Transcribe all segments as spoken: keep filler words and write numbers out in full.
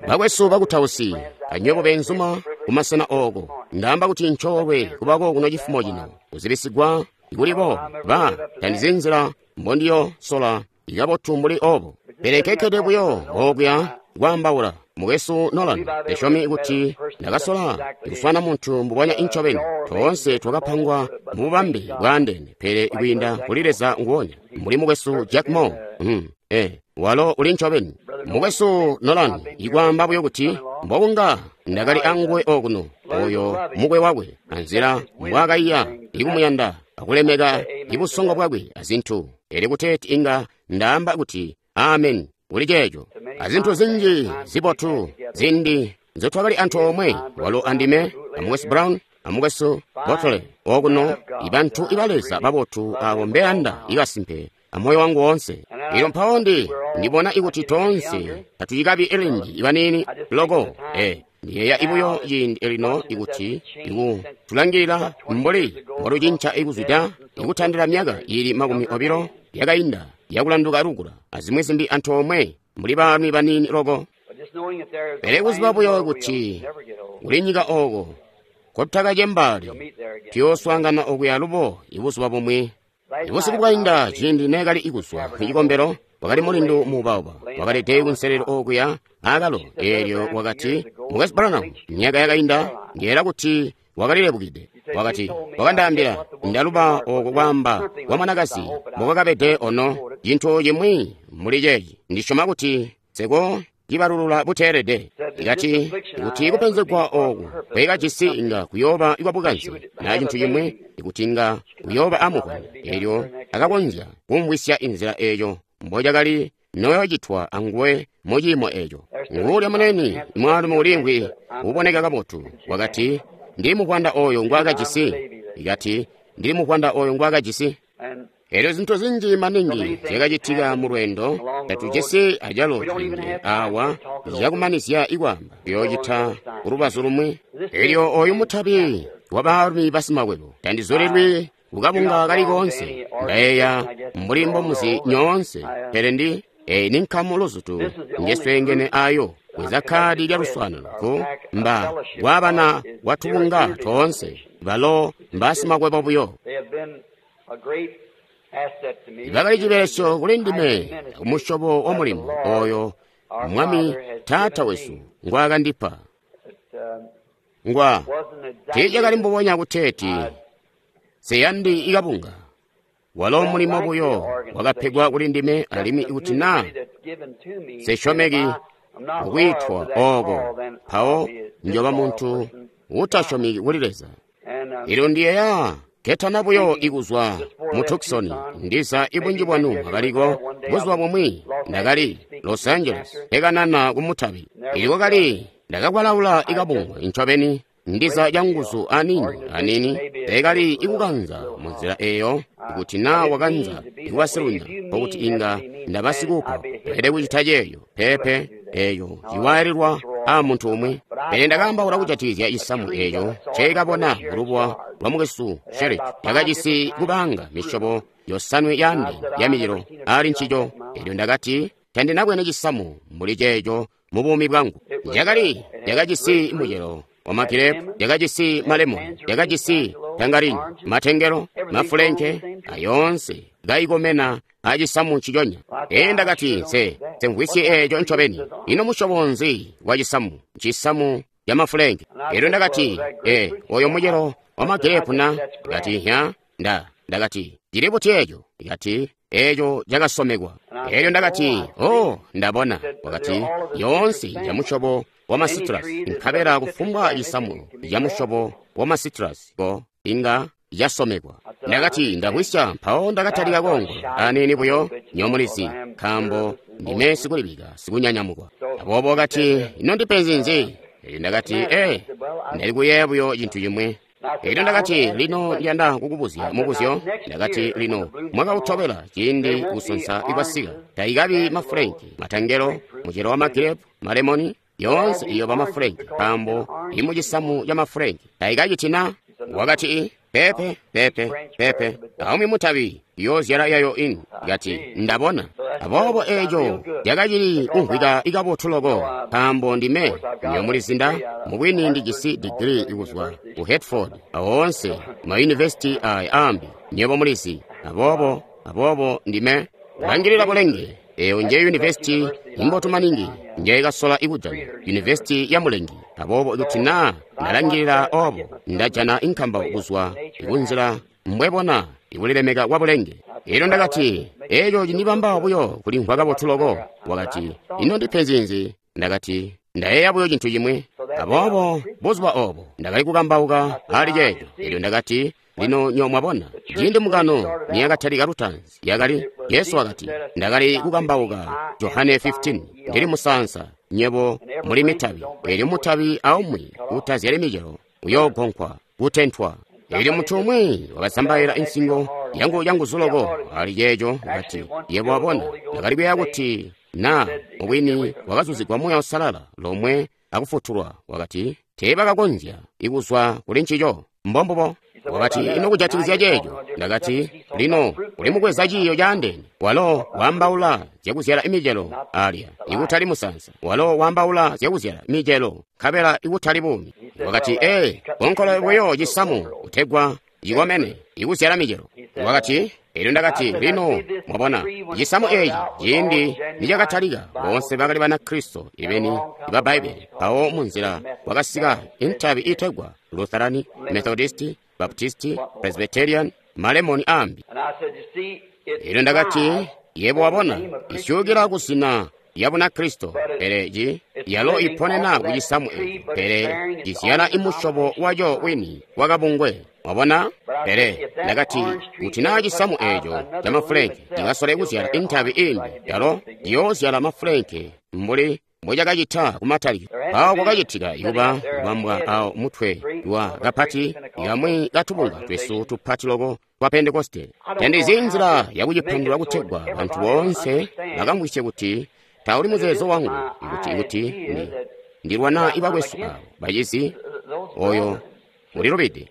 Bakwesu bakutausi, anywebo beenzuma kumasena ooko, ndaamba kuti ncoolwe kubako kuno cifumo cino, kuzibisigwa kulibo ba tandizi nzila mbondiyo sola ikabotu mbuli obo. Pele kekkede buyo okuya kwaambaula. Mukwesu Nolan, ndisyomi kuti ndakasola kuswana muntu mbubonya incobeni. Toonse twakapangwa mububambe bwaandeene, pele kwiinda kuli Leza nguonya. Mbuli mukwesu Jack Moore, mm, eh, walo uli ncobeni. Mukwesu Nolan, ikwaamba buyo kuti mbokunga ndakali anguwe okuno, oyo mukwe wakwe, anzila mbwaakaiya ikumuyanda akulemeka ibusongo bwakwe azintu. Elyo kuteeti inga ndaamba kuti amen kuli ceeco. Azintu zinji zibotu zindi nzotwakali antoomwe, walo andime, amukwesu Brown, amukwesu Botley okuno, ibantu iba Leza babotu abo mbeyanda ikasimpe amoyo wangu woonse. Elyo mpawo ndi ndibona ikuti toonse tatucikabi elinji ibaniini loko. Eh, ndiyeeya ibuyo ciindi elino ikuti iku tulangilila mbuli mbolucinca ikuzwida ikutandila myaka ili makumi obilo yakainda yakulanduka lukula azimwi zimbi antoomwe mbuli baalumi baniini loko. Pele kuziba buyo kuti kuli nyika ooko kotutakacembaali, tuyooswaangana okuya lubo ibuzuba bumwi. Ibusiku bwainda ciindi neekali ikuzwa kucikombelo, wakali mulindu muubauba wakalede kunselelo okuya aakalo. Eelyo wakati, Mukwesu Branham, myaka yakainda ndiyeera kuti wakalilebukide. Wakati, wakandaambila, ndaluba oko kwaamba kwa mwanakazi mbokwakabede ono, cintu cimwi mbuli ceeci. Ndisyoma kuti seko cibalulula buteelede. Ikati, kuti kupenzegwa oku kwekajisi inga kuyooba kwabukanze na cintu cimwi, ikuti inga kuyooba amuvwanda. Elyo akakonzya kumvwisya inzila eeyo mbocakali noyocitwa anguwe mu ciimo eeco. Nguulya munene mwaalumi ulimvwi uboneka kabotu, wakati, ndili muvwanda oyo ngwaakajisi. Ikati, ndili muvwanda oyo ngwaakajisi. Elyo zintu zinji maningi zyakacitika mu lweendo, tatujisi acalo ciindi awa zyakumanizya ikwaamba, tuyoocita kulubazu lumwi. Elyo oyu mutabi wa baalumi basimakwebo, tandizulilwi kukabunga kali koonse, ndayeeya mbuli mbomuzi nyoonse, pele ndi eyi ni nkamu luzutu njesweengene ayo. Bweza kkaadi lya luswaanano ku mba kwabana kwatubunga toonse, balo mbasimakwebo buyo. Bakali cibelesyo kuli ndime kumusyobo wa mulimo oyo Mwami Taata wesu ngwaakandipa. Ngwa tiicakali mbubonya kuteeti seyandi ikabunga. Walo mulimo buyo wakapegwa kuli ndime, alimwi ikuti naa sesyomeki kwiitwa ooko, mpawo njoba muntu utasyomeki kuli Leza. Elyo ndiyeeya ketana buyo ikuzwa mu Tucson, ndiza ibunji bwanu bakaliko buzuba bumwi ndakali Los Angeles ekanana kumutabi. Elyo kwakali ndakakwalaula ikabungwe ncobeni, ndiza canguzu anini anini, tekali ikukanza munzila eyo. Ikuti naa wakanza ikubasilunya, nkokuti inga ndabasikupa pele kucita ceeyo pepe eyo ciwaalilwa a muntu umwi. Pele ndakaambaula kujatikizya cisamu eeco nceekabona mulubuwa lwa mukwesu Sherrick, yakajisi kubanga misyobo yosanwe yaandeene ya micelo ali ncico. Elyo ndakati, tandinabwene cisamu mbuli ceeco mu buumi bwangu. Yakali yakajisi mucelo wa magirepu, yakajisi malemoni, yakajisi tangarini, matengelo, mafulenke, ayoonse kaikomena acisamu nciconya. Ee, ndakati, nse nsemvwisye eeco ncobeni. Ino musyobo nzi wa cisamu? Ncisamu ca mafulenke. Elyo ndakati, ee, oyo mucelo wa magirepu na? Ndakati, nya, nda, ndakati, cili buti eeco? Ndakati, eeco cakasomekwa. Elyo ndakati, oh, ndabona. Wakati, yoonse ya musyobo wa masitrus, nkabela kufumbwa cisamu ca musyobo wa masitrus ko inga casomekwa. Ndakati, ndakwisya. Mpawo ndakatalika koongola aniini buyo, nyomulizi, nkaambo ndime sikulibika sikunyanyamukwa. Aboobo wakati, ino ndipenzi nzi? Elyo ndakati, ee, ndali kuyeeya buyo cintu cimwi. Elyo ndakati, lino ndiyanda kukubuzya mubuzyo. Ndakati, lino mwaka utobela ciindi kusonsa ikwasika, taikabi mafulenki, matangelo, mucelo wa magirepu, malemoni, yoonse iyoba mafulenki, nkaambo imucisamu ca mafulenki taikaciti na? Wakati, pepe, pepe, pepe, aumwi mutabi yoozyala yayo ini. Kati, ndabona. Aboobo eeco cakacili kumvwika ikabotu loko, nkaambo ndime nyomulizinda mubwini ndijisi digiri ikuzwa ku Hertford awoonse mayunivesiti aya ambi nywebo mulizi. Aboobo, aboobo ndime langilila bulenge. Eyo nje yunivesiti imbotu maningi njeyikasola ikujana, yunivesiti ya mulengi. Aboobo ikuti naa ndalangilila obo, ndajana inkambauko kuzwa ikunzila mbwebona ikulilemeka kwa bulenge. Elyo ndakati, eeco cindibamba buyo kulimvwa kabotu loko. Wakati, ino ndipenzi nzi? Ndakati, ndayeeya buyo cintu cimwi. Aboobo buzuba obo ndakali kukambauka ali ceeco. Elyo ndakati, lino nyo mwabona, ciindi mbungano niyakatalika lutaanzi, yakali Jesu wakati, ndakali kukambauka Johane fifteen, ndili musaansa, nyebo muli mitabi. Elyo mutabi aumwi utazyali micelo uyoogonkwa, kutentwa. Elyo muntu umwi wakazambaila insingo yangu yanguzu loko ali ceeco. Kati, yebo wabona, ndakali kuyeeya kuti na mubwini wakazuzigwa Muuya Uusalala lomwe akufutulwa. Wakati, teebakakonzya ikuzwa kuli ncico. Mbombubo. Wakati, ino kujatikizya ceeco? Ndakati, lino uli mukweza ciiyo caandeene. Walo waambaula zyakuzyala imicelo alya, ikutali musaansa. Walo waambaula zyakuzyala micelo, nkabela ikutali buumi. Wakati, ee, konkolo buyo cisamu kutegwa cikomene ikuzyala micelo. Wakati, elyo ndakati, lino mwabona, cisamu eeci ciindi nicakatalika, boonse bakali Banakristo ibeni iba Bbaibbele. Mpawo munzila kwakasika intabi iitegwa Lutherani, Methodisti, Baptisti, Presbyterian, malemoni ambi. Elyo ndakati, yebo wabona, isyukila kuzina ya Bunakristo, pele ci yalo iponena ku cisamu eco, pele cizyala imusyobo waco wini wakabungwe. Wabona? Pele ndakati, kuti naa cisamu eco ca mafulenke cikasole kuzyala intabi imbi, yalo ciyoozyala mafulenke mbuli mbocakacita kumatalikilo. Awo kwakacitika ikuba kubambwa awo mutwe wa kapati kamwi katubunga twesu tupati loko twa Pentekoste. Tandizi nzila yakucipandula kutegwa bantu boonse bakamvwisye kuti tauli muzeezo wangu ikuti ikuti ndi ndilwana ibakwesu abo bacizi oyo ulilubide.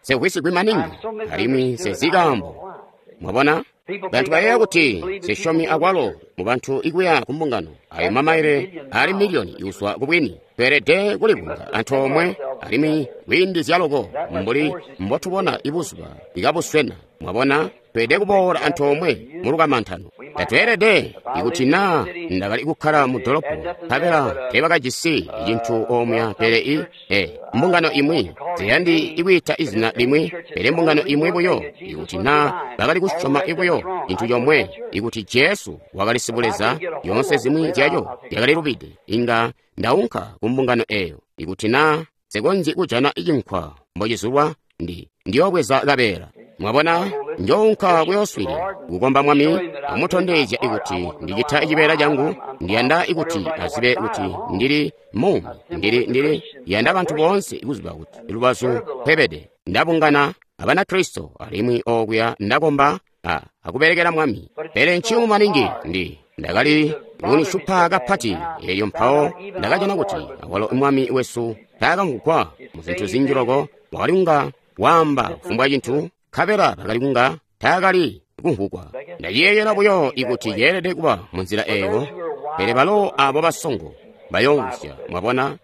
Nsemvwisigwi maningi alimwi nsezi kaambo. Mwabona? Bantu bayeeya kuti sisyomi akwalo mu bantu ikuya ku mbungano ayo mamaile ali miliyoni ikuzwa ku bwini. Tweelede kulibunga antoomwe alimwi kwiindizya loko mbuli mbotubona ibuzuba ikabuswena. Mwabona? Tweelede kuboola antoomwe mu lukamantano. Tatweelede ikuti naa ndakali kukkala mu dolopo nkabela teebakajisi cintu omwe pele i e mbungano imwi ziyandi ikwiita izina limwi, pele mbungano imwi buyo, ikuti naa bakali kusyoma ibuyo cintu comwe, ikuti Jesu wakali sibuleza, yoonse zimwi zyaco zyakalilubide, inga ndaunka ku mbungano eyo. Ikuti naa nsikonzyi kujana cinkwa mbocizulwa, ndi ndiyoobweza kabeela. Mwabona, njounka kuyooswilila kukomba Mwami, amutondezya ikuti ndicita cibeela cangu. Ndiyanda ikuti azibe kuti ndili muumi, ndili ndili yanda bantu boonse kuziba kuti lubazu mpebede. Ndabungana Abanakristo alimwi okuya ndakomba a akubelekela Mwami. Pele nciyumu maningi ndi ndakali kunishupa kapati. Elyo mpawo ndakajana kuti awalo Mwami wesu taakamvugwa mu zintu zinji loko, wakali kunga waamba kufumbwa cintu, nkabela bakali kunga taakali kumvugwa. Ndaciyeeyela buyo ikuti yeelede kuba munzila eyo, pele balo abo basongo bayoomvwisya. Mwabona,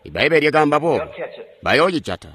Ibbaibbele lyakaamba boobo, bayoocijata.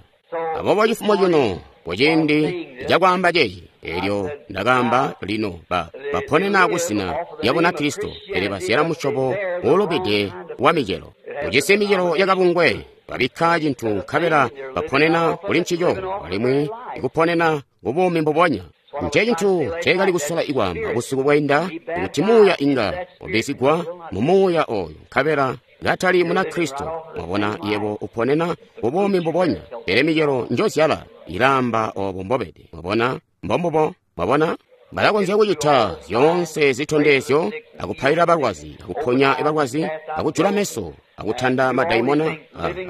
Aboobo cifumo cino kuciindi cakwaamba ceeci, elyo ndakaamba lino ba baponena kuzina lya Bunakristo, pele bazyala musyobo uulubide wa micelo. Ujisi micelo yakabungwe, babikka cintu nkabela baponena kuli ncico, alimwi ikuponena kubuumi mbubonya. Nce cintu nceekali kusola ikwaamba busiku bwainda, kuti muuya inga wabizigwa mu muuya oyu nkabela katali Munakristo. Mwabona, yebo uponena kubuumi mbubonya, pele micelo njozyala ilaamba obo mbobede. Mwabona, mbombubo. Mwabona, balakonzya kucita zyoonse zitondezyo, akupaila balwazi, akuponya balwazi, akujula meso, akutanda madaimona,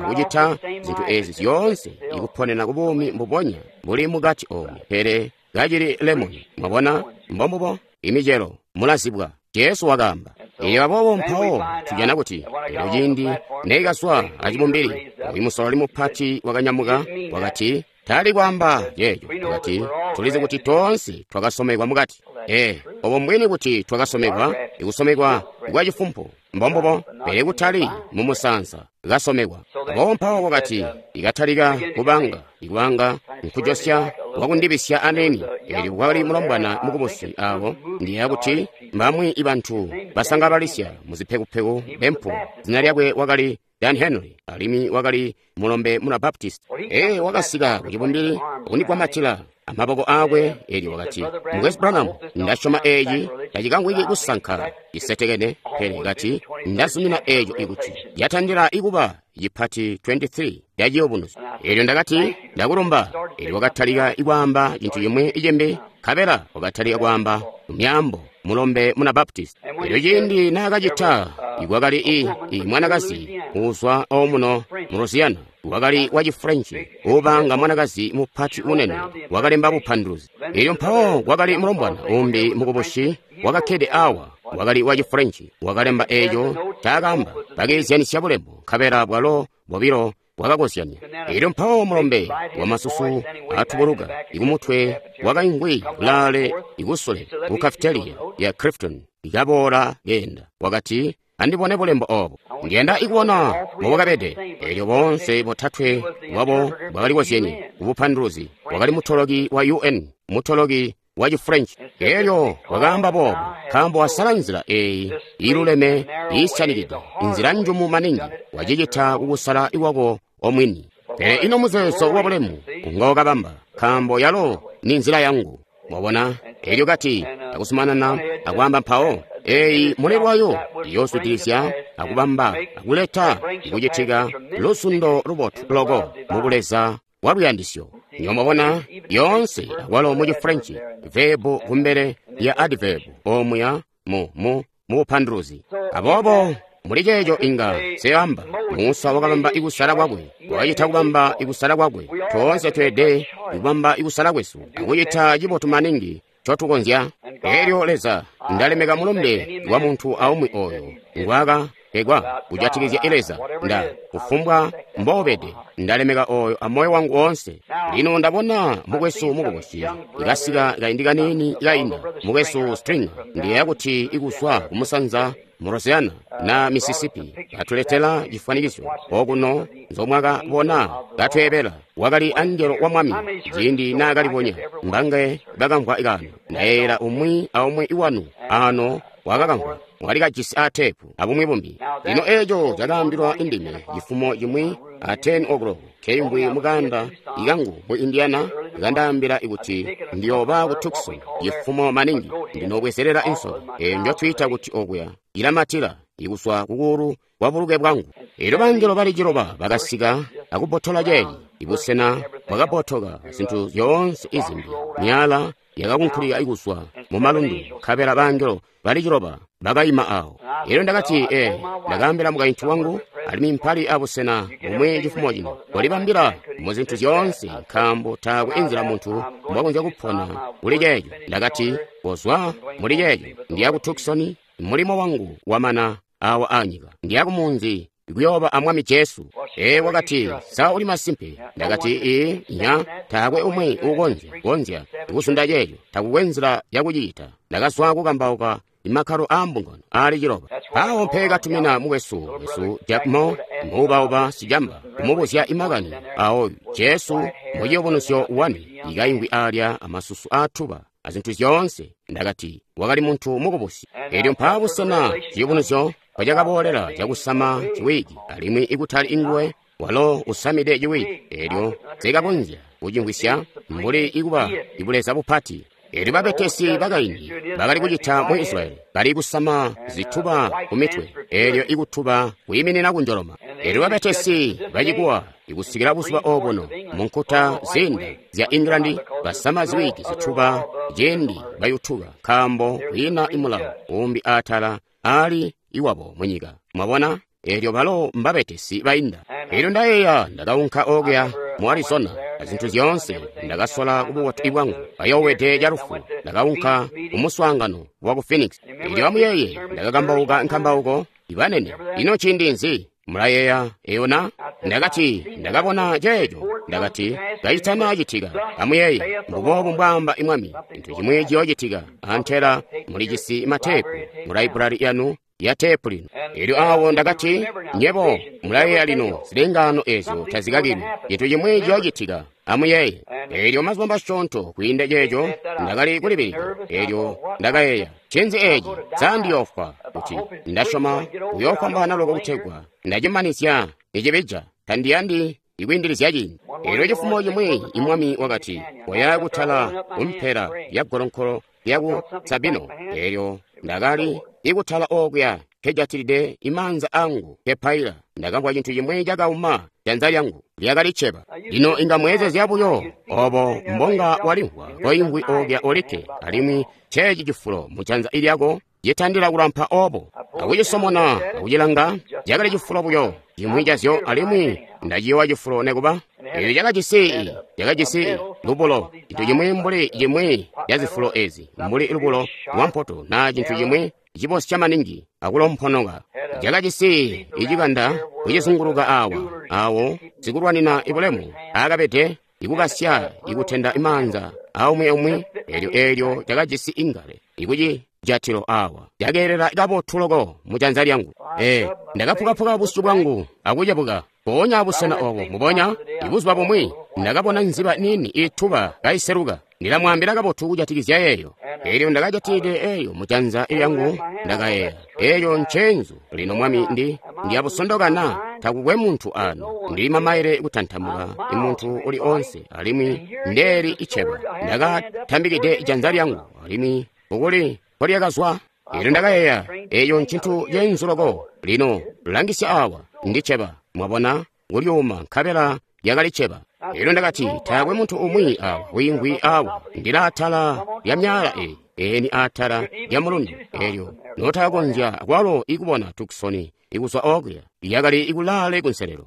akucita zintu ezi zyoonse, ikuponena kubuumi mbubonya buli mukati omu, pele kacili lemoni. Mwabona, mbombubo. Imicelo mulazibwa, Jesu wakaamba. Elyo aboobo mpawo tujana kuti elyo ciindi neikazwa acibumbili, oyu musololi mupati wakanyamuka, wakati, tali kwaamba ceeco. Wakati, tulizi kuti toonse twakasomekwa mukati. Ee, obo mbwini kuti twakasomekwa, ikusomekwa kwa cifumpu, mbombubo, pele kutali mu musansa, kasomekwa. Aboobo mpawo wakati, ikatalika kubanga, ikubanga nkujosya wakundibisya aneni. Elyo kwakali mulombwana mukubusi awo, ndiyeeya kuti mbamwi ibantu basangabalisya muzipekupeku bempu. Zina lyakwe wakali Dan Henry, alimwi wakali mulombe muna Baptist. Ee, wakasika ku cibumbili akundigwamatila amaboko akwe. Elyo wakati, Mukwesu Branham, ndasyoma eeci tacikangwiki kusanka cisetekene, pele kati ndazumina eeco ikuti yatandila ikuba cipati makumi aali makumi aatatu ya ciyubunuzyo. Elyo ndakati, ndakulumba. Elyo wakatalika ikwaamba cintu cimwi icimbi, nkabela wakatalika kwaamba myaambo mulombe muna Baptist. Elyo ciindi naakacita, ikwakali i, i mwanakazi uuzwa omuno mu Louisiana, wakali wa Chifrenchi, ubanga mwanakazi mupati unene, wakalemba bupanduluzi. Elyo mpawo kwakali mulombwana umbi mukubusi wakakkede awa, wakali wa Chifrenchi, wakalemba eeco ncaakaamba. Bakeezyanisya bulembo, nkabela bwalo bobilo bwakakozyanya. Elyo mpawo mulombe wamasusu atubuluka ikumutwe wakaingwi kulaale ikusule ku cafeteria ya Clifton, ikaboola keenda. Wakati, andibone bulembo obo, ndiyanda ikubona mbobwakabede. Elyo boonse botatwe bwabo bwakalikozyenye kubupanduluzi. Wakali mutoloki wa U N, mutoloki wa Chifrench. Elyo wakaamba boobo, nkaambo wasala nzila eeyi iluleme iisyanikide, inzila njumu maningi, wacicita kukusala iwako omwini. Pele ino muzeezo wa bulemu ngokabamba, nkaambo yalo ni nzila yangu. Mwabona? Elyo kati akusumanana akwaamba mpawo, eeyi mulelwayo iyooswidilizya akubamba akuleta ikucitika lusundo lubotu loko mubuleza wa luyandisyo. Nyo mwabona, yoonse akwalo mu Chifrenchi, verbu kumbele ya adverb omuya mu mu mubupanduluzi. Aboobo muli ceeco inga seamba, Musa wakabamba ikusala kwakwe, wakacita kubamba ikusala kwakwe. Toonse tweelede kubamba ikusala kwesu akucita cibotu maningi ncotukonzya. Elyo Leza, ndalemeka mulumbe wa muntu aumwi oyo ngwakapegwa kujatikizya Leza. Nda kufumbwa mbobede, ndalemeka oyo amoyo wangu woonse. Lino ndabona mukwesu mukubusi ikasika kaindi kaniini kainda, mukwesu Stringer, ndiyeeya kuti ikuzwa kumusanza mu Louisiana na Mississippi, atuletela cifwanikiso okuno nzomwakabona katweebela. Wakali angelo wa Mwami ciindi naakalibonya. Mbange bakamvwa kaano. Ndayeeyela umwi aumwi iwanu ano wakakamvwa, mwali kajisi aatepu abumwi bumbi. Lino eeco cakaambilwa indime cifumo cimwi a ten o'clock keingwi mukanda ikangu mu Indiana, kandaambila ikuti ndiyooba ku Tucson cifumo maningi, ndinobwezelela insolo eyo njotwiita kuti okuya ilamatila ikuswa kukulu kwa buluke bwangu. Elyo bangelo bali ciloba bakasika akubotola ceeci, ibusena bwakabotoka zintu zyoonse izimbi, myala yakakunkulika ikuswa mu malundu, nkabela bangelo bali ciloba bakayima awo. Elyo ndakati, ee, ndakaambila mukaintu wangu, alimwi mpali abusena bumwi cifumo cino, kolibambila mu zintu zyoonse, nkaambo taakwe inzila muntu mbwakonzya kupona kuli ceeco. Ndakati, kozwa muli ceeco, ndiya ku Tucson, mulimo wangu wamana awa anyika, ndiya kumunzi kuyooba a Mwami Jesu. Ee, wakati, sa uli masimpe? Ndakati, ee, nya, taakwe umwi uukonzya konzya kusunda ceeco, takukwe nzila yakucita. Ndakazwa kukambauka imakkalo aa mbungano aali ciloba. Mpawo mpe katumina mukwesu wesu Jack Moore, muubauba sicamba, kumubuzya imakani aoyu Jesu mu ciyubunuzyo wani, ikaingwi alya amasusu aatuba azintu zyoonse. Ndakati, wakali muntu mukubusi. Elyo mpaa busena ciyubunuzyo pacakaboolela cakusama ciwiki, alimwi ikutali inguwe walo usamide ciwiki. Elyo sikakonzya kucimvwisya mbuli ikuba ibuleza bupati. Elyo babetesi bakaindi bakali kucita mu Israyeli, bali kusama zituba ku mitwe, elyo ikutuba kuyiminina kunjoloma. Elyo babetesi bacikuwa ikusikila buzuba obuno mu nkuta zinda zya England basama ziwiki zituba ciindi bayutuka, nkaambo kwiina imulawo umbi atala ali iwabo munyika. Mwabona? Elyo balo mbabetesi bainda. Elyo ndayeeya ndakaunka okuya mu Arizona, azintu zyoonse. Ndakasola kububotu bwangu, kayoowede calufu. Ndakaunka kumuswaangano waku Phoenix. Elyo amuyeeye, ndakakambauka nkambauko ibanene. Ino ciindi nzi? Mulayeeya eyo na? Ndakati, ndakabona ceeco. Ndakati, kacitana citika. Amuyeeye, mbuboobu mbwaamba Mwami, cintu cimwi ciyoocitika. Antela mulijisi mateepu mu laibrari yanu ya teepu lino. Elyo awo ndakati, nyebo mulayeeya lino, zilengaano ezyo tazikakilwi. Cintu cimwi ciyoocitika. Amuyeeye. Elyo mazuba masyoonto kwiinda ceeco, ndakali kulibilika. Elyo ndakayeeya, ncinzi eci? Sa ndiyoofwa? Kuti ndasyoma kuyoofwambaana loko kutegwa ndacimanizya nicibija. Tandiyandi ikwiindilizya ciindi. Elyo cifumo cimwi Mwami wakati, koya kutala kumpela ya golonkolo lyaku Sabino. Elyo ndakali ikutala okuya nkejatilide imaanza angu kepaila. Ndakamvwa cintu cimwi cakauma janza lyangu, lyakali cceba. Lino inga mweezezya buyo obo mbonga walimvwa koimvwi okuya olikke, alimwi ceeci cifulo mu janza lyako citandila kulampa obo. Akucisomona akucilanga, cakali cifulo buyo cimwi cazyo, alimwi ndaciyowa cifulo nekuba. Elyo cakajisi cakajisi lubulo, cintu cimwi mbuli cimwi ca zifulo ezi, mbuli lubulo lwa mpoto na cintu cimwi cibosya maningi akulomponoka. Cakajisi icikanda kucizunguluka awa, awo sikulwanina ibulemu akabede ikukasya ikutenda imaanza aumwi umwi. Elyo elyo cakajisi ingale ikucijatilo awa, cakeelela kabotu loko mu janza lyangu. E, ndakapukaphuka busyu bwangu akucebuka mpoonya abusena obo. Mubonya ibuzuba bumwi ndakabona nziba nini ituba kayiseluka. Ndilamwaambila kabotu kujatikizya eyo. Elyo ndakajatilide eyo mu janza lyangu, ndakayeeya, eyo ncenzu. Lino Mwami, ndi ndiyabusondokana, takukwe muntu ano. Ndili mamaile kutantamuka imuntu uli onse, alimwi ndeeli iceba. Ndakatambikide janza lyangu, alimwi ukuli nkolyakazwa. Elyo ndakayeeya, eyo ncintu cenzu loko. Lino langisya awa, ndiceba. Mwabona, kulyuma nkabela lyakali ceba. Elyo ndakati, taakwe muntu umwi awa wiimvwi awa. Ndili atala lya myaala eyi, eni atala lya mulundu. Elyo notakakonzya kwalo ikubona Tucson ikuzwa okuya, yakali ikulaale kunselelo.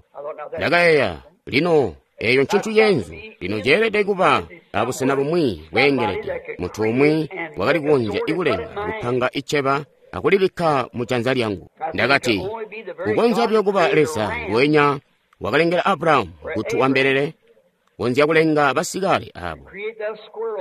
Ndakayeeya, lino eyo ncintu cenzu. Lino ceelede kuba abusena bumwi bweengelede. Muntu umwi wakali kukonzya ikulenga kupanga iceba akulibikka mu janza lyangu. Ndakati, kukonzya buyo kuba Leza nguwenya wakalengela Abrahamu kuti wambelele, konzya kulenga basikale abo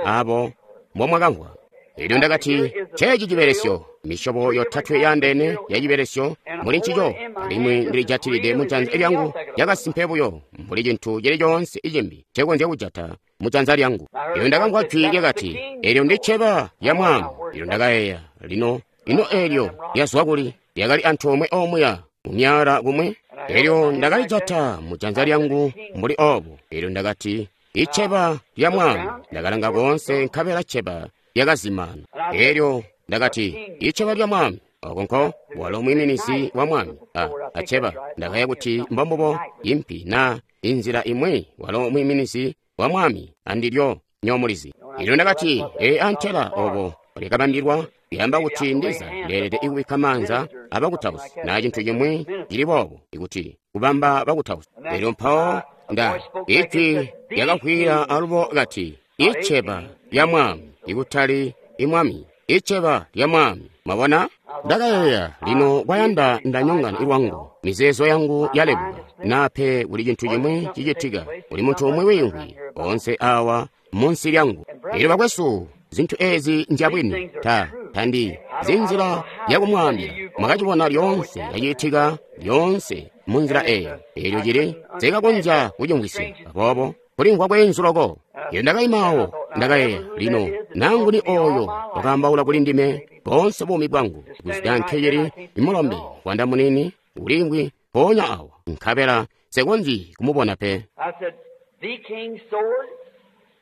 abo mbomwakamvwa. Elyo ndakati, ceeci cibelesyo, misyobo yotatwe yaandeene ya cibelesyo muli ncico, alimwi ndilijatilide mu janza lyangu lyakasimpe buyo mbuli cintu cili coonse icimbi ncekonzya kujata mu janza lyangu. Elyo ndakamvwa jwi lyakati, elyo ndiceba lya Mwami. Elyo ndakayeeya, lino ino elyo lyazwa kuli? Lyakali antoomwe omuya mu myaala kumwi. Elyo ndakalijata mu janza lyangu mbuli obo. Elyo ndakati, iceba lya Mwami. Ndakalanga koonse nkabela ceba lyakazimana. Elyo ndakati, iceba lya Mwami. Oko nko walo mwiiminizi wa Mwami. A, aceba. Ndakayeeya kuti mbombubo impi na inzila imwi walo mwiiminizi wa Mwami andilyo nyomulizi. Elyo ndakati, ee, antela obo lyakabambilwa lyamba kuti ndiza ndeelede ikubikka maanza abakutausi na cintu cimwi cili boobo, ikuti kubamba bakutausi. Elyo mpawo nda ijwi lyakavwiila alubo kati, iceba lya Mwami, ikutali imwami, iceba lya Mwami. Mwabona? Ndakayeeya, lino kwayanda ndanyongana lwangu, mizeezo yangu yalebuka, nape kuli cintu cimwi cicitika, kuli muntu umwi wiimvwi onse awa munsi lyangu. Elyo bakwesu, zintu ezi njabwini, ta tandi zinzila yakumwaambila. Mwakacibona lyoonse yacitika lyoonse munzila eyo. Elyo cili sikakonzya kucimvwisya. Aboobo kulimvwa kweenzu loko. Elyo ndakaimaawo, ndakayeeya, lino nanguni oyo wakaambaula kuli ndime boonse buumi bwangu, kuzida nkecili imulombe wanda munini uliimvwi mpoonya awo, nkabela sekonzyi kumubona pe.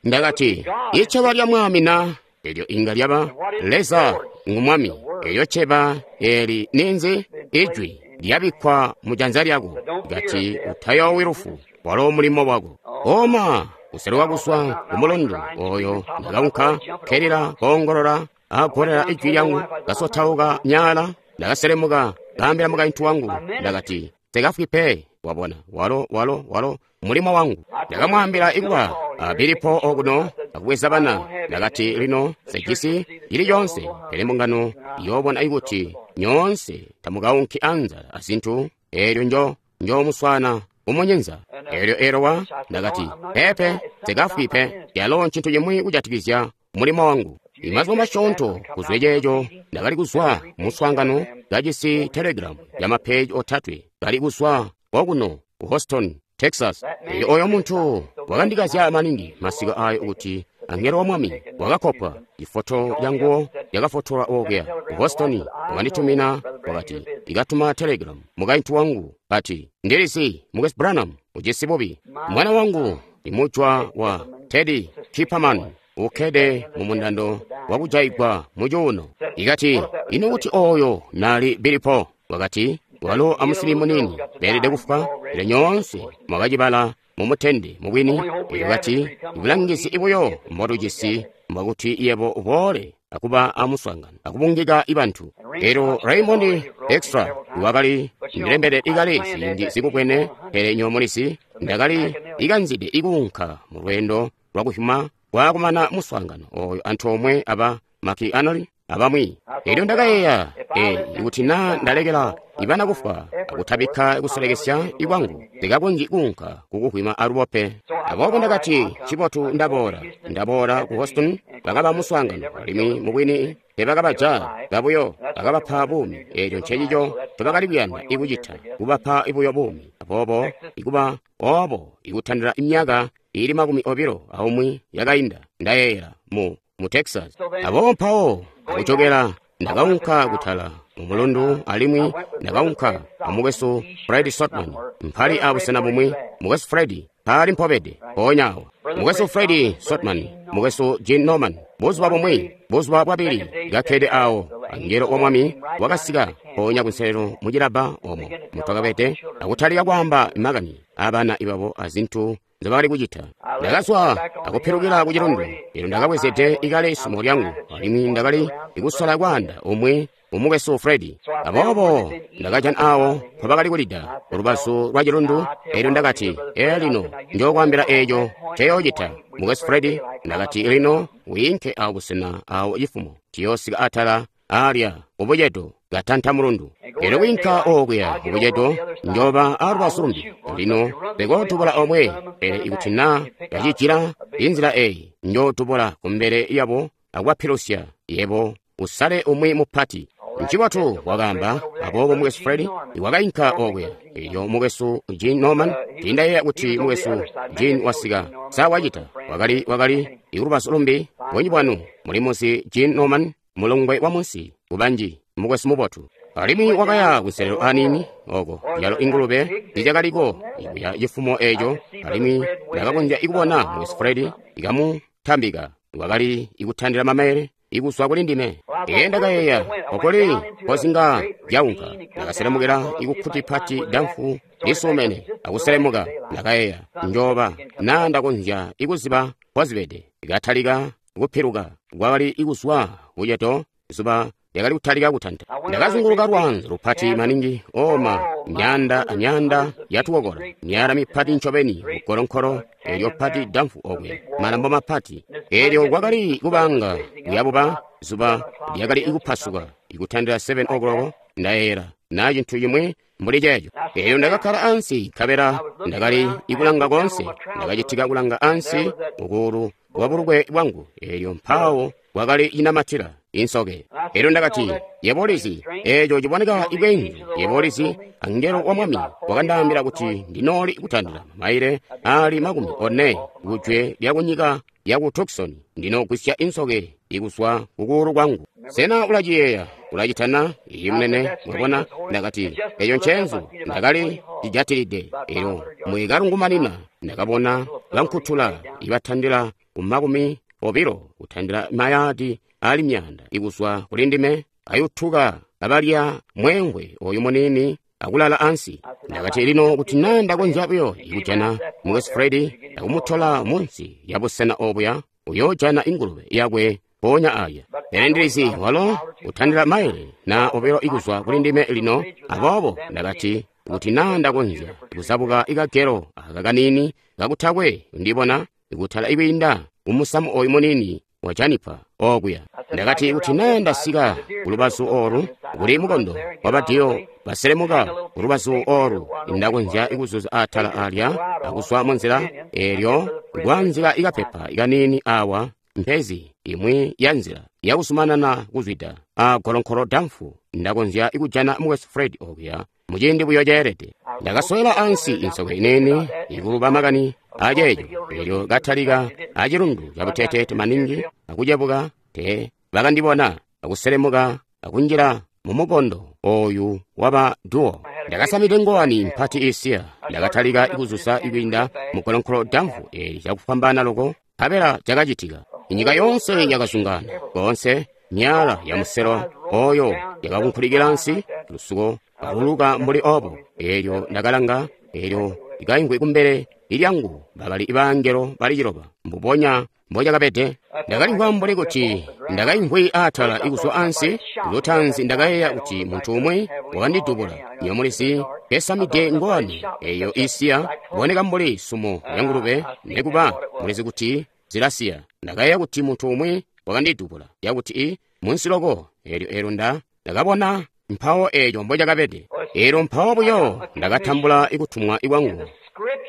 Ndakati, iceba lya Mwami na? Elyo inga lyaba Leza ngu Mwami. Elyo ceba eli ninzi? Ijwi lyabikkwa mu janza lyako. Kati, utayoowi lufu, walo mulimo wako. Oma kuseluka kuzwa ku mulundu oyo ndakaunka kelila koongolola agolela ijwi lyangu, kasotauka myaala. Ndakaselemuka kaambila mukaintu wangu, ndakati, nsekafwi pe. Wabona, walo, walo, walo mulimo wangu. Ndakamwaambila ikuba a Billy Paul okuno akubweza bana. Ndakati lino sejisi ili yonse, pele mbungano iyoobona ikuti nyoonse tamukaunki anzala azintu, eelyo njo njomuswana umunyenza. Eelyo elowa ndakati, pepe, nsikafwi pe, yalo ncintu cimwi kujatikizya mulimo wangu. Imazuba masyoonto kuzwe ceeco ndakali kuzwa muswaangano kajisi telegram ya mapeji otatwe kali kuzwa kokuno ku Houston, Texas. Elyo oyo muntu wakandikazya maningi masiku ayo kuti angelo wa mwami wakakopwa ifoto yanguwo yakafotola okuya ku Houston. Wakanditumina wakati ikatuma telegram mukaintu wangu ati ndilisi Mukwesu Branham ujisi bubi, mwana wangu imujwa wa Teddy Kipperman ukkede mu mundando wakujaigwa mucuuno. Ikati ino kuti oyo nali Billy Paul? Wakati walo amusili munini beelede kufwa. Pele nyoonse mwakacibala mumutende mubwini. Elyo kati ibulangizi ibuyo mbotujisi mbwakuti yebo uboole akuba amuswaangano akubungika ibantu. Elyo Raymond Extra wakali ndilembele ikale ziindi zikubwene, pele nyomulisi ndakali ikanzide ikuunka mu lweendo lwakuhuma kwakumana muswaangano oyo antoomwe aba Maki Anoli abamwi. Elyo ndakayeeya e ikuti naa ndalekela ibana kufwa akutabikka kusolekesya ikwangu, ndikakonzyi kuunka kukuhwima alubo pe. Aboobo ndakati cibotu ndaboola ndaboola ku Houston. Bakaba muswaangano alimwi mubwini tebakabaja kabuyo, bakabapa buumi. Eelyo ncecico ncobakali kuyanda ikucita, kubapa ibuyo buumi. Aboobo ikuba obo ikutandila imyaka ili makumi obilo aumwi yakainda, ndayeeyela mu mu Texas. Aboobo mpawo akujokela ndakaunka kutala mu mulundu, alimwi ndakaunka amukwesu Fred Sotman mpali abusena bumwi. Mukwesu Fred mpali mpobede mpoonya awa. Mukwesu Fred Sotman, mukwesu Gene Norman, buzuba bumwi, buzuba bwabili kakkede awo, angelo wa mwami wakasika mpoonya kunselelo mu cilabba omwo mutwakabede akutalika kwaamba makani abana ibabo azintu nzobakali kucita. Ndakazwa akupilukila ku cilundu. Elyo ndakabwezede ikale isumo lyangu, alimwi ndakali ikusola kwaanda umwi umukwesu Fred. Aboobo ndakajana awo mpobakali kulida ulubazu lwa cilundu. Elyo ndakati, ee lino njokwaambila eeco nceyoocita mukwesu Fred. Ndakati lino wiinke awo busena awo cifumo ciyoosika atala alya kubucedo katanta mulundu. Elyo kwiinka okuya kubucedo njoba alubazu lumbi. Lino ndikootubula omwe, pele ikuti naa ndacijila inzila eyi njootubula kumbele yabo akubapilusya. Yebo usale umwi mupati. Ncibotu wakaamba. Aboobo mukwesu Fred wakainka okuya. Elyo mukwesu Gene Norman, tindayeeya kuti mukwesu Gene wasika sa wacita, wakali wakali ikulubazu lumbi. Bunji bwanu mulimuzi Gene Norman, mulongwe wa munsi kubanji, mukwesu mubotu. Alimwi wakaya kunselelo aniini oko yalo ingulube zizyakaliko ikuya cifumo eeco, alimwi ndakakonzya ikubona mukwesu Fred ikamutambika wakali ikutandila mamaele ikuzwa kuli ndime. Ee ndakayeeya okoli kozinga zyaunka. Ndakaselemukila ikukkuti pati damfu lisuumene akuselemuka. Ndakayeeya njoba naa ndakonzya ikuziba kozibede. Ikatalika kupiluka kwakali ikuzwa kuceto, zuba lyakali kutalika kutanta. Ndakazunguluka lwanzo lupati maningi oma myanda amyanda yatukokola, myala mipati ncobeni mugolonkolo elyo pati damfu okwe malambo mapati. Elyo kwakali kubanga kuyabuba, zuba lyakali ikupasuka ikutandila seven o'clock ndayeeyela naa cintu cimwi mbuli ceeco. Elyo ndakakkala ansi nkabela ndakali ikulanga koonse. Ndakacitika kulanga ansi kukuulu kwa bulukwe bwangu, elyo mpawo kwakali inamatila insoke. Elyo ndakati, yebo ulizi, eeco ciboneka ibwenzu. Yebo ulizi, angelo wa mwami wakandaambila kuti ndinooli kutandila mamaile ali makumi one kujwe lyakunyika yaku Tucson, ndinogwisya insoke ikuzwa kukuulu kwangu. Sena ulaciyeeya? Ulacitana? Iyi munene. Mwabona? Ndakati eyo ncenzu ndakali cijatilide. Elyo mwikalungumanina ndakabona bankutula ibatandila ku makumi obilo kutandila mayadi ali myanda ikuzwa kuli ndime, ayutuka abalya mwengwe oyu munini akulala ansi. Ndakati lino kuti naa ndakonzya buyo ikujana mukwesu Fred akumutola munsi ya busena obuya, uyoojana ingulube yakwe mpoonya aya. Pele ndilizi walo utandila maile na obilo ikuzwa kuli ndime lino. Aboobo ndakati Kuti na ndakonzya kuzabuka ikagelo aka kaniini kakutakwe ndibona kutala ikwiinda kumusamu oyu muniini wa janipa okuya. Ndakati kuti na ndasika kulubazu olu kuli mukondo wabadiyo baselemuka kulubazu olu, ndakonzya kuzuza atala alya akuzwa munzila elyo kwanzila ikapepa ikaniini awa mpezi imwi ya nzila yakuzumanana kuzwida a golonkolo damfu, ndakonzya kujana mukwesu Fred okuya muciindi buyo ceelede. Ndakaswela ansi insoke ineeni ikuluba makani aceeco, elyo katalika acilundu cabuteteete maningi akucebuka te bakandibona akuselemuka akunjila mumukondo oyu waba duo. Ndakasamide ngowani mpati isiya. Ndakatalika ikuzuza ikwiinda mugolonkolo damfu eli cakufwambaana loko, nkabela cakacitika. Inyika yonse yakazungana konse, myala ya muselo oyo yakakunkulikila ansi, lusuko kaluluka mbuli obo. Elyo ndakalanga, elyo ikaingwe kumbele ilyangu bakali bangelo bali ciloba, mbubonya mbocakabede. Ndakalimvwa mbuli kuti ndakaimvwi atala ikuzwa ansi. Lutanzi ndakayeeya kuti muntu umwi wakandidubula. Nyomulizi kesamide ngowani eyo isiya kuboneka mbuli sumo ya ngulube, nekuba mulizi kuti zilasiya. Ndakayeeya kuti muntu umwi wakandidubula yakuti i munsi loko. Elyo elyo nda ndakabona mpawo eco mbocakabede. Elyo mpawo buyo ndakatambula ikutumwa ikwangu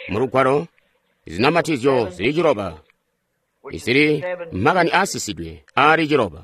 mulugwalo, zinamatizyo zili ciloba izili makani aasisidwe aali ciloba.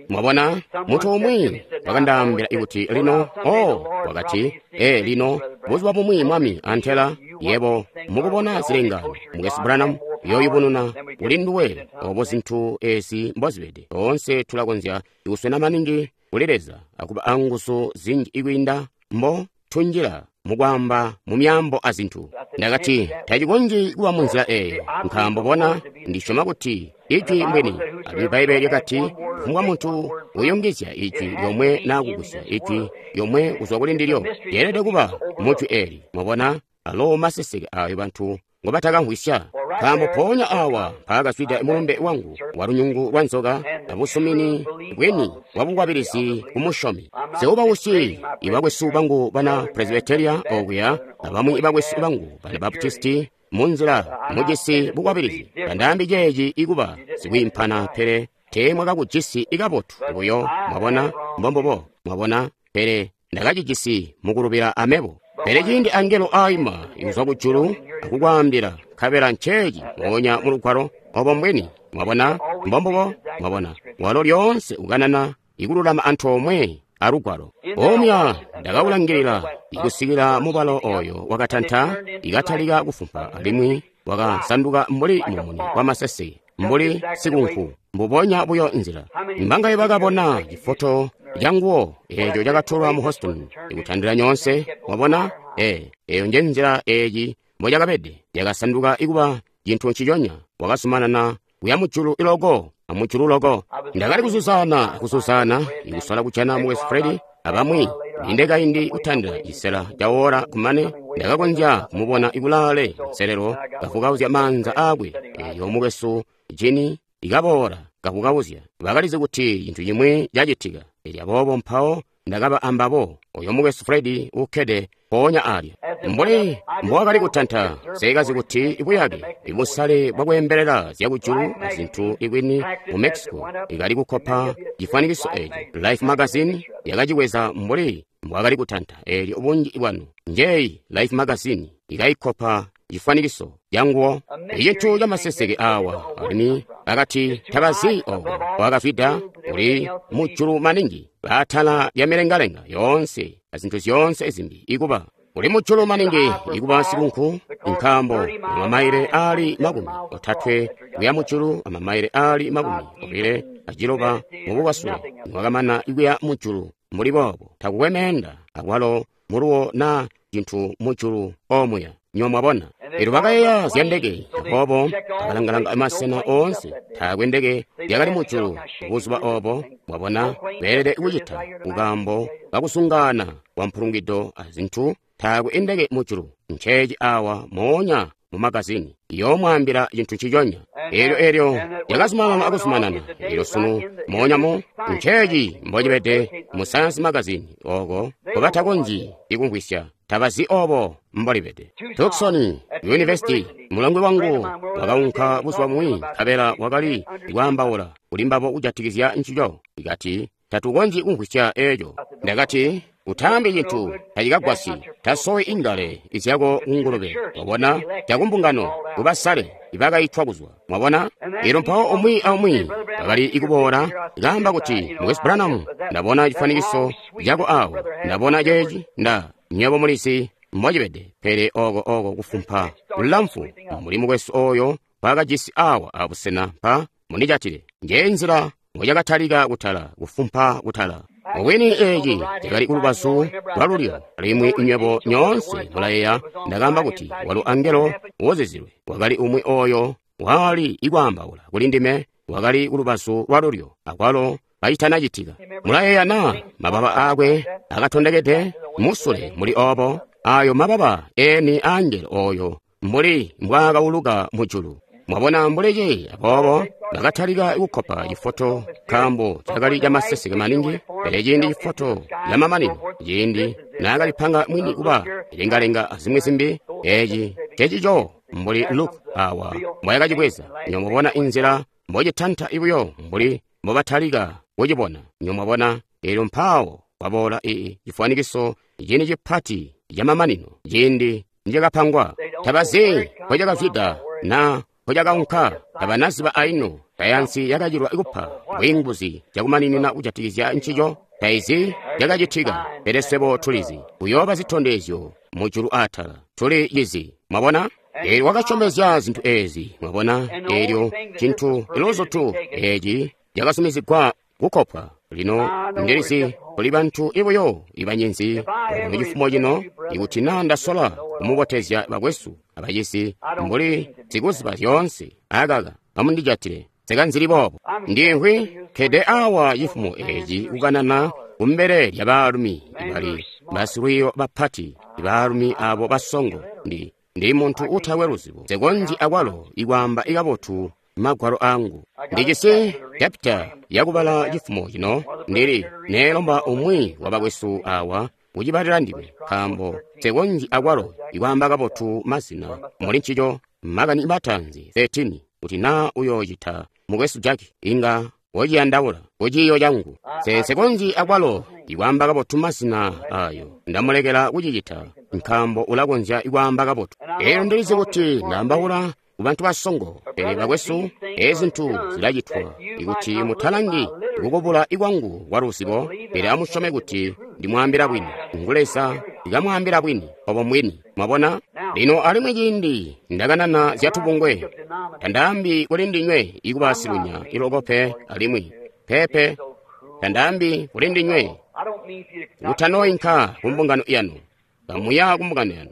Mwabona, muntu umwi wakandaambila kuti lino, oh, wakati, e lino, buzuba bumwi Mwami antela, yebo mukubona zilengaano, Mukwesu Branham uyoyubununa kuli nduwe obo zintu ezi mbozibede. Toonse tulakonzya kuswena maningi kuli Leza akuba anguzu zinji ikwiinda mbo tunjila mukwaamba mu myaambo a zintu. Ndakati tacikonzyi kuba munzila eyo, nkaambo bona ndisyoma kuti ijwi mbwini. Alimwi Bbaibbele lyakati kufumbwa muntu uyungizya ijwi lyomwe naa kugusya ijwi lyomwe kuzwa kuli ndilyo, lyeelede kuba mujwi eli. Mwabona, alo maseseke ayo bantu ngobatakamvwisya. Nkaambo mpoonya awa mpaakazwida mulumbe wangu wa lunyungu lwa nzoka abusumini bwini bwa bukwabilizi ku musyomi. Sewubausyi ibakwesu bangu bana Presbyteria okuya abamwi ibakwesu bangu bana Baptisti munzila mujisi bukwabilizi. Tandaambi ceeci ikuba sikwiimpana, pele teemwakakujisi ikabotu buyo. Mwabona, mbombubo, mwabona, pele ndakacijisi mukulubila amebo. Pele ciindi angelo aima ikuzwa kujulu akukwaambila, nkabela nceeci moonya mulugwalo obo mbwini. Mwabona, mbombubo, mwabona, walo lyoonse ukanana ikululama antoomwe alugwalo. Omya ndakawulangilila ikusikila mubalo oyo wakatanta ikatalika kufumpa, alimwi wakasanduka mbuli mumuni wa masese, mbuli sikunku, mbubonya buyo nzila. Mbangaye bakabona cifoto canguwo eco cakatolwa mu Houston ikutandila nyoonse. Mwabona, e eyo nje nzila eeci mbocakabede. Yakasanduka ikuba cintu nciconya. Wakazumanana kuya mujulu iloko amujulu loko. Ndakali kuzuzana akuzuzana ikusola kujana mukwesu Fred abamwi. Linde kaindi kutandila cisela ca kumane ndakakonzya kumubona ikulaale nselelo kavukauzya maanza aakwe. Elyo mukwesu Jini ikaboola kavukauzya. Bakalizi kuti cintu cimwi cacitika. Elyo aboobo mpawo ndakaba ambabo. Oyo mukwesu Fred ukkede mpoonya alya. Mbuli mbowakali kutanta, seekazi kuti buyake ibusale bwakweembelela zyakujulu azintu ikwini mu Mexico ikali kukopa cifwanikiso eco. Life magazine yakaciweza mbuli mbwakali kutanta. Elyo bunji bwanu njeyi Life magazine ikayikopa cifwanikiso canguwo. Icintu camaseseke awa, alimwi bakati tabazi oko wakazwida, uli mujulu maningi baatala lya milengalenga yoonse azintu zyoonse zimbi ikuba uli mujulu maningi ikuba sikunku, nkaambo amamaile ali makumi otatwe kuya mujulu, amamaile ali makumi obile aciloba mububasule. Niwakamana ikuya mujulu mbuli boobo, takukwe meenda akwalo muluwo na cintu mujulu omuya. Nyo mwabona. Elyo bakayeeya zya ndeke, aboobo bakalangalanga masena oonse. Taakwe ndeke yakali mujulu buzuba obo. Mwabona, beelede kucita kukambo kakusungana kwa mpulungido azintu. Taakwe indeke mujulu. Nceeci awa moonya mu magazini. Iyoomwaambila cintu nciconya. Elyo elyo yakazumanana akuzumanana. Elyo sunu moonya mu nceeci mbocibede mu Science Magazine oko nkobatakonzyi ikumvwisya. Tabazi obo mbolibede. Tucson University, mulongwe wangu wakaunka buzuba bumwi nkabela wakali kwaambaula kuli mbabo kujatikizya ncico. Ikati tatukonzyi kumvwisya eco. Ndakati utaambi cintu tacikagwasyi, tasowi ingale izyako kungulube. Mwabona, cakumbungano kubasale ibakaitwa kuzwa. Mwabona, elyo mpawo umwi aumwi bakali ikuboola kaamba kuti Mukwesu Branham, ndabona cifwanikiso cako awo, ndabona ceeci, nda nywebo mulizi mbocibede, pele oko oko kufumpa lulamfu mbuli mukwesu oyo mpakajisi awa abusena mpa mundijatile. Nje nzila mbocakatalika kutala, kufumpa kutala. Mubwini eeci cakali kulubazu lwalulyo, alimwi nywebo nyoonse mulayeeya ndakaamba kuti walo angelo wozizilwe wakali umwi oyo wali ikwaambaula kuli ndime, wakali kulubazu lwalulyo akwalo kacitanacitika. Mulayeeya na mababa aakwe akatondekede musule muli obo, ayo mababa eni angelo oyo mbuli mbwaakauluka mujulu. Mwabona mbuleci, aboobo bakatalika kukkopa cifoto nkaambo cakali camaseseke maningi. Pele ciindi cifoto camamanino, ciindi naakalipanga mwini kuba lengalenga azimwi zimbi, eeci cecico mbuli Luke awa mbwayakacibweza. Nyomubona inzila mbocitanta buyo mbuli mbobatalika kucibona. Nyomubona elyo mpaawo kwaboola ii cifwanikiso cini cipati camamanino ciindi nicakapangwa. Tabazi mpocakazwida na mpocakaunka, tabanaziba aino. Sayansi yakacilwa kupa bwiinguzi cakumaninina kujatikizya ncico. Taizi cakacitika, pele swebo tulizi kuyooba zitondezyo mujulu atala. Tuli cizi. Mwabona? Eelyo wakasyomezya zintu eezi. Mwabona? Eelyo cintu iluzutu eeci cakasumizigwa kukopwa. Lino ndilizi kuli bantu ibuyo ibanyinzi mu cifumo cino, ikuti naa ndasola kumubotezya bakwesu abacisi mbuli sikuziba zyoonse, akaka amundijatile nsekanzili boobo. Ndimvwi nkede awa cifumo eeci kukanana kumbele lya baalumi ibali basilwiiyo bapati, ibaalumi abo basongo. Ndi ndi muntu utakwe luzibo, nsekonzyi akwalo ikwaamba ikabotu magwalo angu. Ndijisi chapita yakubala cifumo cino, ndili neelomba umwi wa bakwesu awa kucibalila ndime, nkaambo nsekonzyi akwalo ikwaamba kabotu mazina muli ncico. Makani matanzi thirteen, kuti naa uyoocita mukwesu Jack inga wociyandaula kuciiyo cangu. Nsekonzyi akwalo ikwaamba kabotu mazina ayo, ndamulekela kucicita nkaambo ulakonzya ikwaamba kabotu. Elyo ndilizi kuti ndaambaula kubantu basongo, pele bakwesu, ezi zintu zilacitwa ikuti mutalangi kukubula ikwangu kwa luzibo, pele amusyome kuti ndimwaambila bwini. Ngu Leza ikamwaambila bwini, obo mbwini. Mwabona? Lino alimwi ciindi ndakanana zyatubungwe, tandaambi kuli ndinywe ikuba silunya iloko pe, alimwi pepe tandaambi kuli ndinywe kutanooinka kumbungano yanu. Kamuya kumbungano yanu,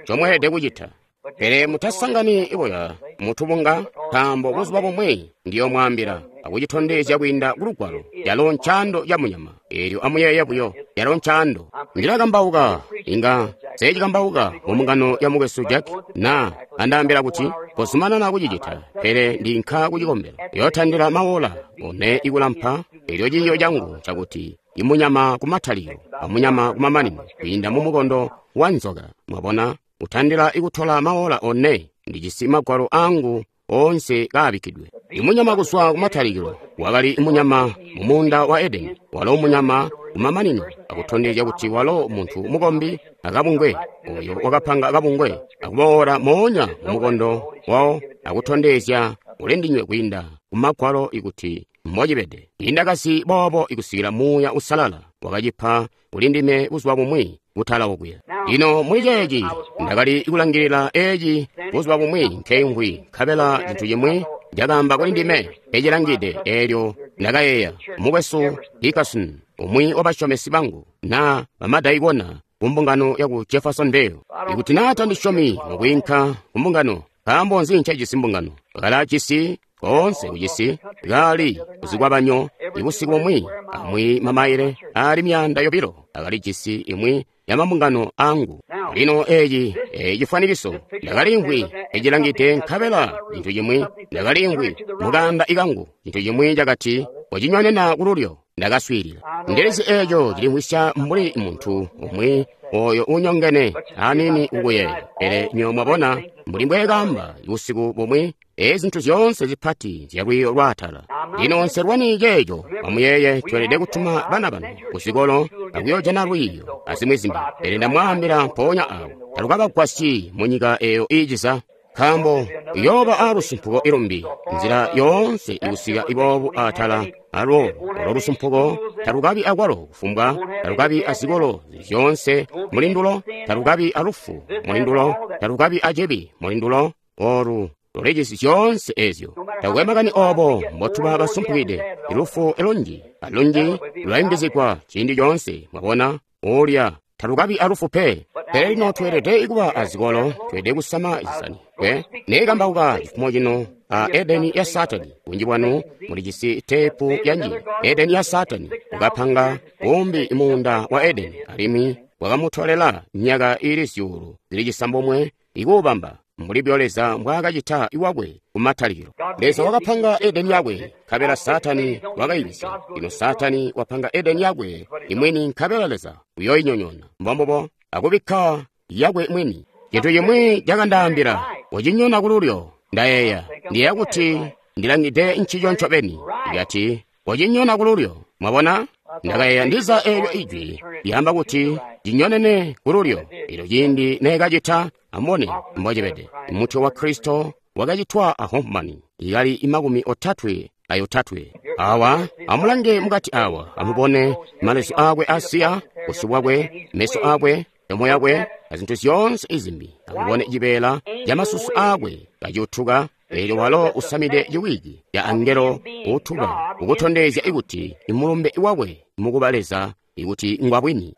ncomweelede kucita. Pele mutasangani iboya mutubunga, nkaambo buzuba bumwi ndiyomwaambila akucitondezya kwiinda kulugwalo yalo ncando ya munyama. Eelyo amuyeeye buyo, yalo ncando. Ndilakambauka, inga seecikambauka mumbungano ya mukwesu Jack na andaambila kuti kozumanana kucicita, pele ndinka kucikombelo yootandila mawola one ikulampa. Eelyo ciiyo cangu cakuti imunyama kumatalikilo amunyama kumamanino kwiinda mumukondo wa nzoka. Mwabona, utandila ikutola mawola one. Ndijisi magwalo angu onse kaabikkidwe. Imunyama kuzwa kumatalikilo wakali munyama mu muunda wa Edeni, walo munyama kumamanino akutondezya kuti walo muntu mukombi akabungwe oyo wakapanga akabungwe akuboola moonya mu mukondo wawo akutondezya ulindinywe kwiinda kumagwalo ikuti mbocibede. Indakasi boobo ikusikila Muuya Usalala wakacipa kulindime buzuba bumwi kutala okuya. Lino muli ceeci ndakali kulangilila eeci buzuba bumwi nkeimvwi, nkabela cintu cimwi cakaamba kuli ndime nkecilangide. Eelyo ndakayeeya, mukwesu Hickerson, umwi wabasyomesi bangu na bamadaikona kumbungano yaku Jeffersonville, ikuti naa tandisyomi mukwiinka kumbungano, nkaambo nzi ncejisi mbungano? Kalaajisi koonse kucisi kaali kuzikwabanyo ibusiku bumwi amwi mamaile aali myaanda yobilo akalijisi imwi ya mambungano angu. Lino eci eci cifwanikiso ndakalimvwi ecilangide nkabela cintu cimwi ndakalimvwi mukanda ikangu cintu cimwi cakati wacinyonena kululyo. Ndakaswiilila. Ndilizi eeco cilimvwisya mbuli muntu umwi oyo unyongene aniini kukuyeeya. Pele nywebo mwabona mbuli mbweekaamba busiku bumwi, ezi zintu zyoonse zipati zyalwiiyo lwaatala. Lino nselwani ceeco, amuyeeye tweelede kutuma bana banu kuzikolo akuyoojana lwiiyo azimwi zimbi. Pele ndamwaambila mpoonya awo, talukabagwasyi munyika eeyo iiciza. Nkaambo iyooba aalusumpuko ilumbi nzila yoonse ikusika iboobu atala alwo olo lusumpuko talukabi akwalo kufumbwa talukabi azikolo zyoonse mulindulo talukabi alufu mulindulo talukabi acibi mulindulo olu lulijisi zyoonse ezyo. Takukwe makani obo mbotuba basumpukide, ilufu elunji alunji lulayungizigwa ciindi coonse. Mwabona ulya talukabi alufu pe. Pele lino tweelede kuba azikolo, tweelede kusama zisani. We neekambauka cifumo cino a Edeni ya Satani. Bunji bwanu mulijisi teepu yanji. Edeni ya Satani ukapanga umbi muunda wa Edeni, alimwi wakamutolela myaka ili zyuulu zili cisambomwe ikuubamba mbuli byo Leza mbwaakacita iwakwe kumatalikilo. Leza wakapanga Edeni yakwe, nkabela Satani wakayibisya. Lino Satani wapanga Edeni yakwe imwini, nkabela Leza uyoyinyonyoona. Mbombubo akubikka yakwe mwini. Cintu cimwi cakandaambila, wacinyona kululyo. Ndayeeya, ndiyeeya kuti ndilangide ncico ncobeni. Ikati, wacinyona kululyo. Mwabona? Ndakayeeya ndiza eelyo ijwi lyaamba kuti cinyonene kululyo. Elyo ciindi neekacita, amubone mbocibede. Mutwe wa Kristo wakacitwa a Hoffman, ikali imakumi otatwe ayotatwe. Awa, amulange mukati awa, amubone malezu akwe asiya, busyu bwakwe, meso akwe, milomo yakwe, azintu zyoonse izimbi. Amubone cibeela camasusu akwe kacutuka. Eelyo walo usamide ciwiki ya angelo utuba, ukutondezya ikuti imulumbe wakwe mukuba Leza ikuti ngwabwini.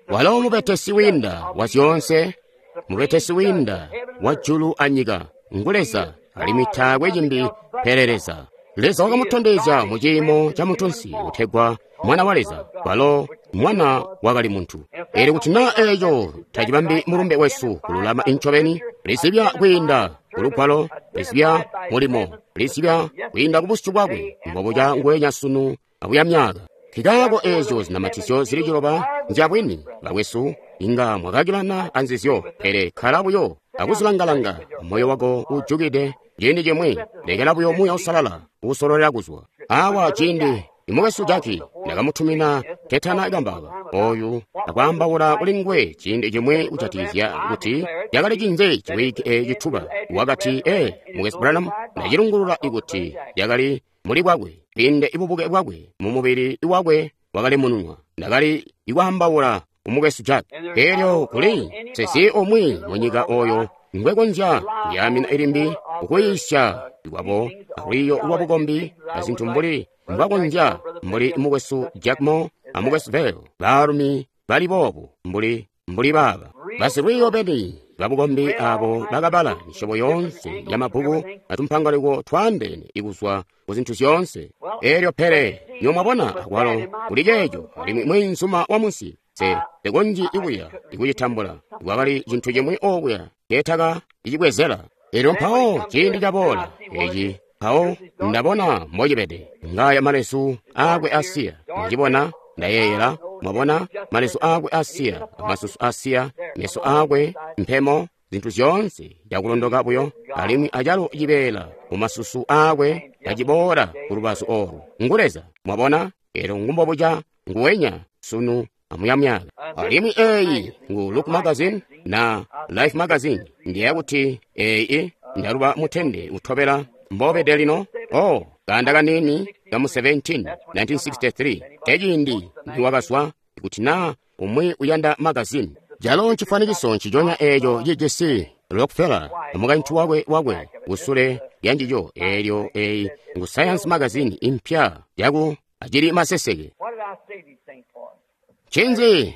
Walo mubetesi wiinda wa zyoonse, mubetesi wiinda wa julu anyika, ngu Leza, alimwi taakwe cimbi pele Leza. Leza wakamutondezya mu ciimo ca muntunsi utegwa Mwana wa Leza, walo Mwana wakali muntu. Eelyo kuti naa eeco tacibambi mulumbe wesu kululama incobeni, lizibya kwiinda kulugwalo, lizibya mulimo, lizibya kwiinda kubusyu bwakwe, mbobuca nguwenya sunu akuya myaka. Nkikaako eezyo zinamatizyo zili ciloba nzyabwini, bakwesu, inga mwakakilana anzizyo, pele kkala buyo akuzilangalanga moyo wako ujukide ciindi cimwi, lekela buyo Muuya Uusalala uusololela kuzwa. Awa ciindi imukwesu Jaki ndakamutumina tetana kambauka oyu akwaambaula kuli nguwe ciindi cimwi kujatikizya kuti cakali cinze ciwiki eeci tuba. Wakati, ee, mukwesu Branham, ndacilungulula ikuti yakali muli bwakwe, kwiinde ibubuke bwakwe mu mubili wakwe wakali mununwa. Ndakali ikwaambaula umukwesu Jack. Elyo kuli sesi umwi munyika oyo ngwekonzya kuyaamina ilimbi ukuyiisya ikwabo alwiiyo lwa bukombi azintu mbuli mbwakonzya mbuli mukwesu Jack Moore amukwesu Vayle, baalumi bali boobu mbuli mbuli baaba basilwiiyo beni babukombi abo bakabala misyobo yoonse ya mabbuku atumpangaliko twaandeene ikuzwa ku zintu zyoonse. Elyo pele nyo mwabona akwalo kuli ceeco alimwi mweenzuma wa munsi se tekonji ikuya ikucitambula kwakali cintu cimwi okuya keetaka icibwezela. Elyo mpawo ciindi caboola eci mpawo ndabona mbocibede ngaya malesu akwe asiya ndicibona ndayeeyela mwabona malesu akwe asiya amasusu asiya meso akwe mpemo zintu zyoonse cakulondoka buyo alimwi acalo cibeela mumasusu akwe kaciboola ku lubazu olu ngu Leza mwabona. Elyo ngumbobuca nguwenya sunu amuyamyaka. Alimwi eyi ngu Look Magazine na Life Magazine ndiye kuti eyi ndaluba mutende utobela mbobede lino. Oh, kanda kanini kamu seventeen nineteen sixty-three eciindi niwakazwa kuti na umwi uyanda magazine jalo ncifwanikiso nciconya eeco cijisi Rockefeller mukaintu wakwe wakwe kusule lyanjijo. Eelyo eyi ngu Science Magazine impya yaku acili maseseke. Ncinzi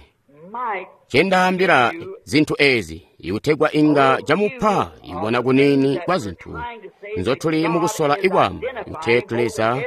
cendaambila zintu ezi ikutegwa inga camupa ibona kunini kwa zintu nzotuli mukusola ikwamba kuti Leza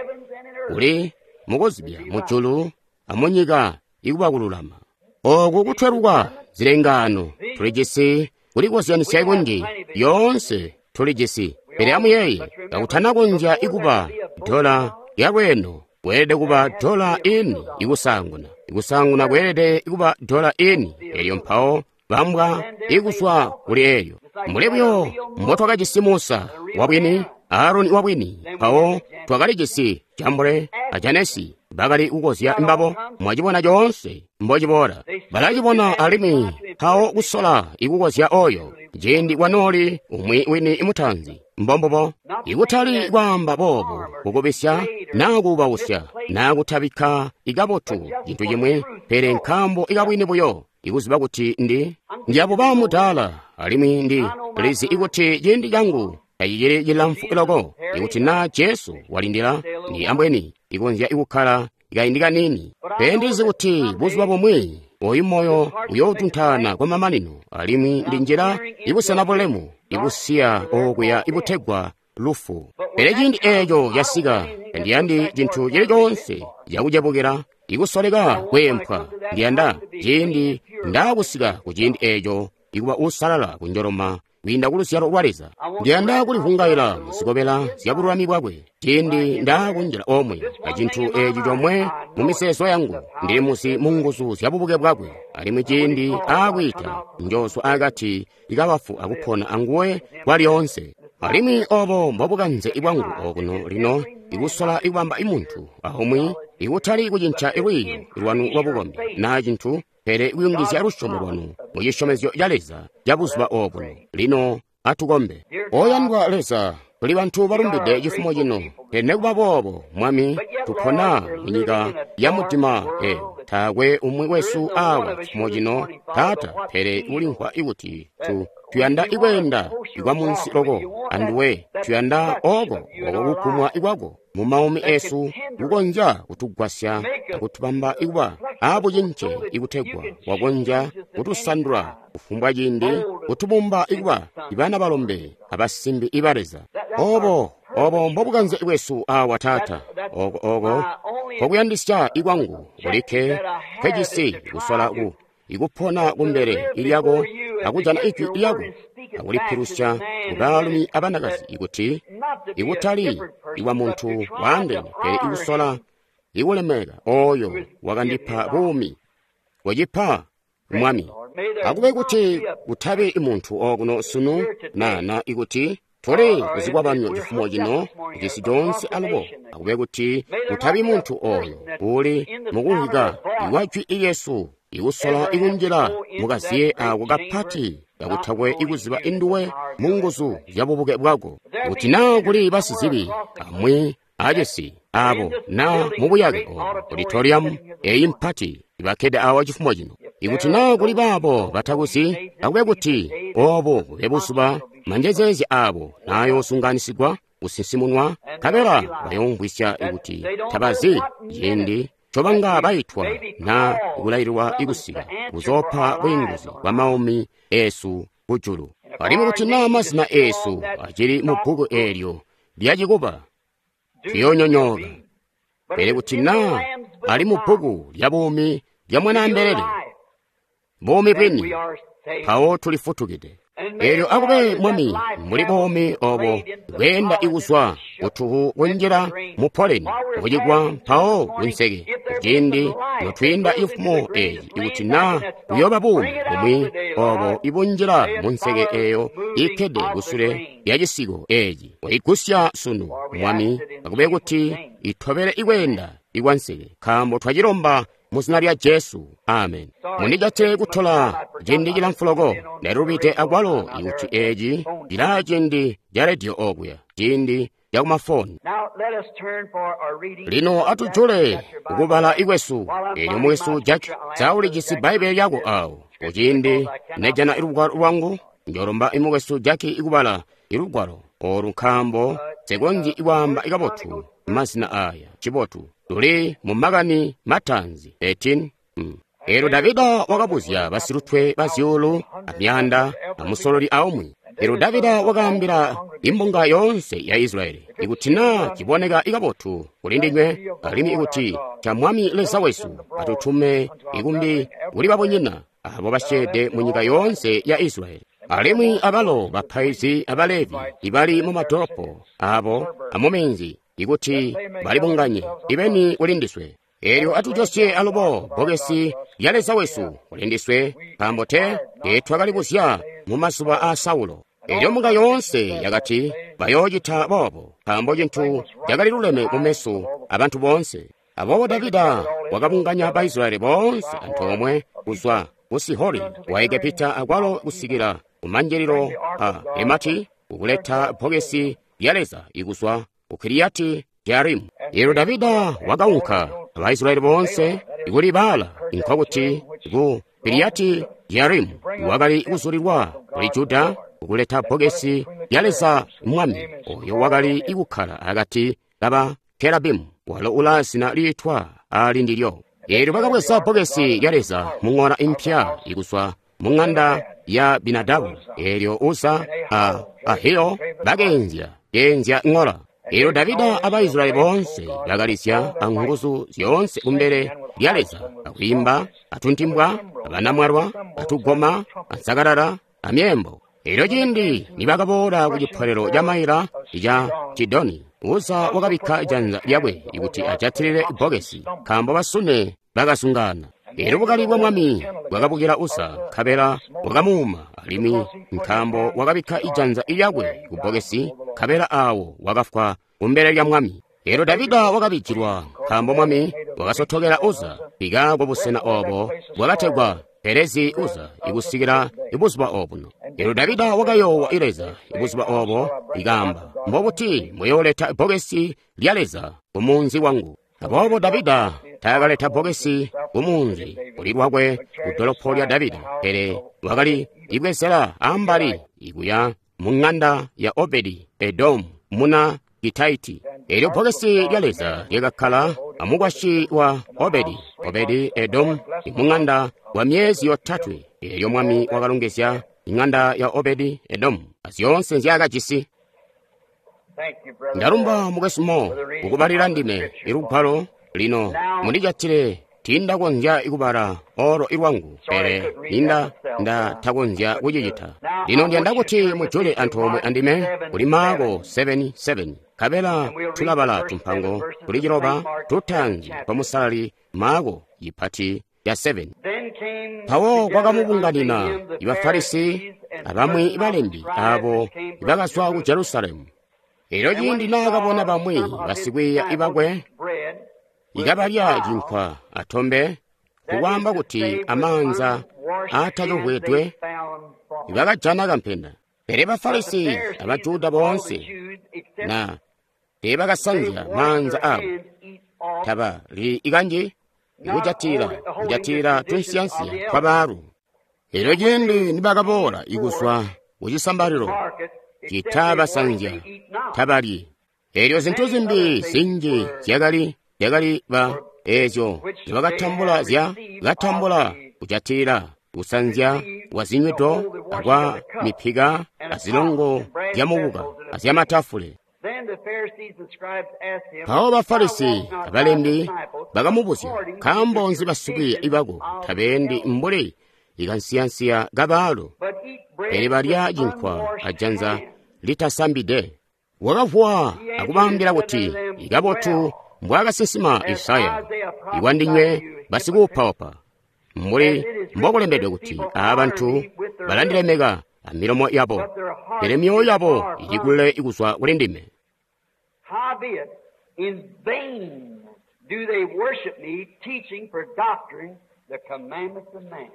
uli mukuzibya mujulu amunyika ikuba kululama. Oku kutweluka zilengaano, tuli jisi kulikozyanisya kunji, yoonse tuli jisi. Pele amuyeeye, kakutanakonzya ikuba dola yalweeno, kweelede kuba dola ini ikusaanguna. Ikusaanguna kweelede kuba dola ini, elyo mpawo bambwa ikuzwa kuli eyo. Mbuli buyo mbotwakajisi Musa wabwini, Aaroni wabwini, mpawo twakalijisi Jambure a Janesi bakali kukozya mbabo. Mwacibona coonse mbociboola, balacibona alimwi mpawo kusola ikukozya oyo ciindi kwanooli umwi wini mutaanzi. Mbombubo, ikutali kwaamba boobo kukubisya naa kuubausya naa kutabikka ikabotu cintu cimwi, pele nkaambo ikabwini buyo ikuziba kuti ndi ndiyabuba mudaala alimwi ndi lizi ikuti ciindi cangu tacicili cilamfu loko. Ikuti naa Jesu walindila, ndi ambweni ikonzya ikukkala kaindi kaniini, pele ndizi kuti buzuba bumwi oyu moyo uyootuntaana kwa mamanino, alimwi ndi njira ibusena bulemu ibusiya okuya ibutegwa lufu. Pele ciindi eeco casika, tandiyandi cintu cili coonse cakucebukila ikusoleka kweempwa. Ndiyanda ciindi ndaakusika ku ciindi eeco ikuba uusalala kunjoloma kwiinda ku luzyalo lwa Leza. Ndiyanda kulivungaila muzikobela zya bululami bwakwe ciindi ndaakunjila omwe acintu eeci comwe mu mizeezo yangu. Ndili muzi mu nguzu zya bubuke bwakwe, alimwi ciindi aakwiita njoozwa akati kabafu akupona anguwe kwalyoonse. Alimwi obo mbobukanze bwangu okuno lino, ikusola ikubamba imuntu aumwi, ikutali kucinca lwiiyo lwanu lwabukombi naa cintu, pele kuyungizya lusyomo lwanu mu cisyomezyo ca Leza ca buzuba obuno. Lino atukombe. Oyandwa Leza, tuli bantu balumbide cifumo cino, pele nekuba boobo, Mwami, tupona munyika ya mudima eyo. Taakwe umwi wesu awa cifumo cino, Taata, pele ulimvwa ikuti tu tuyanda ikweenda ikwamunsi loko anduwe, tuyanda oko oko kukumwa ikwako mu maumi esu kukonzya kutugwasya akutubamba ikuba abucince ikutegwa wakonzya kutusandula kufumbwa ciindi, kutubumba ikuba ibana balombe abasimbi iba Leza. Obo obo mbobukanze bwesu awa, Taata. Oko oko kokuyandisya ikwangu kulikke nkejisi kusola ku ikupona kumbele ilyako akujana ijwi lyako akulipilusya kubaalumi abanakazi, ikuti ikutali ikwa muntu waandene, pele ikusola ikulemeka oyo wakandipa buumi. Wacipa Mwami, akube kuti kutabi muntu okuno sunu na na ikuti tuli kuzikwabano cifumo cino cisi coonse alubo, akube kuti kutabi muntu oyo uli mukumvwika ikwa jwi lyesu ikusola ikunjila mukaziye ako kapati kakutakwe ikuziba induwe mu nguzu zya bubuke bwako. Kuti naa kuli basizibi amwi acisi abo na mubuyake obo auditorium eyi mpati ibakkede awa cifumo cino, ikuti naa kuli baabo batakuzi, akube kuti obo bube buzuba manjezeezya abo naayosunganisigwa kusinsimunwa, nkabela bayoomvwisya ikuti tabazi ciindi cobanga baitwa na kulaililwa ikusika kuzoopa bwiinguzi bwa maumi esu kujulu. Alimwi kuti naa mazina esu acili mu bbuku eelyo lyacikuba, tuyoonyonyooka. Pele kuti naa ali mu bbuku lya buumi lya Mwanaambelele, buumi bwini, mpawo tulifutukide. Eelyo akube Mwami muli buumi obo bweenda ikuzwa kutuhu kunjila mu poleni mucigwa mpawo kunseke. Kuciindi notwiinda ifumo eeci, ikuti naa kuyooba buumi bumwi obo ibunjila munseke eeyo ikkede kusule lya cisiko eeci, waigusya sunu Mwami, akube kuti itobele ikweenda ikwanseke, nkaambo twacilomba mu zina lya Jesu. Amen. Mundijate kutola ciindi cilamfu loko, ndalubide akwalo ikuti eeci cilaa ciindi ca rediyo okuya, ciindi ca kumafoni. Lino atujule kukubala ikwesu. Eelyo mwesu Jack, saulijisi Bbaibbele lyako awo. Kuciindi nejana ilugwalo lwangu, njolomba imukwesu Jack ikubala ilugwalo olu, nkaambo nsikonzyi ikwaamba kabotu mazina aya. Cibotu tuli mu makani mataanzi thirteen. Mm. Eelyo Davida wakabuzya basilutwe ba zyuulu amyaanda amusololi aumwi. Eelyo Davida wakaambila imbunga yoonse ya Israyeli, ikuti naa ciboneka ikabotu kuli ndinywe, alimwi ikuti ca Mwami Leza wesu atutume ikumbi kuli babunyina abo basyeede munyika yoonse ya Israyeli. Alimwi abalo bapaizi abalevi ibali mumadolopo abo amuminzi ikuti balibunganye ibeni kulindiswe. Eelyo atujosye alubo bbokesi lya Leza wesu kulindiswe, nkaambo te teetwakalibuzya mumazuba aa Saulo. Eelyo mbunga yoonse yakati bayoocita boobo, nkaambo cintu cakaliluleme mumeso abantu boonse. Aboobo Davida wakabunganya Baisilayeli boonse antoomwe kuzwa ku Sihori wa Egepita akwalo kusikila kumanjililo a Hemati kukuleta bbokesi lya Leza ikuzwa ku Kiriyati Jearimu. Eelyo Davida wakaunka Abaisilayeli boonse kuli Baala, nkokuti ku Kiriyati Jearimu, wakali kuzulilwa kuli Juda kukuleta bbokesi lya Leza Mwami, oyo wakali kukkala akati kaba Kerabimu, walo ulaa zina liitwa ali ndilyo. Eelyo bakabweza bbokesi lya Leza muŋola impya ikuzwa muŋanda ya Binadabu. Eelyo Uza a Ahiyo bakeenzya keenzya ŋola. Eelyo Davida Abaisilayeli boonse bakalizya anguzu zyoonse kumbele lya Leza, akwiimba, atuntimbwa, abanamwalwa, atugoma, ansakalala, amyeembo. Eelyo ciindi nibakaboola ku cipolelo ca maila ca Kidoni, Uza wakabikka janza lyakwe kuti ajatilile bbokesi, nkaambo basune bakazungaana. Eelyo bukali bwa Mwami bwakabukila Uza, nkabela bwakamuuma, alimwi nkaambo wakabikka ijanza lyakwe ku bbokesi, nkabela aawo wakafwa kumbele lya Mwami. Eelyo Davida wakabijilwa, nkaambo Mwami wakasotokela Uza ikaako busena oobo bwakategwa Perezi Uza ikusikila ibuzuba obuno. Eelyo Davida wakayoowa Leza ibuzuba obo, ikaamba, mbobuti muyooleta bbokesi lya Leza kumunzi wangu? Aboobo Davida taakaleta bbokesi kumunzi kuli lwakwe kudolopo lya Davida, pele wakali ibwezela ambali ikuya muŋanda ya Obedi Edomu muna Gitaiti. Eelyo bbokesi lya Leza lyakakkala amukwasyi wa Obedi Obedi Edomu muŋanda kwa myezi yotatwe. Eelyo Mwami wakalongezya iŋanda ya Obedi Edomu azyoonse nzyaakajisi. Ndalumba mukwesu Mo kukubalila ndime ilugwalo lino mundijatile tindakonzya kubala olo ilwangu, pele ninda ndatakonzya kucicita. Lino ndiyanda kuti mujule antoomwe andime kuli Maako seven seven, nkabela tulabala tumpango kuli ciloba tutaanzi twa musalali Maako cipati ca seven. Mpawo kwakamubunganina Ibafarisi abamwi balembi abo ibakazwa ku Jerusalemu. Eelyo ciindi naakabona bamwi basikwiiya ibakwe ikabalya cinkwa atombe, kukwaamba kuti amaanza aatakavwedwe, bakajana kampenda. Pele Bafarisi abaJuda boonse na teebakasanzya maanza abo, taba li ikanji ikujatilila kujatilila tunsiyansiya twabaalu. Eelyo ciindi nibakaboola ikuzwa kucisambalilo citabasanzya tabalyi. Eelyo zintu zimbi zinji zyakali zyakali ba eezyo zibakatambula zya katambula kujatilila kusanzya kwa zinywido akwa mipika azilongo zyamukuka azyamatafule. Mpawo Bafarisi abalembi bakamubuzya, nkaambo nzi basikwiiya ibako tabeendi mbuli ikansiyansiya kabaalu, pele balya cinkwa ajanza litasambide? Wakavuwa akubaambila kuti, ikabotu mbwaakasinsima Isaya, ikwandinywe basikuupaupa, mbuli mbokulembedwe kuti, aabantu balandilemeka amilomo yabo, pele myoyo yabo ili kule ikuzwa kuli ndime. Howbeit, in vain do they worship me, teaching for doctrine the commandments of man.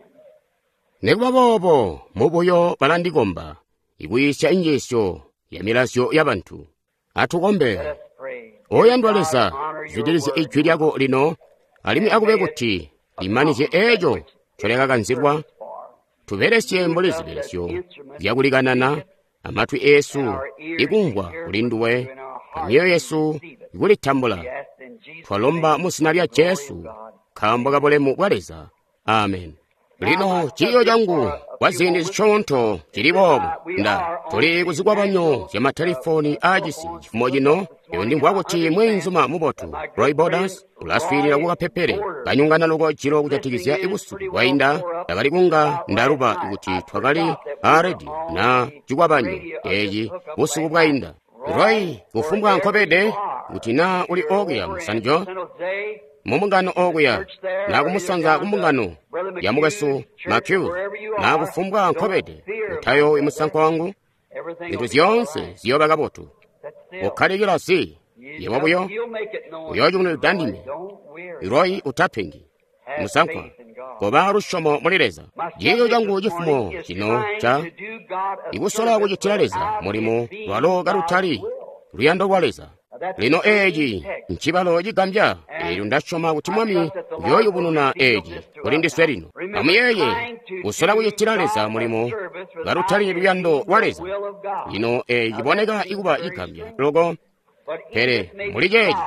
Nikuba boobo mubuyo balandikomba, ikuyiisya injiisyo ya milazyo yabantu. Atukombe. Let us pray. Oyandwa Leza, zwidilizya ijwi lyako lino, alimwi akube kuti limanizye eeco ncolyakakanzilwa, tubelesye mbuli zibelesyo zyakulikanana amatwi eesu ikumvwa kuli nduwe, amyoyo yesu ikulitambula. Twalomba mu zina lya Jesu, nkaambo kabulemu bwa Leza. Amen. Lino ciiyo cangu kwa ziindi zisyoonto cili boobu. Nda tuli kuzikwabanyo zya matelefoni aacisi cifumo cino. Eyo ndimvwa kuti mweenzuma mubotu Roy Borders ulaswiilila kukapepele kanyungana loko jilo kujatikizya busiku bwainda. Ndakali kunga ndaluba kuti twakali aa redio na cikwabanyo eci busiku bwainda. Roy, kufumbwa nkobede kuti naa uli okuya mu San Jose, mu mbungano okuya, na kumusanza ku mbungano ya mukwesu McHugh, na kufumbwa nkobede, utayowi musankwa wangu, zintu zyoonse ziyooba kabotu. Ukkalikila zi, yebo buyo uyoocunulida ndime. Roy, utapengi musankwa, koba lusyomo muli Leza. Ciiyo cangu cifumo cino ca ikusola kucitila Leza mulimo lwalo kalutali luyando lwa Leza. Lino eci ncibalo cigambya. Eelyo ndasyoma kuti Mwami uyooyubununa eci kuli ndiswe lino. Amuyeeye, kusola kucitila Leza mulimo kalutali luyando lwa Leza. Lino eci ciboneka ikuba cigambya loko, pele muli ceeci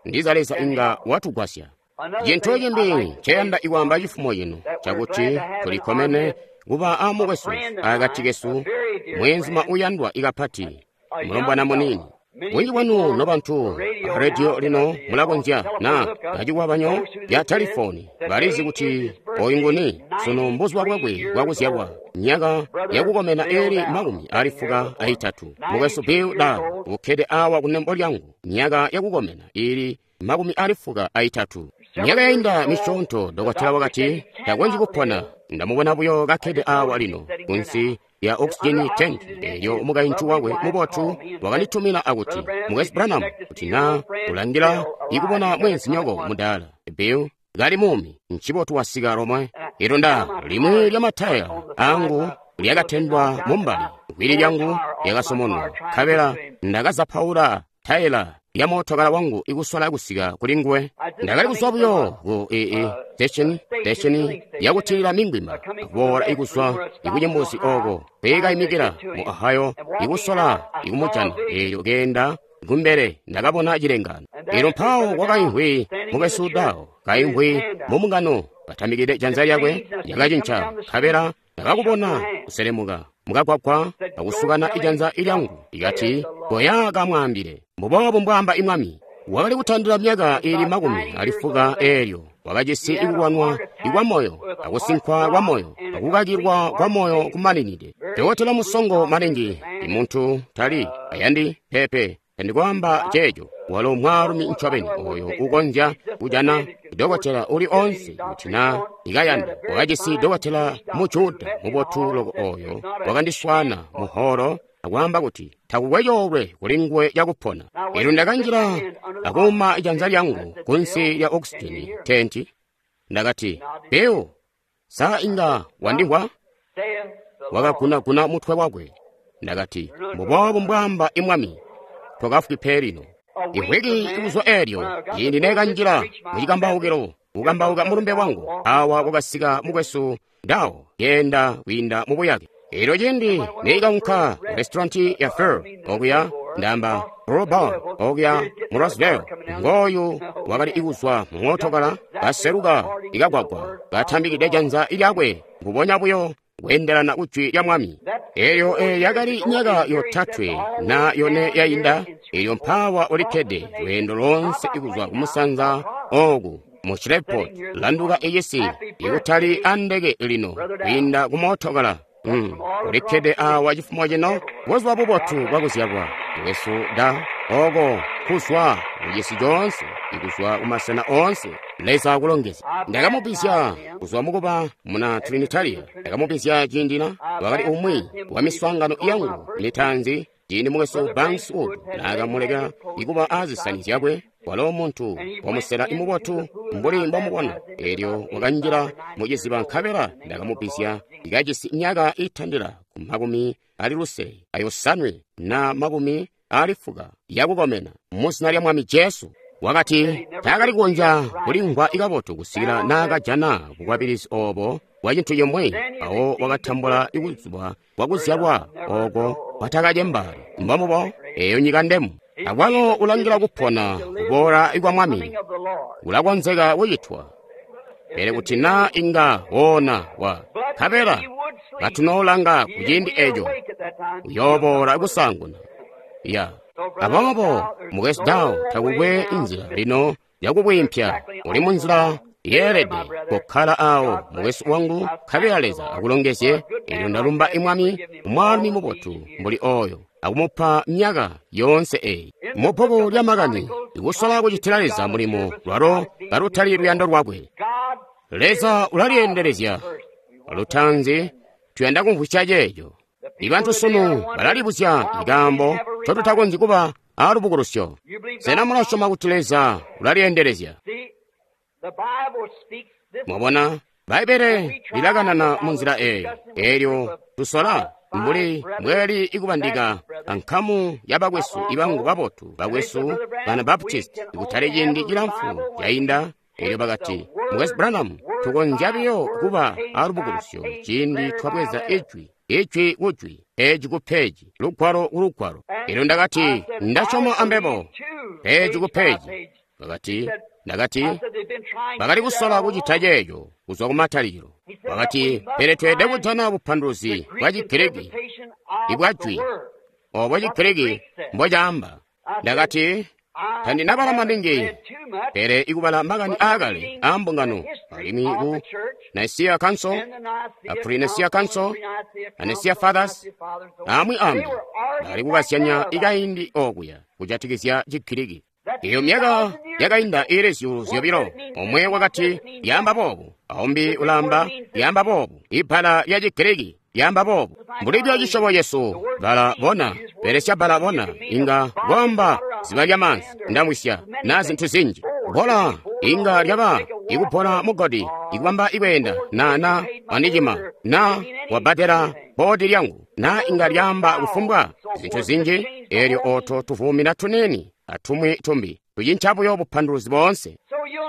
ndiza Leza inga watugwasya. Cintu cimbi nceyanda ikwaamba cifumo cino cakuti tulikkomene kuba amukwesu akati kesu, mweenzuma uyandwa ikapati, mulombwana muniini. Bunji bwanu nobantu a rediyo lino mulakonzya na kacikwabanyo ya telefoni balizi kuti oyu nguni. Sunu mbuzuba bwakwe bwakuzyalwa, myaka yakukomena eli makumi ali fuka aitatu. Mukwesu Bill Dahl ukkede awa kunembo lyangu, myaka yakukomena ili makumi ali fuka aitatu. Myaka yainda misyoonto dokotela wakati takonzyi kupona. Ndamubona buyo kakkede awa lino kunsi ya oxygen tank. Elyo mukaintu wakwe mubotu wakanditumina akuti, Mukwesu Branham, kuti na ulangila ikubona mwenzinyoko mudaala Bill kali muumi, ncibotu wasika lomwe. Elyo nda limwi lya mataya angu lyakatendwa mumbali, gwili lyangu lyakasomonwa, nkabela ndakazapaula taela lya mootokala wangu ikusola kusika kuli nguwe. Ndakali kuzwa buyo ku ee station station yakutilila mingwima, akuboola ikuzwa ikunyembuzi oko kwiikayimikila mu Ohio ikusola ikumujana. Eelyo keenda kumbele ndakabona cilengano. Eelyo mpawo kwakaimvwi mukwesu Dawo, kaimvwi mu mbungano, katamikide janza lyakwe lyakacinca, nkabela ndakakubona kuselemuka mukagwagwa akusukana ijanza ilyangu, ikati, koya kamwaambile, mbuboobu mbwaamba imwami. Wakali kutandila myaka ili makumi ali fuka eelyo wakajisi ikulwanwa ikwa moyo, akusinkwa kwa moyo, akukakilwa kwa moyo kumaninide. Dokotela musongo maningi, imuntu tali ayandi pepe tandikwaamba ceeco. Walo mwaalumi ncobeni oyo ukonzya kujana dokotela uli onse kuti na ikayanda. Wakajisi dokotela mu Juda mubotu loko oyo wakandiswana muholo akwaamba kuti takukwe coolwe kuli nguwe cakupona. Elyo ndakanjila akuuma ijanza lyangu kunsi lya oxygen tenti. Ndakati, Bill, sa inga wandimvwa? Wakagunaguna mutwe wakwe. Ndakati, mbuboobu mbwaamba imwami, tokafwi pe lino. Ivwiki ikuzwa eelyo ciindi nekanjila mucikambaukilo kukambauka mulumbe wangu, awa kwakasika mukwesu Dawo keenda kwiinda mubuyake. Eelyo ciindi neikaunka ku restauranti ya Fur okuya, ndamba Brew Bar okuya mu Roseville, ngooyu wakali ikuzwa mu mootokala kaseluka ikagwagwa katambikide janza lyakwe mbubonya buyo kweendelana kujwi lya Mwami. Eelyo eyo yakali myaka yotatwe na yone yainda. Eelyo mpawa ulikkede lweendo lonse ikuzwa kumusanza oku mu Shreveport, landuka icisi ikutali andeke lino kwiinda ku mootokala. Mm, ulikkede awa cifumo cino buzuba bubotu bwakuzyalwa mukwesu Da oko kuzwa kucisi coonse ikuzwa kumasena oonse. Leza akulongezye. Ndakamubizya kuzwa mukuba muna Trinitaria. Ndakamubizya ciindina wakali umwi wa miswaangano yangu mitaanzi ciindi mukwesu Banks Wood naakamuleka ikuba aazisani zyakwe. Walo muntu wamusela imubotu mbuli mbomubona. Eelyo wakanjila muciziba nkabela ndakamubizya ikajisi myaka itandila ku makumi ali lusele ayosanwe na makumi ali fuka yakukomena muzina lya Mwami Jesu. Wakati taakali kukonzya kulimvwa ikabotu kusikila naakajana bukwabilizi obo bwa cintu cimwi. Awo wakatambula ikuzuba bwakuzyalwa oko kwatakacembaali. Mbomubo eyo nyika ndemu. Akwalo ulangila kupona kuboola kwa Mwami kulakonzeka kucitwa. Pele kuti naa inga woona wa nkabela katunoolanga kuciindi eco, uyooboola kusaanguna. Ya. Aboobo mukwesu Dow takukwe nzila lino yakubwiimpya, uli munzila yeelede kukkala awo mukwesu wangu, nkabela Leza akulongezye. Elyo ndalumba Mwami, mwaalumi mubotu mbuli oyo, akumupa myaka yoonse eyi mu bbuku lya makani, ikusola kucitila Leza mulimo lwalo kalutali luyando lwakwe. Leza ulalyeendelezya. Lutaanzi tuyanda kumvwisya ceeco. Ibantu sunu balalibuzya ikaambo ncotutakonzyi kuba alubukulusyo. Sena mulasyoma kuti Leza ulalyeendelezya? Mwabona, Bbaibbele lilakanana munzila eeyo. Eelyo tusola mbuli mbweli ikubandika ankamu ya bakwesu ibangu babotu, bakwesu bana Baptist, kutali ciindi cilamfu cainda. Eelyo bakati, Mukwesu Branham, tukonzya biyo kuba alubukulusyo ciindi twabweza ijwi, ijwi kujwi, peji ku peji, lugwalo ku lugwalo. Eelyo ndakati, ndasyoma ambebo, peji ku peji. Bakati, ndakati, bakali kusola kucita ceeco kuzwa kumatalikilo. Bakati, pele tweelede kujana bupanduluzi bwa Chigiriki ibwajwi obo Chigiriki mbocaamba. Ndakati, tandinabala maningi, pele ikubala makani aakale aambungano, alimwi ku Nicaea Council, a Pre-Nicea Council, a Nicea Fathers, amwi ambi, bakali kukazyanya ikaindi okuya kujatikizya Chigiriki. Iyo myaka yakainda ili zyuulu zyobilo, omwe wakati lyaamba boobu, aumbi ulaamba lyaamba boobu. Ibbala lya Chigiriki lyaamba boobu. Mbuli lya cisyobo cesu, bala bona, belesya bala bona, inga kwaamba ziba lya maanzi, ndamwisya, na zintu zinji. Bola inga lyaba ikupola mugodi, ikubamba ikweenda, na na wandicima, na wabbadela bodi lyangu, na inga lyaamba kufumbwa zintu zinji. Eelyo oto tuvumina tunini atumwi tumbi tucinca buyo bupanduluzi boonse.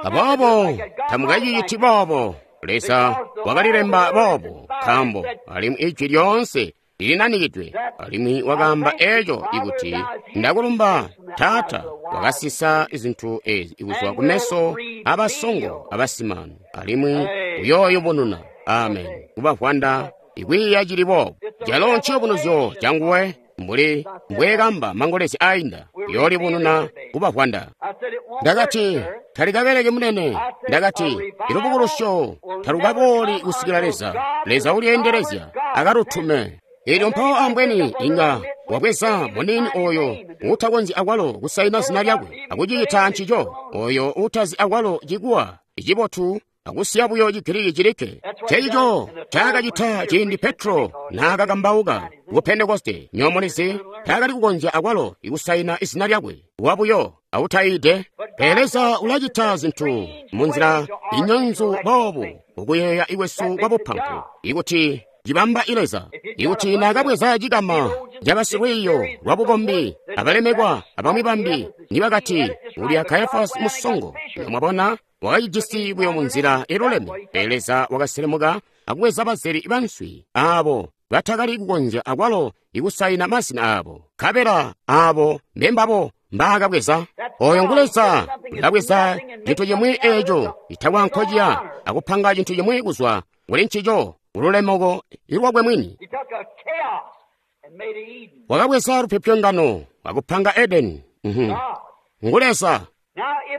Aboobo tamukaciciti boobo. Leza wakalilemba boobo, nkaambo alimwi ijwi lyoonse lilinanikidwe. Alimwi wakaamba eco ikuti, ndakulumba Taata, wakasisa zintu ezi kuzwa kumeso abasongo abasimanu, alimwi uyooyubununa. Amen. Kubavwanda ikwiiya cili boobo, calo nciyubunuzyo canguwe, mbuli mbweekamba mangolezi ainda, uyoolibununa kubavwanda. Ndakati, talikabeleki munene. Ndakati, ilubukulusyo talukabooli kusikila Leza, Leza ulyeendelezya akalutume. Eelyo mpawo ambweni inga wabweza munini oyo uutakonzyi akwalo kusaina zina lyakwe akucicita ncico, oyo uutazi akwalo cikuwa icibotu akusiya buyo Chigiriki cilikke. Ncencico ncaakacita ciindi Petro naakakambauka ku Pentekoste. Nyomulizi taakali kukonzya akwalo ikusaina izina lyakwe, wabuyo awutaide. Pele Leza ulacita zintu munzila inyonzu boobu ukuyeeya ikwesu kwabupampu, ikuti cibamba Leza. Ikuti naakabweza cikama cabasilwiiyo lwabukombi abalemekwa abamwi bambi nibakati ulya Kayafasi musongo, mwabona, wakacijisi buyo munzila iluleme. Pele Leza wakaselemuka akubweza bazeli banswi aabo batakali kukonzya akwalo ikusaina mazina aabo, nkabela aabo mbembabo mbaakabweza. Oyo ngu Leza ulabweza cintu cimwi eeco itakwa nkociya akupanga cintu cimwi kuzwa kuli ncico ululemeko ilwakwe mwini. Wakabweza lupyopyongano akupanga Edeni. Ngu Leza.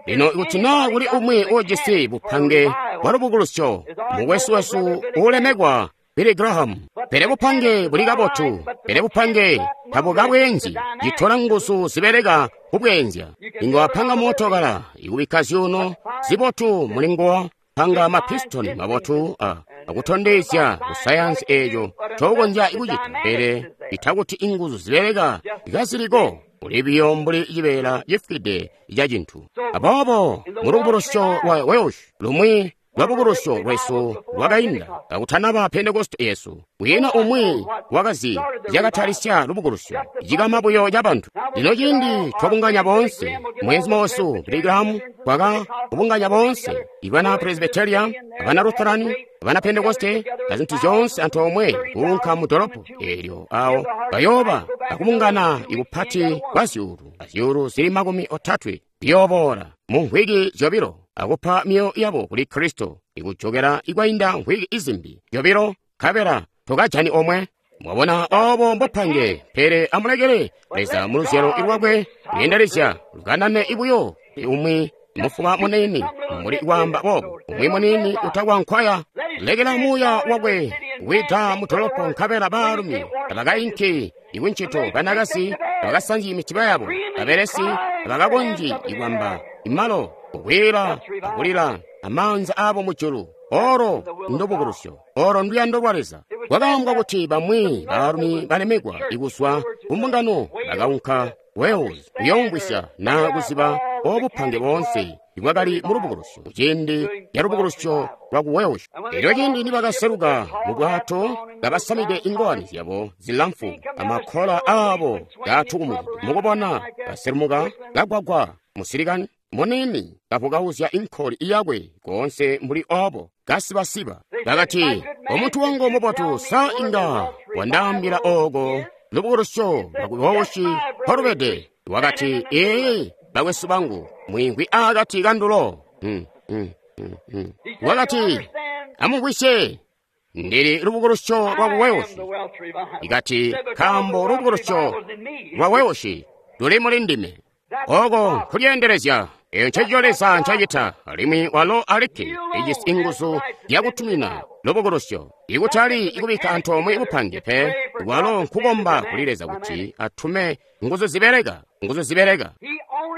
Lino ikuti naa kuli umwi uujisi bupange bwa lubukulusyo, mukwesu wesu uulemekwa Billy Graham. Pele bupange buli kabotu, pele bupange tabukabweenzi, citola nguzu zibeleka kubweenzya. Inga wapanga mootokala ikubikka zyuuno zibotu mulinguwo, panga mapistoni mabotu a akutondezya kusayansi eeco ncokonzya kucita, pele itakuti inguzu zibeleka kaziliko, uli biyo mbuli cibeela cifwide ca cintu. Aboobo mulubukulusyo lwa Welsh, lumwi lwabukulusyo lwesu lwakainda kakutanaba Pentekoste yesu, kwiina umwi wakazi zyakatalisya lubukulusyo, cikama buyo ca bantu. Lino ciindi twabunganya boonse, mwezi wesu Billy Graham twaka kubunganya boonse, ibana Presbyteria, abana Lutheran, abana Pentekoste, na zintu zyoonse antoomwe kuunka mu dolopo eelyo, awo bayooba akubungana ikupati kwa zyuulu azyuulu zili makumi otatwe biyooboola mu mvwiki zyobilo akupa myoyo yabo kuli Kristo. Ikujokela ikwainda mvwiki izimbi zyobilo, nkabela tokajani omwe. Mwabona obo mbopange, pele amulekele Leza mu luzyalo lwakwe lweendelezya lukanane ibuyo umwi mufuba munini muli kwaamba boobo, umwi munini utakwankwaya. Lekela muuya wakwe wida mudolopo, nkabela baalumi tabakainki ikuncito, banakazi tabakasanzyi mitiba yabo, babelesi tabakakonzyi ikwamba imalo, kukwila akulila amaanza abo mujulu. Oro ndubukulusyo, oro nduyando lwa Leza. Kwakaambwa kuti bamwi baalumi balemekwa ikuzwa kumbungano bakaunka Wales kuyoomvwisya na kuziba obupange boonse ibwakali mu lubukulusyo kuciindi ca lubukulusyo lwa ku Wales. Elyo ciindi nibakaseluka mu bwato kabasamide ingowani zyabo zilamfu amakkola aabo kaatukumukide, mukubona baselumuka kagwagwa musilikani munini kavukauzya inkoli iyakwe koonse mbuli obo kasibasiba. Bakati, omuntu wangu mubotu, sa inga wandaambila ooko lubukulusyo lwaku Welsh mpolubede? Wakati, ee, bakwesu bangu, mwiimvwi akati kandulo. Mm, mm, mm, mm. Wakati, amumvwisye, ndili lubukulusyo lwa ku Welsh. Ikati, nkaambo lubukulusyo lwa Welsh luli muli ndime. Oko nkulyeendelezya. Eyo ncencico Leza ncacita, alimwi walo alikke ijisi inguzu zyakutumina lubukulusyo. Ikutali ikubikka antoomwe bupange pe, walo nkukomba kuli Leza kuti atume nguzu zibeleka, nguzu zibeleka.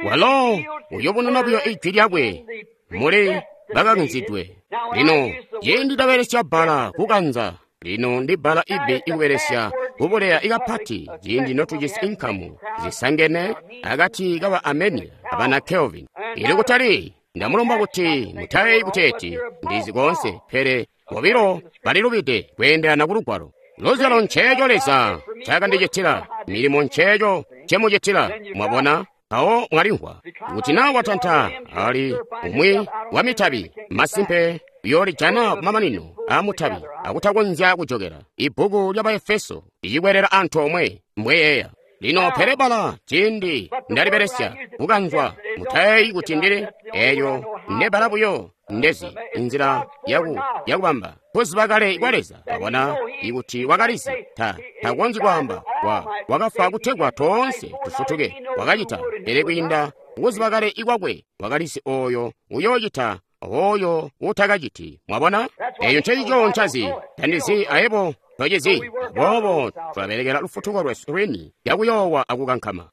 Walo uyobununa buyo ijwi lyakwe muli bakakanzidwe. Lino ciindi tabelesya bbala kukanza, lino ndi bbala ibbi ikubelesya kubuleya ikapati ciindi notujisi inkamu zisangene akati kaba Armenia abana Kelvin. Ili kutali ndamulomba kuti mutayeeyi kuteeti ndizi koonse, pele bobilo balilubide kweendelana ku lugwalo. Luzyalo nceeco Leza ncaakandicitila, milimo nceeco ncemucitila. Mwabona? Mpawo mwalimvwa kuti naa watanta ali umwi wa mitabi, masimpe uyoolijana kumamanino aa mutabi akutakonzya kujokela. Ibbuku lya Baefeso licikwelela antoomwe mbweyeeya. Lino pele bala ciindi ndalibelesya kukanzwa, mutayeeyi kuti ndili eeyo ndebala buyo ndezi inzila yaku yakubamba kuziba kale kwa Leza. Wabona ikuti wakalizi ta takonzyi kwaamba wa wakafa kutegwa toonse tufutuke, wakacita, pele kwiinda kuziba kale ikwakwe wakalizi oyo uyoocita oyo utakaciti. Mwabona, eyo ncencico ncazi, tandizi ayebo tocizi. Aboobo tulabelekela lufutuko lwesu lwini yakuyoowa akukankama.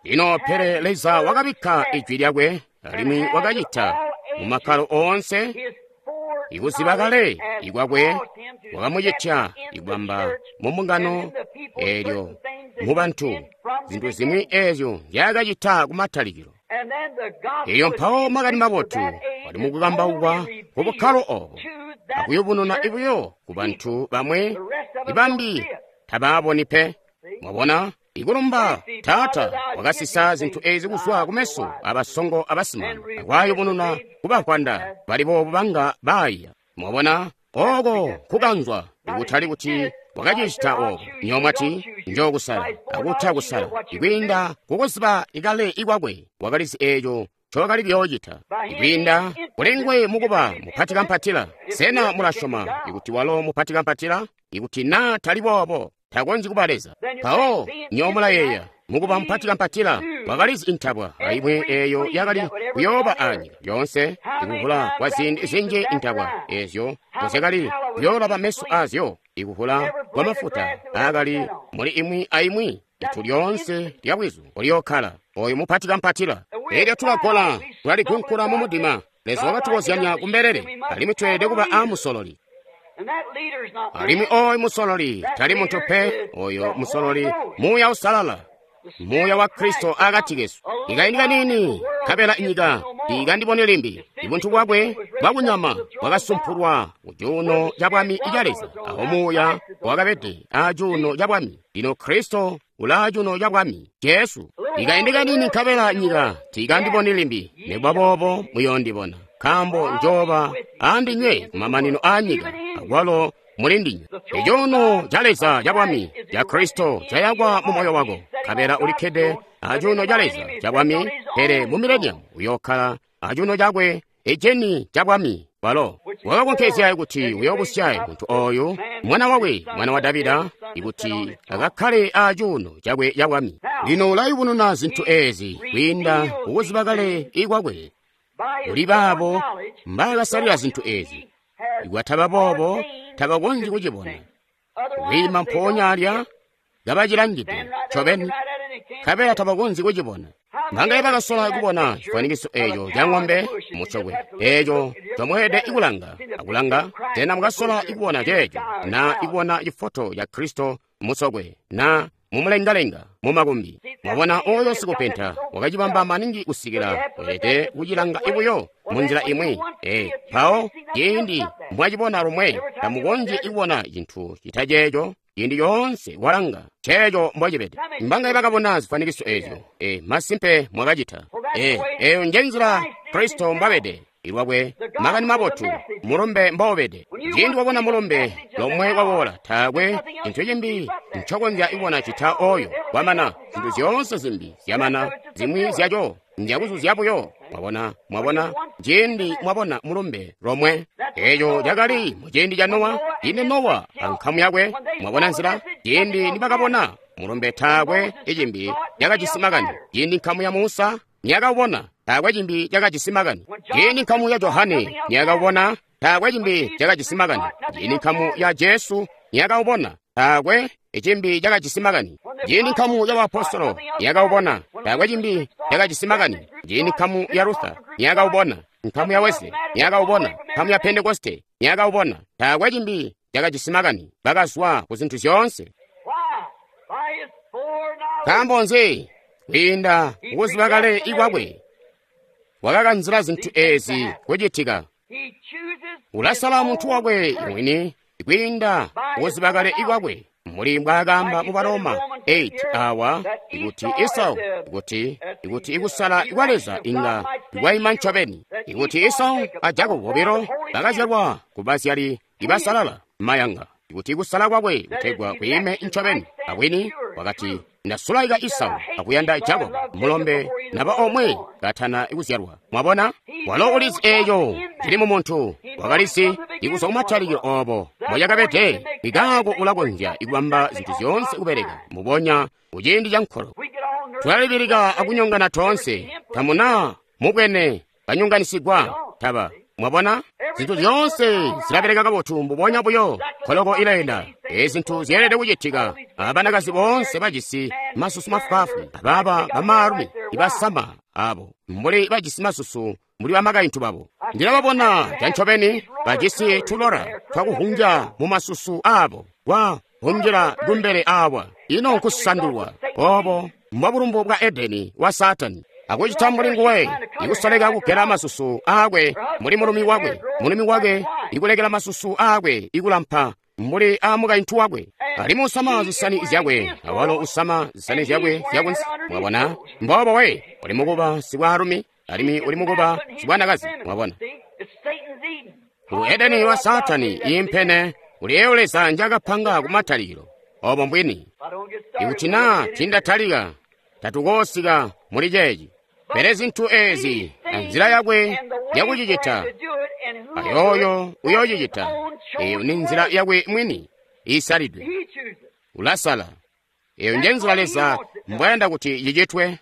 Lino pele Leza wakabikka ijwi lyakwe alimwi wakacita mu makkalo oonse ikuziba kale ikwakwe wakamucitya ikwamba mu mbungano eelyo mu bantu zintu zimwi eezyo nzyaakacita kumatalikilo. Elyo mpawo makani mabotu wali mukukambaukwa ku bukkalo obo akuyubununa ibuyo ku bantu bamwe ibambi tabaaboni pe. Mwabona, ikulumba Taata wakasisa zintu ezi kuzwa kumeso abasongo abasimama akwayubununa kubavwanda bali boobu banga baiya. Mwabona, oko kukanzwa ikutali kuti wakacicita obo. Nyomwati njokusala akuta kusala ikwiinda kukuziba ikale ikwakwe wakalizi eeco ncokali kuyoocita ikwiinda kulengwe mukuba mupati kampatila. Sena mulasyoma ikuti walo mupati kampatila? Ikuti naa tali boobo, takonzyi kuba Leza. Mpawo nyomulayeeya mukuba mupati kampatila wakalizi intabwa aimwi eeyo yakali kuyooba anyika lyoonse ikuvula kwa ziindi zinji intabwa eezyo mbozyakali kuyoolaba meso aazyo, ikuvula kwa mafuta aakali muli imwi aimwi itu lyoonse lya bwizu uliyookkala oyo mupati kampatila. Elyo tulagola tulaligunkula mu mudima. Leza wakatukozyanya kumbelele, alimwi tweelede kuba aamusololi. Alimwi oyo musololi tali muntu pe, oyo musololi Muuya Usalala, Muuya wa Kristo akati kesu. Ikaindi kanini nkabela inyika ikandibone limbi. Ibuntu bwakwe bwakunyama bwakasumpulwa ku cuuno ca bwami ica Leza, awo Muuya wakabede a cuuno ca bwami. Lino Kristo ulaa cuuno ca bwami, Jesu. Ikaindi kanini nkabela nyika tiikandiboni limbi, nikuba boobo muyoondibona, nkaambo njooba andinywe kumamanino aanyika, akwalo muli ndinywe. Icuuno ca Leza ca bwami ca Kristo cayakwa mu moyo wako, nkabela ulikkede acuuno ca Leza ca bwami, pele mu mileniamu uyookkala acuuno cakwe Eceni cabwami walo wakakonkezya kuti uyobusya muntu oyu mwana wakwe mwana wa Davida ikuti akakkale acuuno cakwe cabwami. Lino ulayubununa zintu ezi kwiinda kukuziba kale ikwakwe kuli baabo mbaakasalila zintu ezi. Ikwataba boobo tabakonzyi kucibona kwiima mpoonya alya kabacilangide ncobeni nkabela tabakonzyi kucibona. Mbangaye bakasola kubona chifwanikiso echo cha ng'ombe muchokwe echo chomweede ikulanga akulanga tena mukasola ikuona checho na ikuona chifoto cha Khristu musokwe na mumulengalenga mumakumbi. Mwabona oyo sikupenta wakachibamba maningi kusikila weelede kuchilanga ibuyo munzila imwi. E pawo ciindi mwachibona lumwe tamukonzyi ikuona chinthu chita checho ciindi yoonse walanga checho mbwachibede. Mbangaye bakabona zifwanikiso ezyo. E masimpe mwakachita. E eyo nje nzila Khristu mbwabede ilwakwe makani mabotu mulumbe mbowubede. Ciindi wabona mulumbe lomwe wawola taakwe chinthu chimbi nchokonzya ibona chita oyo kwamana zinthu zyoonse zimbi zyamana zimwi zyacho ndyakuzuzya buyo. Mwabona, mwabona ciindi mwabona mulumbe lomwe. Echo chakali muciindi cha Nowa. Ine Nowa ankhamu yakwe mwabona nzila ciindi nibakabona mulumbe taakwe ichimbi chakajisi makani. Ciindi nkhamu ya Musa niyakawubona taakwe chimbi chakajisi makani. Ciindi nkhamu ya Johane niyakawubona taakwe chimbi chakajisi makani. Ciindi nkhamu ya Jesu niyakawubona taakwe ichimbi chakajisi makani. Ciindi nkhamu ya baapostolo niyakawubona taakwe chimbi chakajisi makani. Ciindi nkhamu ya Luther niyakawubona, nkhamu ya Wesley niyakawubona, nkhamu ya Pentekoste niyakawubona taakwe chimbi chakajisi makani. Bakazwa ku zinthu zyoonse. Nkaambo nzi? Kwiinda kukuziba kale ikwakwe wakakanzila zinthu ezi kuchitika. Ulasala munthu wakwe mwini kwiinda kukuziba kale ikwakwe muli mbwaakamba mu Baroma eight awa ikuti Esau ikuti ikuti ikusala ikwa Leza inga ikwayima ncobeni ikuti Esau a Jakobo bobilo bakazyalwa ku bazyali ibasalala mayanga ikuti kusala kwakwe kutegwa kwiime ncobeni. Abwini wakati ndasulaika Esau akuyanda Jakobo mulombe naba omwe katana ikuzyalwa. Mwabona walo ulizi eyo cili mu muntu wakalizi ikuzwa kumatalikilo obo mbocakabede ikaako ulakonzya ikubamba zinthu zyoonse kubeleka mubonya kuciindi ca nkolo. Tulalibilika akunyongana toonse tamuna mubwene kanyonganisigwa taba. Mwabona zinthu zyoonse zilabeleka kabotu mbubonya buyo nkoloko ilayenda. Ezi zinthu zyeelede kucitika. Abanakazi boonse bajisi masusu mafwaafwi abaaba bamaalumi ibasama abo mbuli bajisi masusu mbuli bamakaintu babo. Ndilababona cancobeni bajisi tulora twakuhunja mu masusu abo kwa hunjila kumbele awa. Ino nkusandulwa obo mbwabulumbu bwa Edeni wa Satani akucita mbuli nguwe ikusoleka kugela masusu aakwe mbuli mulumi wakwe, mulumi wakwe ikulekela masusu aakwe ikulampa mbuli a mukaintu wakwe. Alimwi usama zisani zyakwe awalo usama zisani zyakwe zyakunsi. Mwabona mbobo we uli mukuba sibwaalumi alimwi uli mukuba sibwanakazi. Mwabona ku Edeni wa Satani impene uli eyo Leza njakapanga kumatalikilo. Obo mbwini ikuti naa tindatalika tatukosika muli chechi. Pele zinthu ezi anzila yakwe yakuchichita ayoyo uyochichita eyo ni nzila yakwe mwini isalidwe. Ulasala eyo nje nzila Leza mbwayanda kuti chichitwe.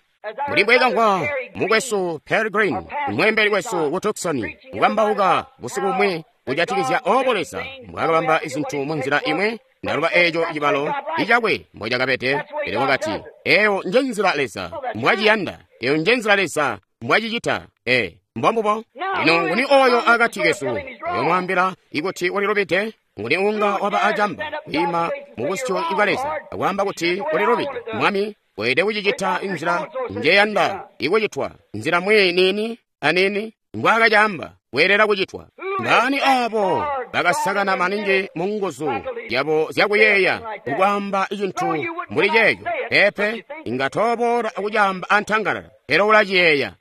Muli mbwekamvwa mukwesu Pearl Green mwembeli wesu ku Tucson kukambauka busiku bumwe kujatikizya obo Leza mbwakabamba izinthu mu nzila imwe. Ndaluba echo chibalo ichakwe mbocakabete. Pele wakati eyo nje nzila Leza mbwaciyanda, eyo nje nzila Leza mbwachichita. E mbombubo. Lino nguni oyo akati kesu uyomwambila ikuti ulilubide? Nguni unga waba acamba kwiima mubusyu bwa Leza akwaamba kuti ulilubide? Mwami weelede kuchichita inzila njeyanda ikuchitwa nzila mwi nini anini mbwakacamba weelela kuchitwa. Ndani abo bakasakana maningi mu nguzu yabo zyakuyeeya kukwaamba chinthu mbuli checho. Pepe inga tobola akuchamba antangalala pele ulachiyeeya.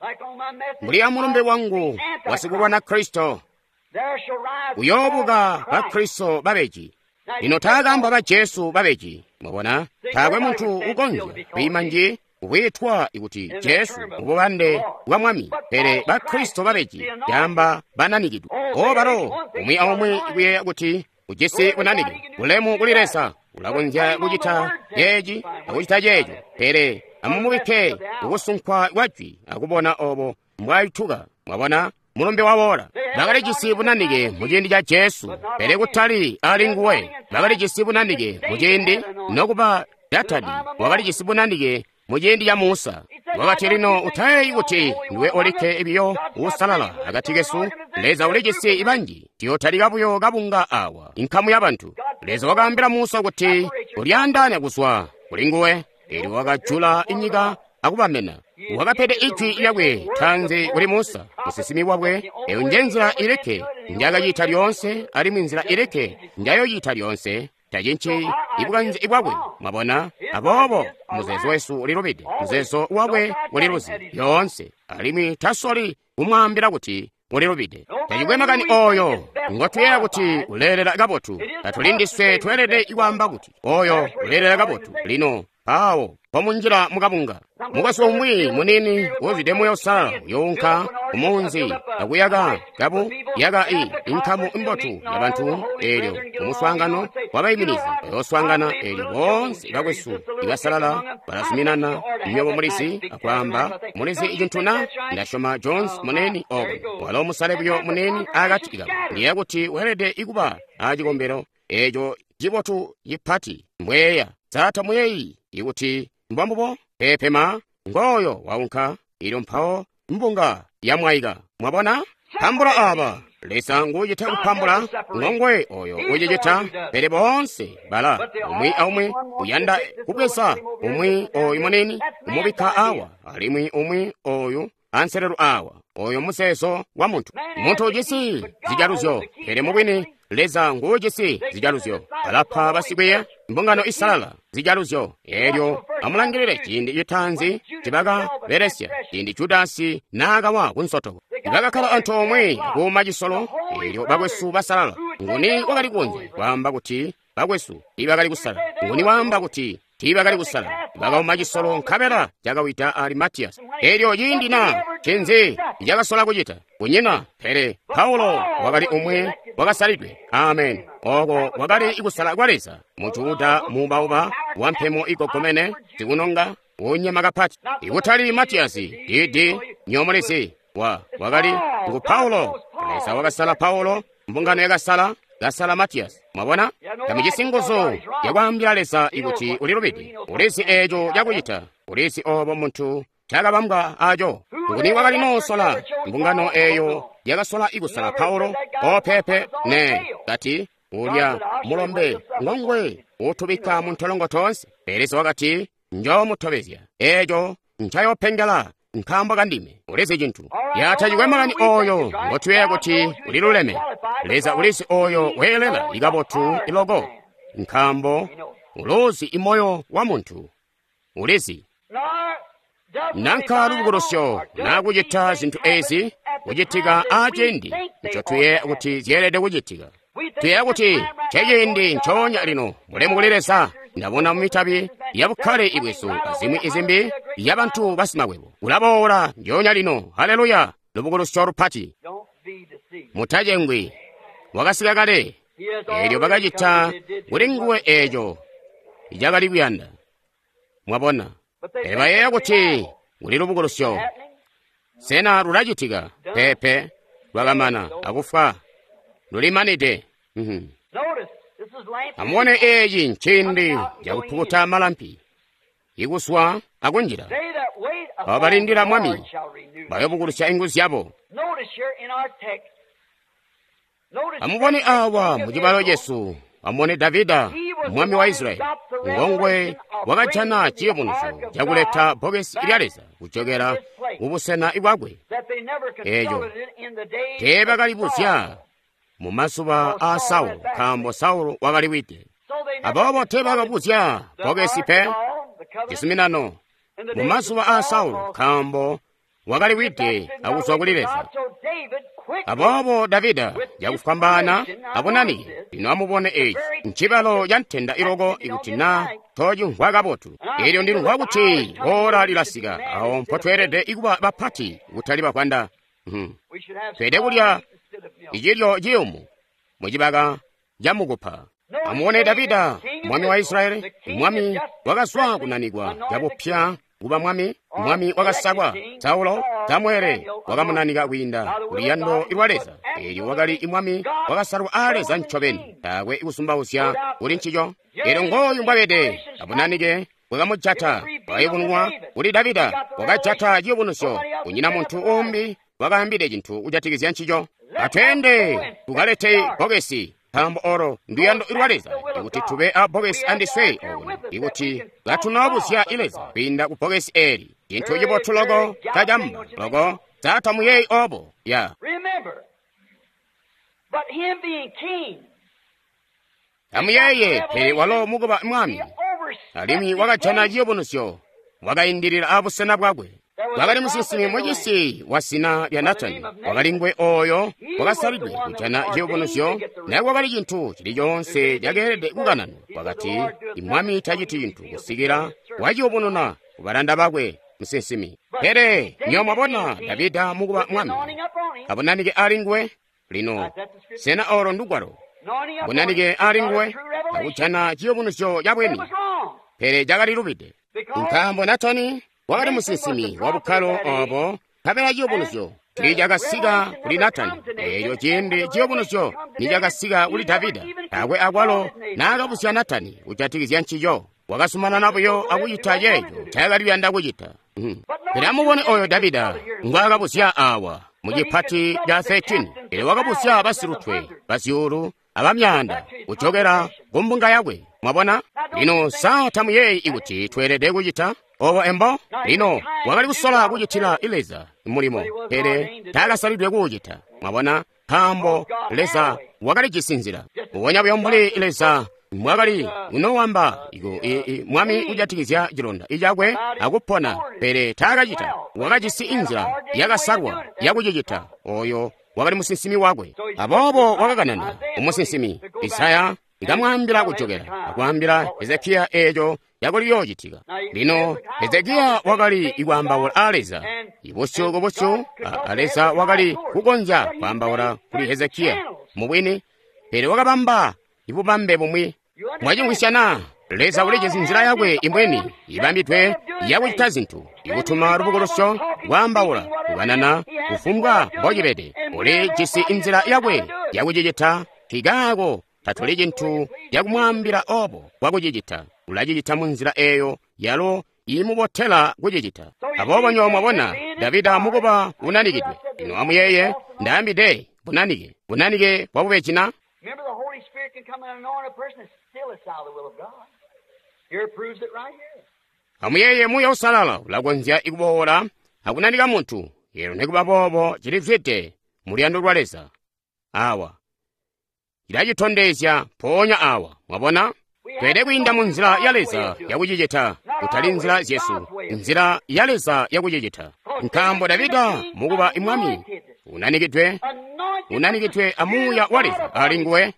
Mbuli amulumbe wangu wasikulwana Khristu uyobuka ba Khristu babeji. Lino taakamba ba Jesu babeji. Mwabona taakwe munthu ukonzya kuyima nji kubwiitwa kuti Jesu mububande bwa Mwami, pele Bakristo babeji yamba bananikidwe. O balo umwi aumwi kuyeeya kuti ujisi bunanike bulemu kuli Leza, ulakonzya kucita ceeci akucita ceeco, pele amumubikke kukusunkwa kwa jwi akubona obo mbwayituka. Mwabona mulumbe wawola. Bakalijisi bunanike muciindi ca Jesu, pele kutali ali nguwe. Bakalijisi bunanike muciindi nokuba Datani wakalijisi bunanike muciindi ca Musa. Wakati lino utayeeyi kuti ndiwe olikke ibiyo uusalala akati kesu. Leza ulijisi banji, tiyotalika buyo kabunga awa inkamu ya bantu. Leza wakaambila Musa kuti ulyaandaanya kuzwa kuli nguwe, eelyo wakajula inyika akubamena. Wakapede ijwi lyakwe tanzi kuli Musa musinsimi wakwe. Eyo nje nzila ilikke njakacita lyoonse, alimwi nzila ilikke njayoyita lyoonse. Tacinci ibukanze bwakwe. Mwabona? Aboobo muzeezo wesu ulilubide, muzeezo wakwe uliluzi lyoonse, alimwi tasoli kumwaambila kuti ulilubide. Tacikwe makani oyo ngotuyeeya kuti uleelela kabotu, tatulindiswe tweelede kwaamba kuti oyo uleelela kabotu. Lino awo pomunjila mukabunga, mukwesu umwi munini uzwide Muuya Uusalala uyounka kumunzi akuyaka kabu yaka i inkamu imbotu ya bantu. Eelyo kumuswaangano wabaiminizi bayooswaangana, eelyo boonse bakwesu ibasalala balazuminana. Nywebo mulizi akwaamba, mulizi cintu na? Ndasyoma Jones munene oko walo musale buyo munene akati kabo. Ndiyeeya kuti weelede ikuba acikombelo eeco cibotu cipati mbweya. Sata muyeeyi ikuti mbwambubo? Peepe ma ngoyo waunka, ilyo mpawo mbunga yamwaika. Mwabona? Pambula aba Leza nguucita kupambula, ngongwe oyo ucicita, pele boonse bala umwi aumwi uyanda kubweza umwi oyu munini umubikka awa, alimwi umwi oyu anselelo awa. Oyo muzeezo wa muntu. Muntu ujisi zijaluzyo, pele mubwini Leza nguujisi zijaluzyo. Alapa basikwiiya mbungano isalala zijaluzyo. Eelyo amulangilile ciindi citaanzi cibakabelesya, ciindi Judasi naakawa kunsotoko. Bakakkala antoomwe kuuma cisolo. Eelyo bakwesu basalala, nguni wakali kukonzya kwaamba kuti bakwesu tiibakali kusala? Nguni waamba kuti tiibakali kusala? Bakauma cisolo nkabela cakawida ali Matiyasi. Eelyo ciindi na ncinzi cakasola kucita? Kunyina. Pele Paulo wakali umwe wakasalidwe. Amen. Oko wakali kusala kwa Leza. Mujuda muubauba wampemo igogomene zikunonga unyema kapati, ikutali Matiyasi didi nyomulisi wa wakali ngu Paulo. Leza wakasala Paulo, mbungano yakasala kasala Matiyasi. Mwabona? Tamujisi nguzu yakwaambila Leza ikuti ulilubide. Ulizi eeco cakucita, ulizi obo muntu cakabambwa aco. Nguni wakali noosola mbungano eeyo yakasola ikusala Paulo? Opepe ne kati ulya mulombe ngongwe utubikka muntolongo tonse. Pele Leza wakati njoomutobezya eeco ncayopengela nkaambo kandime. Ulizi cintu yatacikwe makani oyo ngotuyeeya kuti uliluleme. Leza ulizi oyo weelela ikabotu iloko, nkaambo uluzi imoyo wa muntu. Ulizi nanka lubukulusyo nakucita zintu ezi kucitika aciindi ncotuyeeya kuti zyeelede kucitika. Tuyeeya kuti ceciindi ncoonya lino. Mulemu kuli Leza. Ndabona mumitabi yabukkale ibwesu azimwi izimbi yabantu basimakwebo ulaboola ndyoonya lino. Haleluya! Lubukulusyo lupati. Mutacengwi, wakasika kale. Eelyo bakacita kuli nguwe eeco cakali kuyanda. Mwabona? Pele bayeeya kuti kuli lubukulusyo. Sena lulacitika? Peepe, lwakamana akufwa, lulimanide. Mm-hmm. Amubone, eeci nciindi cakupukuta malampi, ikuswa akunjila. Abo balindila Mwami bayobukulusya inguzu zyabo. Amubone awa mucibalo cesu, amubone Davida mwami wa Israyeli, ngongwe wakajana ciyubunuzyo cakuleta bbokesi lya Leza kujokela kubusena bwakwe. Eeco teebakalibuzya mu mazuba aa Saulo, nkaambo Saulo wakaliwide. Aboobo teebakabuzya bbokesi pe cizuminano mu mazuba aa Saulo, nkaambo Wakali wide akuzwa kuli Leza. Aboobo Davida cakufwambaana abunanike. Lino amubone eci ncibalo ca ntenda iloko ikuti na tocimvwa kabotu. Elyo ndimvwa kuti ora lilasika awo mpotweelede ikuba bapati kutali bavwanda. Hmm. Tweelede kulya icilyo ciyumu mucibaka ca mukupa. Amubone Davida, mwami wa Israyeli, mwami wakazwa kunanikwa cabupya kuba mwami, mwami wakasakwa. Saulo, Samuele wakamunanika kwiinda kuluyando lwa Leza. Elyo wakali mwami wakasalwa a Leza ncobeni, taakwe kusumbauzya kuli ncico. Elyo ngooyu mbwabede, abunanike bwakamujata, bwakayubununwa kuli Davida, wakajata ciyubunuzyo. Kunyina muntu umbi wakaambide cintu kujatikizya ncico. Atweende tukalete bbokesi, nkaambo olo nduyando lwa Leza ikuti tube a bbokesi andiswe okuno, ikuti katunoobuzya Leza kwiinda ku bbokesi eli. Cintu cibotu loko cacamba loko satamuyeeyi obo ya. Amuyeeye, pele walo mukuba mwami, alimwi wakajana ciyubunuzyo, wakaindilila abusena bwakwe. Wakali musinsimi mucisi wa zina lya Natani, wakali nguwe oyo wakasalidwe kujana ciyubunuzyo. Naye kwakali cintu cili coonse cakeelede kukananwa. Wakati, imwami taciti cintu kusikila waciyubununa kubalanda bakwe musinsimi. Pele nyo mwabona Davida mukuba mwami, abunanike ali nguwe. Lino sena olo ndugwalo? Bunanike ali nguwe akujana ciyubunuzyo cabweni, pele cakali lubide, nkaambo Natani wakali musinsimi wa bukkalo obo. Nkabela ciyubunuzyo nicakasika kuli Natani, eeco ciindi ciyubunuzyo nicakasika kuli Davida, taakwe akwalo naakabuzya Natani kujatikizya ncico. Wakazumanana buyo akucita ceeco ncaakali kuyanda kucita. Pele amubone oyo Davida ngwaakabuzya awa mu cipati ca thirteen. Pele wakabuzya basilutwe bazyuulu abamyaanda kujokela kumbunga yakwe. Mwabona? Lino sa tamuyeeyi ikuti tweelede kucita obo embo? Lino wakali kusola kucitila Leza mulimo, pele taakasalidwe kuucita. Mwabona? Nkaambo Leza wakalijisi nzila. Mbubonya buyo mbuli Leza mwakali unowamba mwami kujatikizya cilonda icakwe akupona, pele taakacita. Wakajisi inzila yakasalwa yakucicita. Oyo wakali musinsimi wakwe. Aboobo wakakanana umusinsimi Isaya, ikamwaambila kujokela akwaambila Hezekiya eeco cakali kuyoocitika. Lino Hezekiya wakali ikwaambaula a Leza ibusyu kubusyu. A Leza wakali kukonzya kwaambaula kuli Hezekiya mubwini, pele wakabamba ibubambe bumwi. Mwacimvwisya? Leza ulijisi nzila yakwe imwini ibambidwe yakucita zintu, ikutuma lubukulusyo, kwaambaula, kukanana, kufumbwa mbocibede. Ulijisi inzila yakwe yakucicita. Nkaako tatuli cintu cakumwaambila obo bwakucicita. Ulacicita munzila eeyo yalo imubotela kucicita. Aboobo nywebo mwabona Davida mukuba unanikidwe. Lino amuyeeye, ndaambide bunanike, bunanike bwabubejina. Remember, the Holy Spirit can come and anoint a person and still it's out of the will of God. Here proves it right here. Amuyeeye, Muuya Uusalala ulakonzya ikuboola akunanika muntu, elo nikuba boobo cilizwide mu luyando lwa Leza. Awa cilacitondezya mpoonya awa. Mwabona? Tweelede kwiinda mu nzila ya Leza yakucicita, kutali nzila zyesu, nzila ya Leza yakucicita. Nkaambo Davida mukuba mwami unanikidwe, unanikidwe amuuya wa Leza ali nguwe,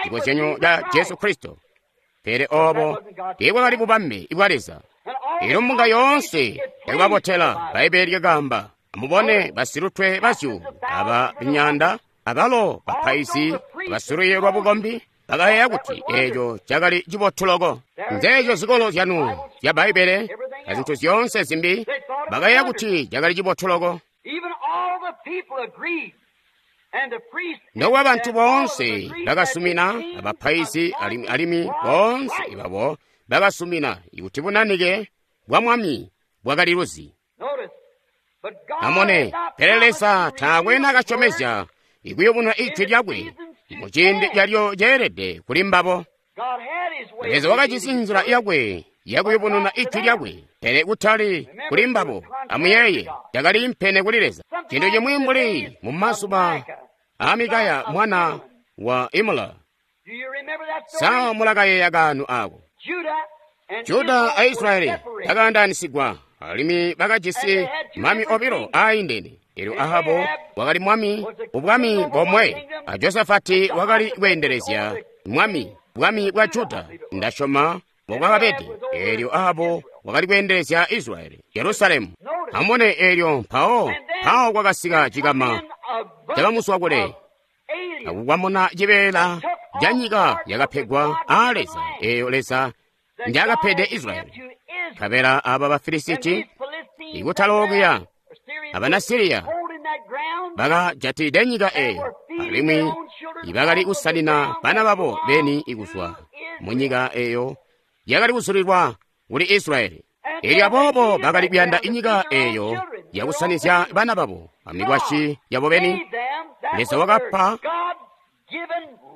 cikozyanyo ca Jesu Kristo. Pele obo teebwakali bubambe bwa Leza. Elyo mbunga yoonse yakubabotela. Bbaibbele lyakaamba, amubone basilutwe bazyuulu aba myaanda, abalo bapaizi basilwiiyo lwa bukombi bakayeeya kuti eeco cakali cibotu loko. Nzeeco zikolo zyanu zya Bbaibbele azintu zyoonse zimbi, bakayeeya kuti cakali cibotu loko. Even all the people agreed. And the priests Nokuba bantu boonse bakasumina, abapaizi alimwi alimwi boonse babo bakasumina ikuti bunanike bwa mwami bwakali luzi. Notice, but God Amone, had not pele promised Leza to taakwe reveal nakasyomezya ikuyubununa ijwi lyakwe mu ciindi calyo ceelede kuli mbabo. God had his way Leza of wakajisi revealing nzila his word. yakwe yakuyubununa ijwi lyakwe, pele kutali kuli mbabo. Amuyeeye, cakali impene kuli Leza. Cintu cimwi mbuli mu mazuba a Mikaya mwana wa Imula. Do you remember that story? Sa mulakayeeya kanu ako? Judah and Juda a Israel Israeli were separated. bakaandaanisigwa, Alimwi bakajisi mami obilo aindene. Elyo Ahabu wakali mwami ubwami bomwe, a Josafati wakali kweendelezya mwami bwami bwa Juda. Ndasyoma mbobwakabede. Elyo Ahabu wakali kweendelezya Israyeli, Jerusalemu. Amubone elyo mpawo mpawo kwakasika cikama cabamuswakule akukwamuna cibeela ca nyika yakapegwa aa Leza, eeyo Leza njakapede Israyeli. Nkabela aba Bafilisiti ikutalokuya abana Siriya bakajatilide nyika eeyo, alimwi ibakali kusanina bana babo beni ikuzwa munyika eeyo yakali kuzulilwa kuli Israyeli. Elyo aboobo bakali kuyanda inyika eeyo yakusanizya bana babo amikwasyi yabo beni. Leza wakapa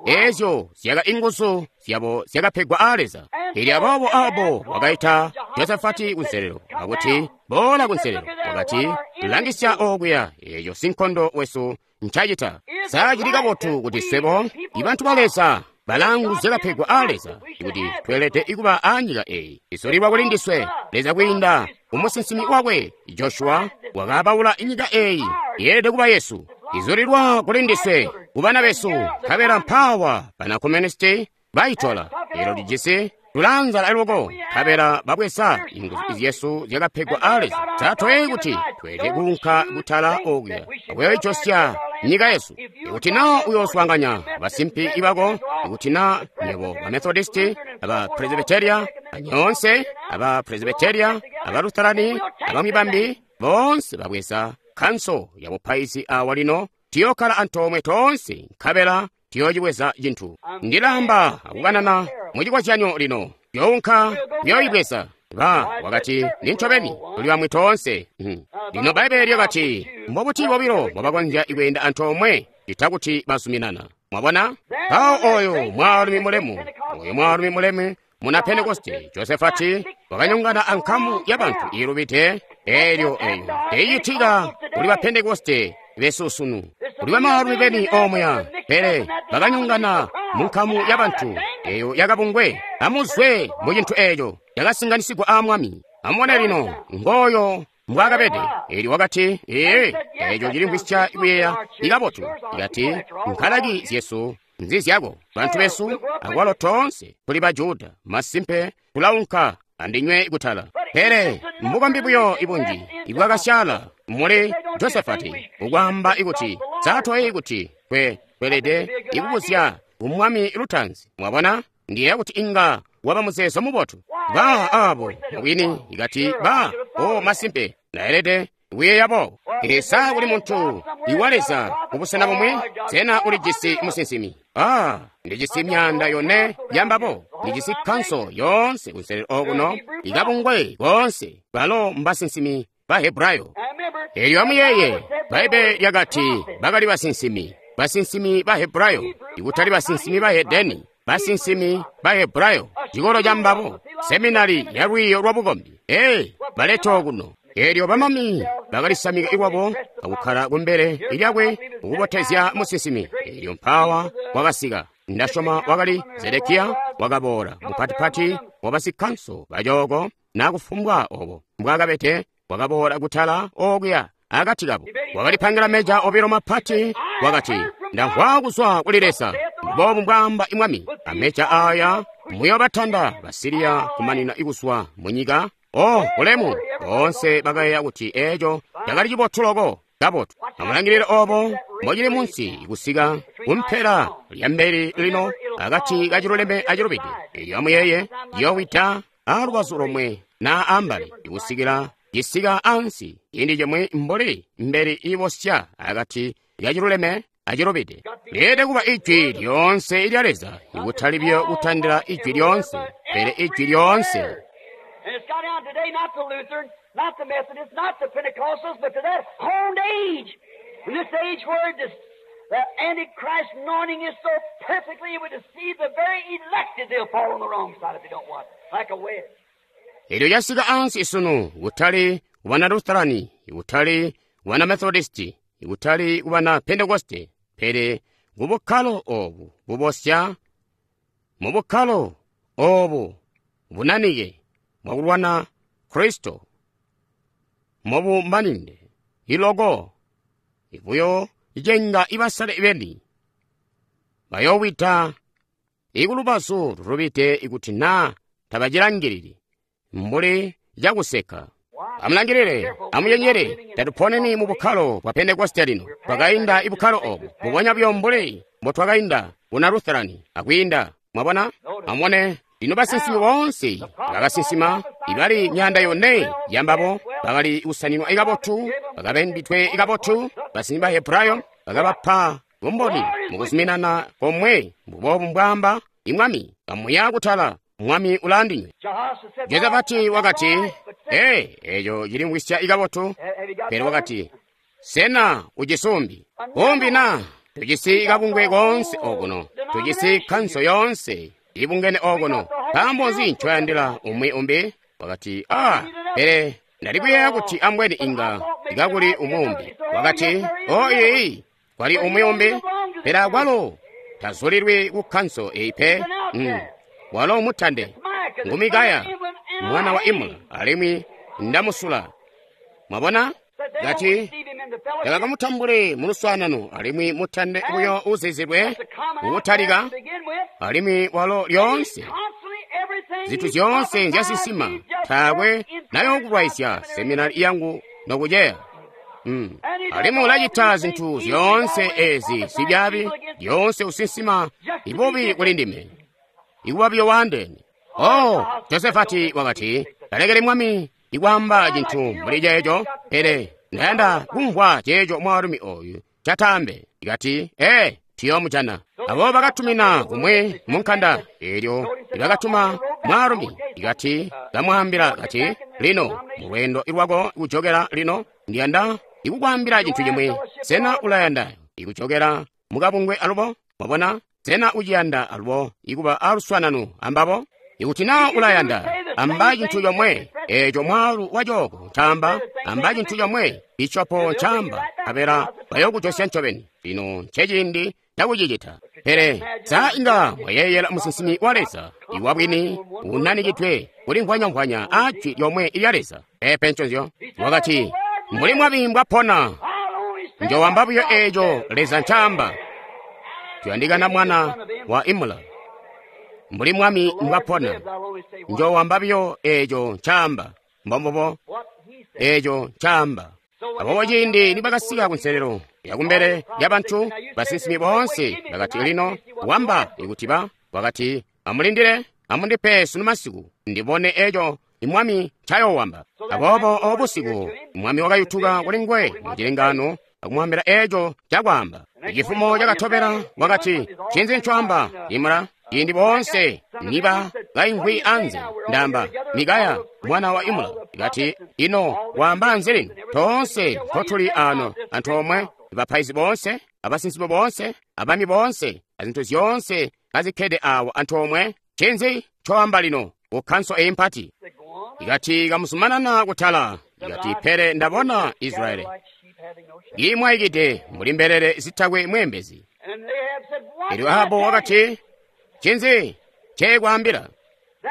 eezyo zyaka inguzu zyabo zyakapegwa aa Leza. Elyo aboobo Ahabu wakaita Josafati kunselelo akuti, boola kunselelo. Wakati, langisya okuya eeyo sinkondo wesu ncacita. Sa cili kabotu kuti swebo ibantu ba Leza balangu zyakapegwa aa Leza kuti tweelede kuba aa nyika eeyi izulilwa kuli ndiswe. Leza kwiinda kumusinsimi wakwe Joshua wakaabaula inyika eeyi yeelede kuba yesu, izulilwa kuli ndiswe kubana besu. Nkabela mpawa bana komunisti baitola. Elo lijisi tulanzala loko, nkabela babweza inguzu zyesu zyakapegwa aa Leza. Tatweyi kuti tweelede kuunka kutala okuya akuyoijosya nyika yesu. Ikuti na uyooswaanganya basimpi ibako, ikuti na nywebo ba Methodisti, aba Presbyteria, anyoonse aba Presbyteria, aba Lutherani, abamwi bambi boonse babweza kanso ya bupaizi awa lino, tiyokkala antoomwe toonse, nkabela tiyoocibweza cintu. Ndilamba akukanana mucikozyanyo lino, younka kuyoyibweza. Ba wakati, nincobeni tuli bamwi toonse. Lino Bbaibbele lyakati, mbobuti bobilo mbobakonzya kweenda antoomwe cita kuti bazuminana? Mwabona? Mpawo oyo mwaalumi mulemu, oyo mwaalumi mulemu muna Pentekoste Josafati wakanyongana ankamu ya bantu iilubide. Elyo eyo teicitika kuli ba Pentekoste besu sunu. Kuli bamaalumi beni omuya, pele bakanyongana munkamu ya bantu eyo yakabungwe. Amuzwe mu cintu eeco cakasinganisigwa aa Mwami. Amubone lino ngooyo mbwaakabede. Elyo wakati, ee, eeco cilimvwisya kuyeeya ikabotu. Ikati, nkalaki zyesu nzizyako, bantu besu akwalo toonse tuli ba Juda. Masimpe tulaunka andinywe kutala. Pele mbukombi buyo ibunji ibwakasyaala muli Josafati ukwaamba ikuti satwayi kuti kwe kwelede ikubuzya kumwami lutanzi. Mwabona, ndiyeeya kuti inga waba muzeezo mubotu. Ba abo mubwini ikati ba o masimpe naelede kuyeeya boobo. Esa kuli muntu iwa Leza kubusena bumwe, sena ulijisi musinsimi? Ah, ndijisi myaanda yone yambabo, ndijisi kanso yoonse kunselelo okuno, ikabungwe koonse, balo mbasinsimi ba Hebrayo. Elyo amuyeeye, Bbaibbele lyakati bakali basinsimi, basinsimi ba Hebrayo, ikutali basinsimi ba Hedeni, basinsimi ba Hebrayo, cikolo ca mbabo, seminari ya lwiiyo lwa bukombi. Ee, baleta okuno. Elyo bamami bakalisamika iwabo akukkala kumbele lyakwe kukubotezya musinsimi. Elyo mpawa wakasika, ndasyoma wakali Zedekiya, wakaboola mupatipati wabasikanso bacooko nakufumbwa obo mbwaakabede, wakaboola kutala okuya akati kabo. Wakalipangila meja obilo mapati, wakati, ndamvwa kuzwa kuli Leza, mboobu mbwaamba imwami, ameja aya muyoobatanda Basiriya kumanina ikuzwa munyika. Oh, bulemu! Boonse bakayeeya kuti eeco cakali cibotu loko, kabotu. Amulangilile obo mbocili munsi kusika kumpela lyambeli lino akati kaciluleme acilubide. Elyo amuyeeye, yoowida alubazu lomwe na ambali ikusikila cisika ansi ciindi cimwi mbuli mbeli iibosya akati kaciluleme acilubide. Lyeelede kuba ijwi lyoonse lya Leza, ikutali buyo kutandila ijwi lyoonse, pele ijwi lyoonse. And it's got down today not to Lutheran, not to Methodist, not to Pentecostals, but to that honed age. In this age where this, the Antichrist anointing is so perfectly, it would deceive the very elected. They'll fall on the wrong side if they don't want it, like a wedge. Elyo lyasika ansi sunu kutali kubana Lutherani, kutali kubana Methodisti, kutali kubana Pentekoste, pele kubukkalo obu bubosya, mu bukkalo obu bunanike bwakulwana Kristo. mobumaninde iloko ibuyo icenga ibasale beni bayowita ikulubazu lulubide ikuti naa tabacilangilili mbuli cakuseka. Amulangilile, amuyenyere, tatuponeni mu bukkalo bwa Pentekoste lino. Twakainda ibukkalo obo mbubonya buyo mbuli mbotwakainda buna Lutherani akwiinda. Mwabona? Amubone lino basinsimi boonse bakasinsima ibali myaanda yone yambabo bakali kusaninwa ikabotu, bakabembitwe ikabotu. Basinsimi ba Hebrayo bakabapa bumboni mukuzuminana komwe mbubobu mbwaamba imwami kamuya kutala mwami ulandinywe. Josafati wakati, ee, eco cilimvwisya ikabotu. Pele wakati, sena ucisumbi umbi na tujisi kabungwe koonse okuno, tujisi kanso yoonse ibungene okuno, nkaambo nzi ncoyandila umwi umbi? Wakati, ah, pele ndali kuyeeya kuti ambweni inga ikakuli umwi umbi. Wakati, o iyi kwali umwi umbi, pele akwalo tazulilwi ku kanso eyi pe. Mm. Walo mutande ngu Mikaya mwana wa Imula, alimwi ndamusula. Mwabona? Kati tabakamutambule mu luswaanano, alimwi mutande buyo uzizilwe kukutalika, alimwi walo lyoonse zinthu zyoonse nzyasisima taakwe nayokulwaizya seminari yangu nokuceya. Mm. Alimwi ulacita zinthu zyoonse ezi zibyaabi, lyoonse usinsima ibubi kuli ndime, ikuba biyo waandeene. Oh, Josefati wakati, talekele mwami ikwaamba cintu mbuli ceeco, pele ndayanda kumvwa ceeco mwaalumi oyu cataambe. Ikati, ee, tuyoomujana. Abo bakatumina kumwe mu nkanda, eelyo ibakatuma mwaalumi. Ikati kamwaambila kati, lino mulweendo lwako kujokela lino, ndiyanda ikukwaambila cintu cimwi. Sena ulayanda ikujokela mukabungwe alubo? Mwabona? Sena uciyanda alubo ikuba aluswaanano ambabo? Ikuti naa ulayanda, amba cintu comwe eeco mwaalu wacooko ncaamba, amba cintu comwe bishopo ncaamba, nkabela bayokujosya ncobeni. Lino nceciindi cakucicita. Pele sa inga mwayeeyela musinsimi wa Leza iwabwini unanikidwe kulimvwanyamvwanya a jwi lyomwe lya Leza? Peepe nconzyo. Wakati, mbuli mwami mbwapona, njowamba buyo eeco Leza ncaamba. Tuyandikana mwana wa Imula. Mbuli mwami mbwapona, njowamba buyo eeco ncaamba. Mbombubo eeco ncaamba. Aboobo ciindi nibakasika kunselelo yakumbele lyabantu, basinsimi boonse bakati, lino wamba ikuti ba wakati, amulindile, amundipe sunu masiku ndibone eeco imwami ncayowamba. Aboobo obo busiku mwami wakayutuka kuli nguwe mu cilengaano akumwambila eeco cakwaamba. Cifumo cakatobela wakati, ncinzi ncoamba Imula? Ciindi boonse niba kaimvwi anze, ndamba Mikaya mwana wa Imula kati, ino waamba nzi lino? Toonse ntotuli ano antoomwe, bapaizi boonse, abasinsimi boonse, abami boonse, azintu zyoonse kazikkede awo antoomwe. Ncinzi ncoamba lino ku kkanso eyi mpati? Ikati kamuzumanana kutala. Ikati, pele ndabona Israeli imwaikide mbuli mbelele zitakwe mweembezi. Elyo Ahabu wakati, ncinzi nceekwaambila?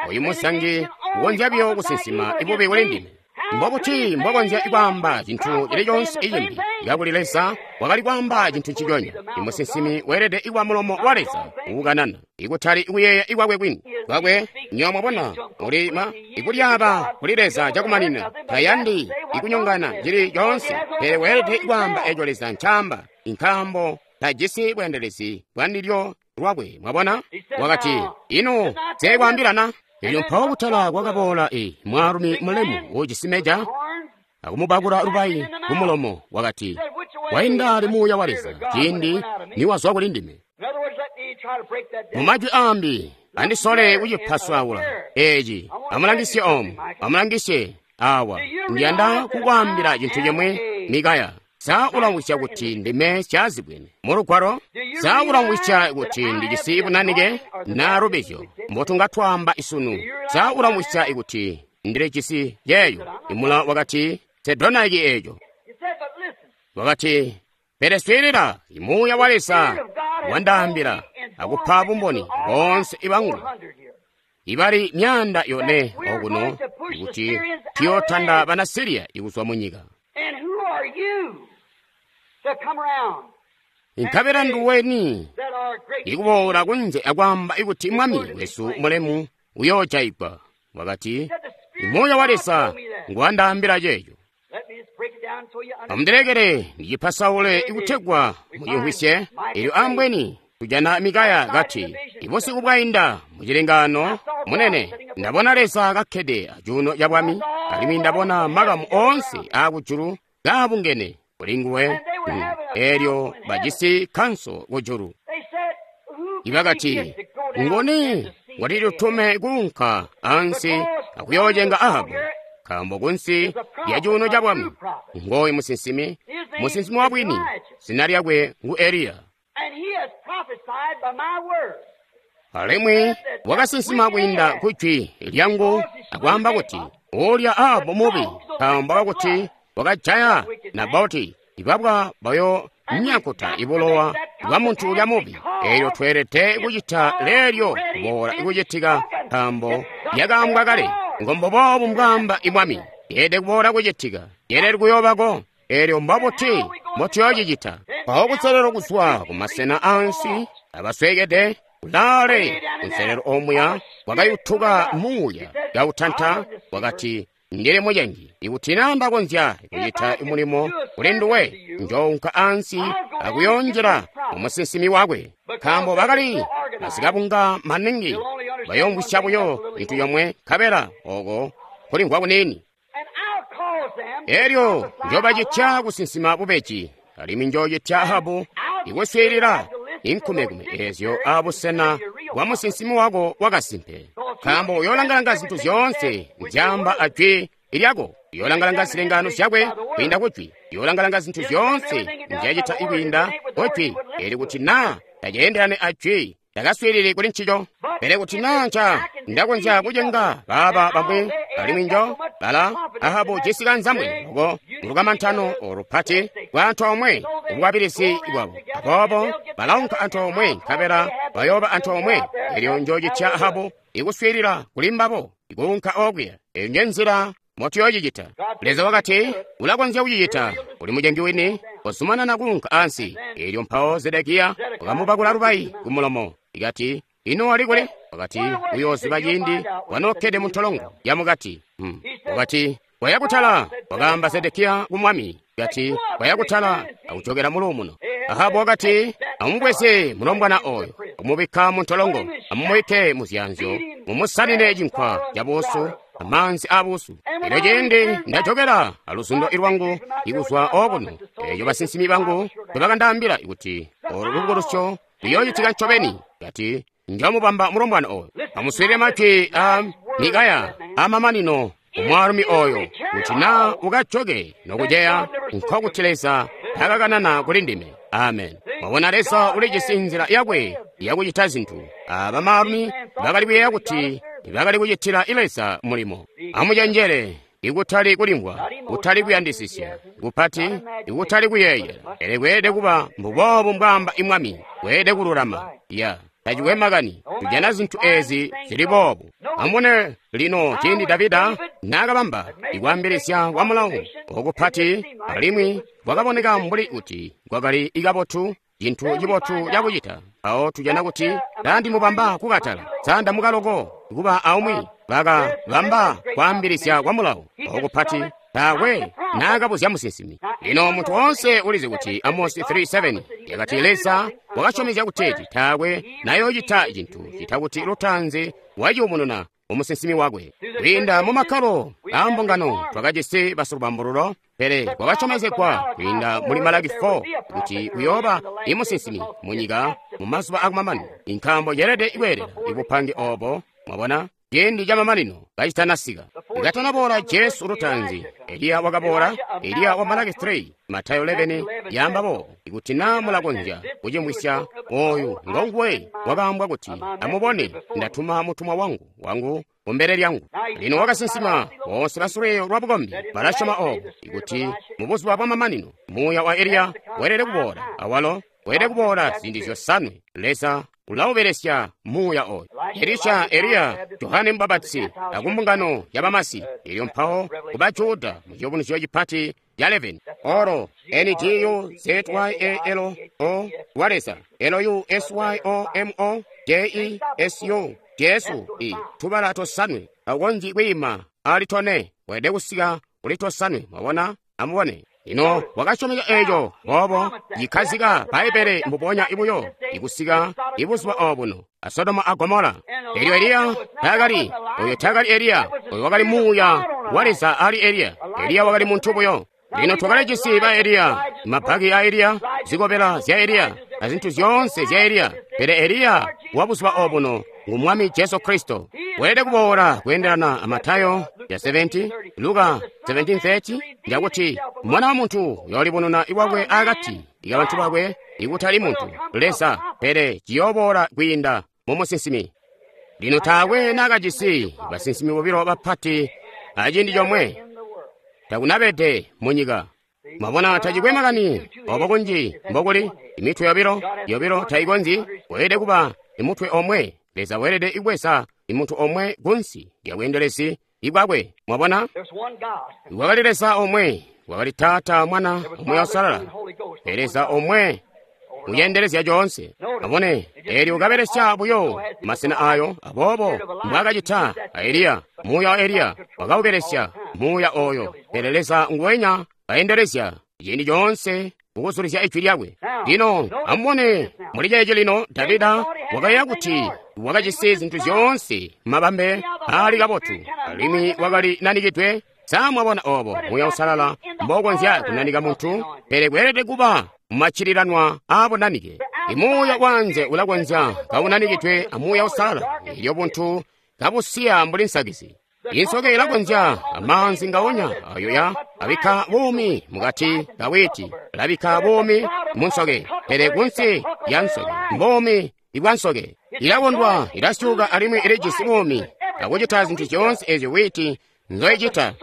Oyu musangi ukonzya buyo kusinsima ibubi kuli ndime. Mbobuti mbwakonzya kwaamba cintu cili coonse icimbi kakuli Leza wakali kwaamba cintu nciconya? Imusinsimi weelede kuba mulomo wa Leza uukanana, ikutali kuyeeya ikwakwe kwini kwakwe. Nywebo mwabona, ulima ikulyaaba kuli Leza cakumanina, tayandi ikunyongana cili coonse, pele weelede kwaamba eco Leza ncaamba, nkaambo tajisi bweendelezi bwandilyo lwakwe. Mwabona? Wakati, ino nseekwaambilana? Elyo mpawo kutala kwakaboola i mwaalumi mulemu uujisi meja akumubakula lubayi kumulomo. Wakati, wainda ali muuya wa Leza ciindi niwazwa kuli ndime. Mumajwi aambi, andisole kucipaswaula eci. Amulangisye omu, amulangisye awa. Ndiyanda kukwaambila cintu cimwe, Mikaya. Sa ulamvwisya kuti ndime syazibwene mu lugwalo? Sa ulamvwisya kuti ndijisi bunanike na lubizyo mbotunga twaamba isunu? Sa ulamvwisya kuti ndilijisi yeeyo? Imula wakati, sedonaiki eeco. Wakati, pele swiilila, imuuya wa Leza wandaambila akupa bumboni boonse ibangu ibali myaanda yone okuno kuti tuyotanda bana Siriya ikuzwa mu nyika. Nkabela nduweni ikuboola kunze akwaamba ikuti mwami wesu mulemu uyoojayigwa. Wakati, Muuya wa Leza nguwandaambila ceeco. Amundilekele ndicipasaule ikutegwa mucimvwisye. Elyo ambweni tujana Mikaya kati, ibusiku bwainda mucilengaano munene ndabona Leza kakkede acuuno ca bwami, alimwi ndabona makamu oonse aakujulu kaabungene kuli nguwe. Elyo bajisi kanso kujulu. Ibakati, ngoni watitutume kuunka ansi akuyoocenga Ahabu, nkaambo kunsi lya cuuno ca bwami ngooyu musinsimi, musinsimi wa bwini, zina lyakwe ngu Eliya. Alimwi wakasinsima kwiinda ku jwi lyangu akwaamba kuti ulya Ahabu mubi, nkaambo kakuti wakajaya Naboti, ibabwa bayo nyakuta ibulowa bwa muntu ulya mubi. Elyo tweelede kucita leelyo kuboola ikucitika, nkaambo lyakaambwa kale. Ngomboboobu mbwaamba imwami, yeelede kuboola kucitika, yeelede kuyoobako. Elyo mbobuti mbotuyoocicita? Mpawo kuselelo kuzwa kumasena ansi abasweekede kulaale kunselelo omuya wakayutuka muuya kautanta, wakati, ndili mucengi. Ikuti naa ndakonzya kucita mulimo kuli nduwe, njounka ansi akuyonjela mumusinsimi wakwe. Nkaambo bakali basikabunga maningi, bayoomvwisya buyo cintu yomwe, nkabela oko kulimvwa kuniini. Elyo njobacitya kusinsima bubeji, alimwi njoocitya Ahabu ikuswiilila inkumekume eezyo abusena bwa musinsimi wako wakasimpe. Nkaambo uyoolangalanga zintu zyoonse nzyaamba ajwi lyako, uyoolangalanga zilengaano zyakwe kwiinda kujwi, uyoolangalanga zintu zyoonse nzyacita ikwiinda kujwi. Eli kuti naa taceendelane ajwi, takaswiilili kuli ncico. Pele kuti naa nca ndakonzya kucenga baaba bamwi, alimwi njo bala Ahabu jisi kanzambwe loko mulukamantano olupati bwa antoomwe ubukwabilizi bwabo. Aboobo balaunka antoomwe nkabela bayooba antoomwe. Elyo njoocitya Ahabu ikuswiilila kuli mbabo ikuunka okuya. Eyo nje nzila motuyoocicita. Leza wakati, ulakonzya kucicita, uli mucengi wini, kozumanana kuunka ansi. Elyo mpawo Zedekiya wakamubakula lubayi kumulomo, ikati, ino wali kuli? Wakati, uyooziba ciindi wanookkede muntolongo yamukati. Hmm. Wakati, waya kutala, wakaamba Zedekiya ku mwami, kati, waya kutala akujokera muluumuno. Ahabu wakati, amubweze mulombwana oyo, amubikka muntolongo, amumubike muzyanzyo, mumusanine cinkwa cabuusu amaanzi abuusu. Elyo ciindi ndajokera aluzundo lwangu ikuzwa okuno, eeyo basinsimi bangu tebakandaambila kuti olu lubukulusyo luyoocitika ncobeni. Kati, njomubamba mulombwana oyo. Amuswiilile majwi a Mikaya amamanino umwaalumi oyo, kuti naa ukajoke nokuceya, nkokuti Leza takakanana kuli ndime. Amen. Mwabona, Leza ulijisi nzila yakwe yakucita zintu. Aba baalumi bakali kuyeeya kuti bakali kucitila Leza mulimo. Amucenjele, ikutali kulimvwa, kutali kuyandisisya kupati, ikutali kuyeeyela. Pele kweelede kuba mbuboobu mbwaamba imwami, kweelede kululama. Ya tacikwe makani, tujana zintu ezi zili boobu. Amubone lino ciindi Davida naakabamba ikwaambilizya kwa mulawo okupati, alimwi kwakaboneka mbuli kuti kwakali ikabotu, cintu cibotu cakucita. Mpawo tujana kuti tandimubamba kukatala, sandamukaloko kuba aumwi bakabamba kwaambilizya kwa mulawo okupati, taakwe naakabuzya musinsimi. Lino muntu woonse ulizi kuti Amosi three seven yakati Leza wakasyomezya kuteeti taakwe nayoocita cintu cita kuti lutanzi waciumununa umusinsimi wakwe. Kwiinda mu makkalo aambungano twakajisi basilubambululo, pele kwakasyomezegwa kwiinda muli Malaki four kuti kuyooba imusinsimi munyika mu mazuba akumamanino. Nkaambo yeelede kweelela ibupange oobo, mwabona, ciindi camamanino kacitanasika. Katanaboola Jesu lutanzi, Eliya wakaboola, Eliya wa Malaki three, Matayo eleven yaamba boobo, ikuti naa mulakonzya kucimvwisya, oyu ngonguwe wakaambwa kuti, amubone, ndatuma mutumwa wangu wangu kumbele lyangu. Lino wakasinsima, boonse basulweyo lwa bukombi balasyoma oobo, ikuti mubuzuba bwamamanino muuya wa Eliya weelede kuboola, awalo weelede kuboola ziindi zyosanwe. Leza Ulaubelesya muuya oyo. Elisha, Eliya, Johane Mubapatizi, akumbungano ya Bamasi, elyo mpawo kuba Juda mu ciyubunuzyo cipati ca eleveni. Oro, N G U Z Y A L O wa Leza, L U S Y O M O J E S U, Jesu, i tubala tosanwe, akonji kwiima ali tone, weelede kusika kuli tosanwe, mwabona, amubone. Ino wakasyomeka eco boobo yikhazika Bbaibele mbubonya ibuyo ikusika ibuzuba obuno a Sodoma a Gomora. Elyo Eliya taakali oyo taakali Eliya, oyo wakali muuya wa Leza ali Eliya. Eliya wakali muntu buyo. Lino twakalijisi ba Eliya, mabaki a Eliya, zikobela zya Eliya, na zintu zyoonse zya Eliya. Pele Eliya wa buzuba obuno ngu Mwami Jesu Kristo. Weelede kuboola kweendelana a Matayo ya seventy, Luka seventeen thirty, njakuti Mwana wa muntu uyoolibonona iwakwe akati ikabantu bakwe, ikutali muntu Leza, pele ciyooboola kwiinda mu musinsimi. Lino taakwe naakajisi basinsimi bobilo bapati aciindi comwe, takunabede mu nyika. Mwabona, tacikwe makani obo kunji mbokuli imitwe yobilo yobilo taikonzyi, weelede kuba imutwe omwe. Leza weelede ibweza imuntu omwe kunsi lya bweendelezi ibwakwe. Mwabona, wakali Leza omwe, wakali Taata, Mwana, Muuya Uusalala, pele Leza omwe uyendelezya coonse. Amubone, eelyo ukabelesya buyo masena ayo, aboobo mbwaakacita a Eliya, muuya wa Eliya wakaubelesya muuya oyo, pele Leza nguwenya kayendelezya ciindi coonse kukuzulizya ijwi lyakwe. Lino amubone muli ceeci lino, Davida wakayeeya kuti wakajisi zintu zyoonse mabambe aali kabotu, alimwi wakali nanikidwe. Sa mwabona obo Muuya Uusalala mbokonzya kunanika muntu? Pele kweelede kuba mumaccililanwa aabunanike. Imuuya wanze ulakonzya kaunanikidwe a Muuya Uusalala, elyo buntu kabusiya mbuli nsakizi. Insoke ilakonzya amaanzi ngaonya ayo ya abikka buumi mukati kawiti, alabikka buumi mu nsoke, pele kunsi ya nsoke mbuumi ibwa nsoke. Ilakondwa, ilasyuka alimwi ilijisi buumi akucita zintu zyoonse ezyo witi nzoicita,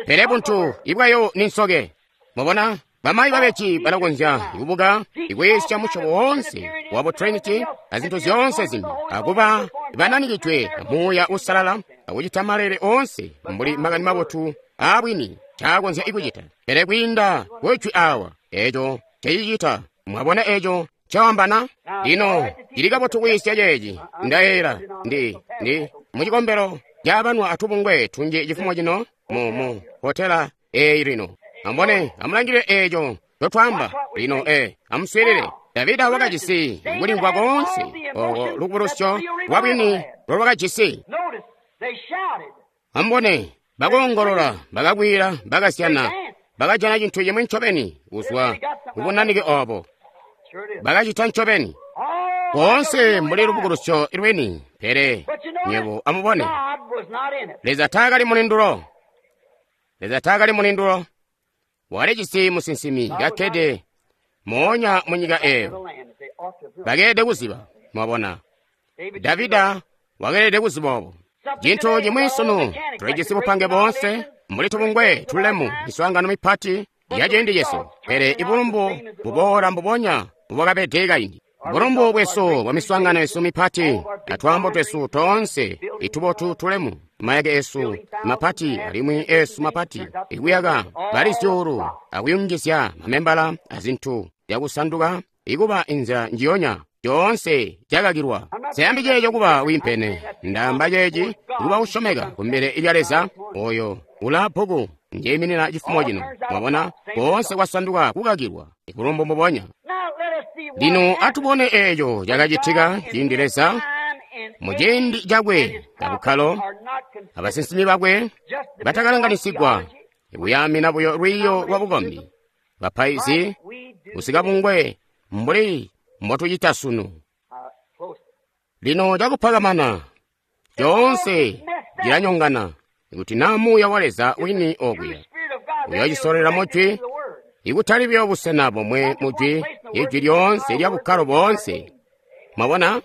pele buntu ibwayo ni nsoke. Mwabona, bamayi babeji balakonzya kubuka ikwiisya musyobo woonse wa bu Trinity na zintu zyoonse zimbi, akuba bananikidwe Muuya Uusalala akucita malele oonse mbuli makani mabotu aabwini caakonzya ikucita. Pele kwiinda kujwi awa, eco cecicita. Mwabona eco cawambana? Lino cili kabotu kwiisya ceeci. Ndayeeyela ndi ndi mucikombelo cabanwa atubungwe tunji cifumo cino mu mu hotela eyi lino. Amubone, amulangilile eco ncotwaamba lino. E amuswiilile. Davida wakajisi kulimvwa koonse oko lukubulusyo lwabwini lolwakajisi. Amubone, bakoongolola, bakakwila, bakasyana, bakajana cintu cimwi ncobeni kuzwa kubunanike obo. Bakacita ncobeni koonse mbuli lubukulusyo lwini, pele nywebo amubone, Leza taakali mulindulo. Leza taakali mulindulo. Walijisi musinsimi kakkede moonya mu nyika eyo. Bakeelede kuziba, mwabona. Davida wakeelede kuziba obo. Cintu cimwi sunu, tulijisi bupange boonse mbuli tubungwe tulemu, miswaangano mipati ya ciindi cesu, pele ibulumbu buboola mbubonya mbubwakabede kaindi. Bulumbu bwesu bwa miswaangano yesu mipati atwaambo twesu toonse itubotu tulemu, mayake esu mapati alimwi esu mapati ikuyaka bali zyuulu akuyungizya mamembala azintu zyakusanduka ikuba inzila njiyonya coonse cakakilwa. Siyambi ceeco kuba wiimpene, ndaamba ceeci kuba kusyomeka kumbele lya Leza oyo ula bbuku njeyiminina cifumo cino. Mwabona, koonse kwasanduka kukakilwa ibulumbu mbubonya. Lino atubone eco cakacitika ciindi Leza mu ciindi cakwe abukkalo abasinsimi bakwe batakalanganisigwa ikuyaamina buyo lwiiyo lwa bukombi, bapaizi kusika bungwe mbuli mbotucita sunu. Lino cakupakamana coonse cilanyongana ikuti naa Muuya wa Leza wini okuya uyoocisolera mujwi, ikutali buyo busena bomwe mujwi, ijwi lyoonse lya bukkalo boonse. Mwabona,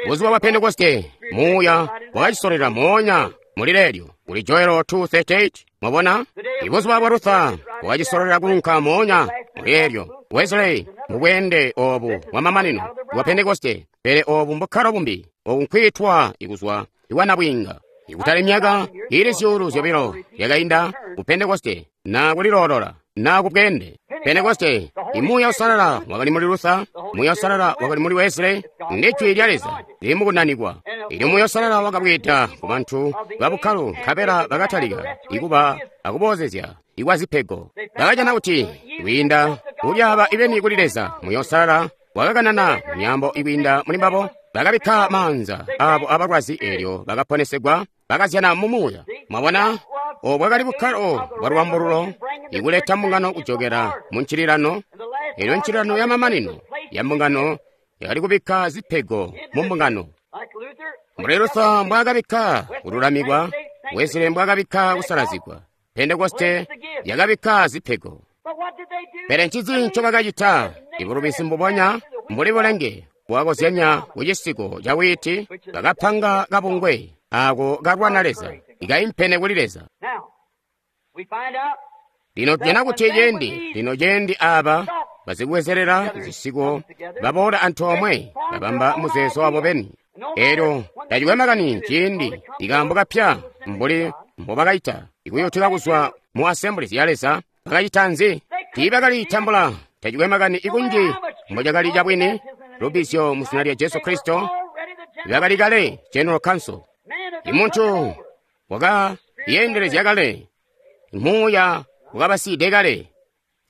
buzuba bwa Pentekoste Muuya wakacisolera moonya muli leelyo kuli Joel two thirty-eight. Mwabona, ibuzuba bwa Luther wakacisolera kuunka moonya muli leelyo. Wesley mubweende obu bwa mamanino bwa Pentekoste, Pele obu mbukkalo bumbi, obu nkwiitwa ikuzwa ikwanabwiinga. Ikutali myaka ili zyuulu zyobilo yakainda ku Pentekoste, na kuliloolola, na kubweende. Pentekoste, imuuya usalala wakali muli Luther, muuya usalala wakali muli Wesley, ndi jwi lya Leza lili mukunanikwa. Elyo muuya usalala wakabweeda ku bantu babukkalo, nkabela bakatalika ikuba akuboozezya ikwa zipego. Bakajana kuti kwiinda kulyaaba ibeni kuli Leza, muuya usalala wakakanana myaambo ikwiinda muli mbabo. Bakabikka maanza abo abalwazi, elyo bakaponesegwa, bakazyana mu muuya. Mwabona, obu bwakali bukkalo bwa lwambululo, ikuleta mbungano kujokela mu ncililano. Elyo ncililano ya mamanino ya mbungano yakali kubikka zipego mu mbungano. Mbuli Luther mbwaakabikka kululamikwa, Wesley mbwaakabikka kusalazigwa, Pentekoste yakabikka zipego. Pele ncinzi ncobakacita? Ibulubizi mbubonya mbuli bulenge bwakozyanya ku cisiko ca wiiti, bakapanga kabungwe ako kalwana Leza, ikaimpene kuli Leza. Lino tujana kuti cendi, lino cendi aba bazikubwezelela zisiko baboola antoomwe, babamba muzeezo wabo beni. Elyo tacikwe makani ciindi ikaambo kapya mbuli mbobakaita ikuyutuka kuzwa mu Assemblies ya Leza, bakacita nzi? Tiibakalitambula. Tacikwe makani ikunji mbocakali cabwini, lubbizyo mu zina lya Jesu Kristo, bakali kale General Council. Imuntu wakayeendelezya kale, muuya wakabasiide kale.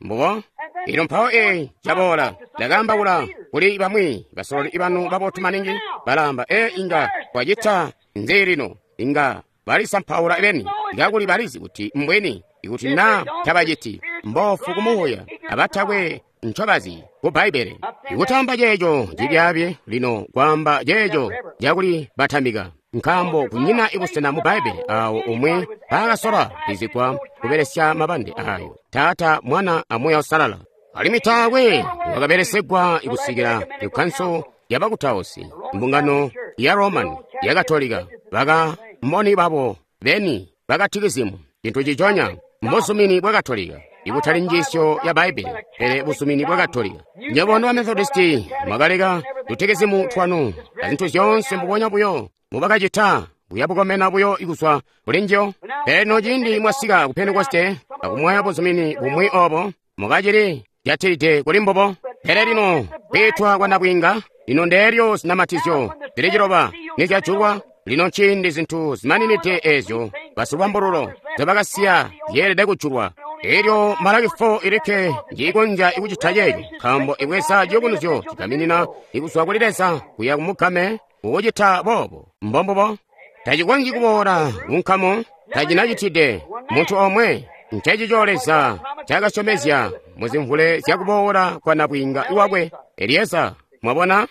Mbubo? Elyo mpawo ee caboola, ndakaambaula kuli bamwi basololi banu babotu maningi, balaamba, ee inga twacita nzi lino? Inga balisampaula beni, kakuli balizi kuti mbweni, ikuti na tabaciti, mbofu kumuuya, abatakwe ncobazi ku Bbaibbele. Ikutamba ceeco cibyaabi lino kwaamba ceeco cakuli batamika, nkaambo kunyina ibusena mu Bbaibbele awo umwi paakasola bizigwa kubelesya mabande ayo, Taata, Mwana, a Muuya Uusalala. Alimwi taakwe wakabelesegwa ikusikila ikkanso yabakutausi, mbungano ya Roman ya Katolika, baka mboni babo beni bakatikizimu, cintu ciconya mbuzumini bwa Katolika, ikutali njiisyo ya Bbaibbele, pele buzumini bwa Katolika. Nywebo ba Methodisti mwakaleka tutekezimu twanu azintu zyoonse mbubonya buyo mubakacita, buya bukomena buyo ikuzwa kuli njiyo. Pele lino ciindi mwasika ku Pentekoste akumwaya buzumini bumwi obo, mukacili jatilide kuli mbubo. Pele lino kwiitwa kwa nabwiinga, lino ndeelyo zinamatizyo zili ciloba nizyajulwa. Lino nciindi zintu zimaninide eezyo basilwambululo nzyobakasiya zyeelede kujulwa. Elyo Malaki four ilikke njiikonzya ikucita ceeco, nkaambo ibweza ciyubunuzyo cigaminina ikuzwa kuli Leza kuya kumugame kukucita boobo. Mbombubo. Tacikonzyi kuboola kunkamo, tacinacitide muntu omwe. Ncencico Leza ncaakasyomezya muzimvule zyakuboola kwa nabwiinga wakwe Elieza. Mwabona?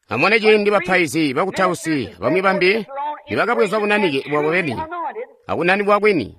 Amone ciindi bapaizi bakutausi bamwi bambi nibakabweza bunanike bwabo beni akunanikwa kwini.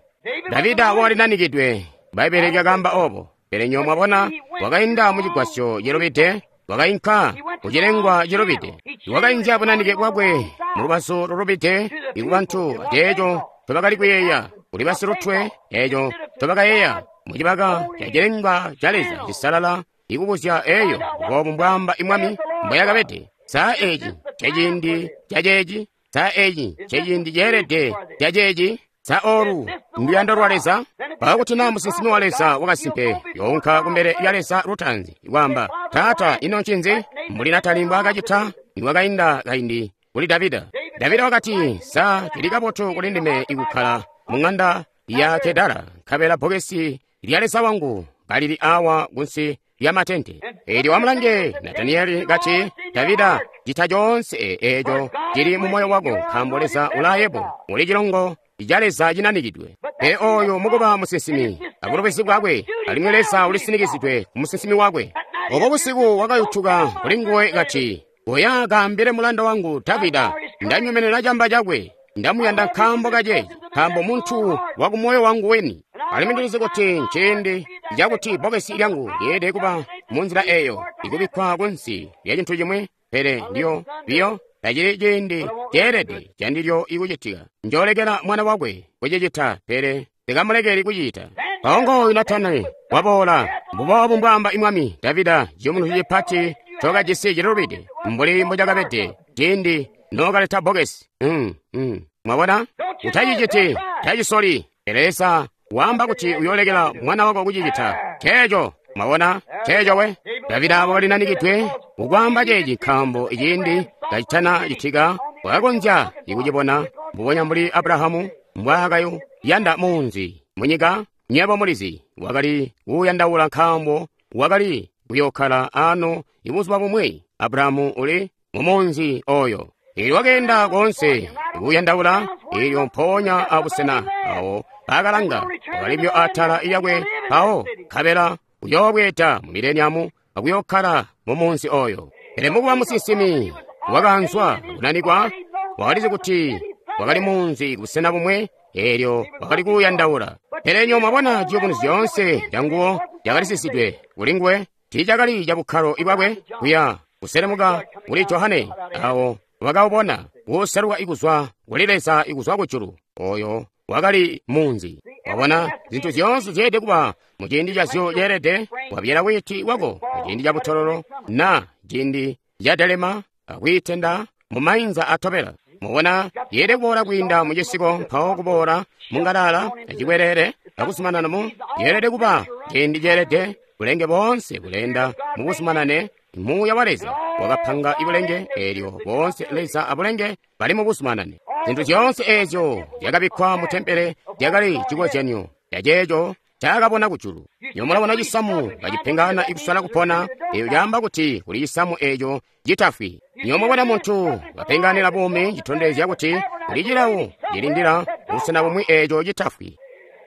Davida walinanikidwe, Bbaibbele lyakaamba obo. Pele nywebo mwabona, wakainda mucigwasyo cilubide, wakainka kucilengwa cilubide, wakainzya bunanike bwakwe mulubazu lulubide ikubantu aceeco ncobakali kuyeeya kuli basilutwe, eeco ncobakayeeya mucibaka ca cilengwa ca Leza cisalala, ikubuzya eeyo boobu mbwaamba imwami mbwayakabede. Saa eeci nceciindi caceeci, saa eeci nceciindi ceelede caceeci. Sa oolu nduyando lwa Leza? Mpawo kuti naa musinsimi wa Leza wakasimpe younka kumbele lya Leza lutaanzi kwaamba, Taata, ino ncinzi? Mbuli Natani mbwaakacita niwakainda kaindi kuli Davida. Davida wakati, sa cili kabotu kuli ndime ikukkala mu ng'anda ya Kedara, nkabela bbokesi lya Leza wangu kalili awa kunsi lya matente. Eelyo amulange Natanieli kati, Davida, cita coonse eeco cili mu moyo wako, nkaambo Leza ulaayebo, uli cilongo ca Leza cinanikidwe. Pele oyo mukuba musinsimi abulobezi bwakwe, alimwi Leza ulisinikizidwe ku musinsimi wakwe. Obo busiku wakayutuka kuli nguwe kati, Oya kaambile mulanda wangu Davida, ndanyumenena camba cakwe, ndamuyanda nkaambo kaceeci, nkaambo muntu wakumoyo wangu weni. Alimwi ndilizi kuti nciindi cakuti bbokesi lyangu lyeelede kuba munzila eeyo, ikubikkwa kunsi lya cintu cimwi, pele ndiyo biyo tacili ciindi ceelede candilyo ikucitika. Njoolekela mwana wakwe kucicita, pele ndikamulekeli kucita. Mpawo ngooyu Natani waboola, mbuboobu mbwaamba imwami Davida, ciyubunuzo cipati ncokajisi cilubide mbuli mbocakabede ciindi nookaleta bbokesi. Mm, mm. Mwabona? Utaciciti, tacisoli. Pele Leza waamba kuti uyoolekela mwana wako kucicita. Nceeco. Mwabona? Nceeco we. Davida wakali nanikidwe kukwaamba ceeci nkaambo iciindi kacitana citika wakakonzya ikucibona mbubonya mbuli Abrahamu mbwaakayanda muunzi munyika. Nyebo mulizi wakali kuuyandaula nkaambo wakali kuyookkala ano ibuzuba bumwi. Abrahamu uli mumunzi oyo. Eelyo wakeenda koonse kuuyandaula, eelyo mpoonya abusena awo baakalanga wakalibyo atala lyakwe mpawo nkabela uyoobweeda mu mileniamu akuyookkala mumunzi oyo. Pele mukuba musinsimi wakaanzwa kunanikwa, wakalizi kuti wakali munzi kubusena bumwe, eelyo wakali kuuyandaula. Pele nyo mwabona ciyubunuzyo zyoonse canguwo cakali kulinguwe, tiicakali cabukkalo bwakwe kuya kuselemuka kuli Johane awo wakawubona kuseluka ikuzwa kuli Leza ikuzwa kujulu. Oyo wakali munzi. Wabona zintu zyoonse zyeelede kuba mu ciindi cazyo ceelede. Wabyala wiiti wako mu ciindi ca butololo na ciindi ca delema akwiitenda mu mainza atobela. Mubona yeelede kuboola kwiinda mu cisiko mpawo kuboola mu ngalala acikwelele akuzumanana mu yeelede kuba ciindi ceelede. Bulenge boonse buleenda mu buzumanane. Muuya wa Leza wakapanga ibulenge, eelyo boonse Leza abulenge bali mu buzumanane. Zintu zyoonse eezyo zyakabikkwa mu tempele zyakali cikozyanyo caceeco ncaakabona kujulu. Nyo mulabona cisamu kacipengana ikusala kupona, eeyo caamba kuti kuli cisamu eeco citafwi. Nyo mubona muntu kapenganira buumi, citondezya kuti kuli cilawo cilindila busena bumwi eeco citafwi.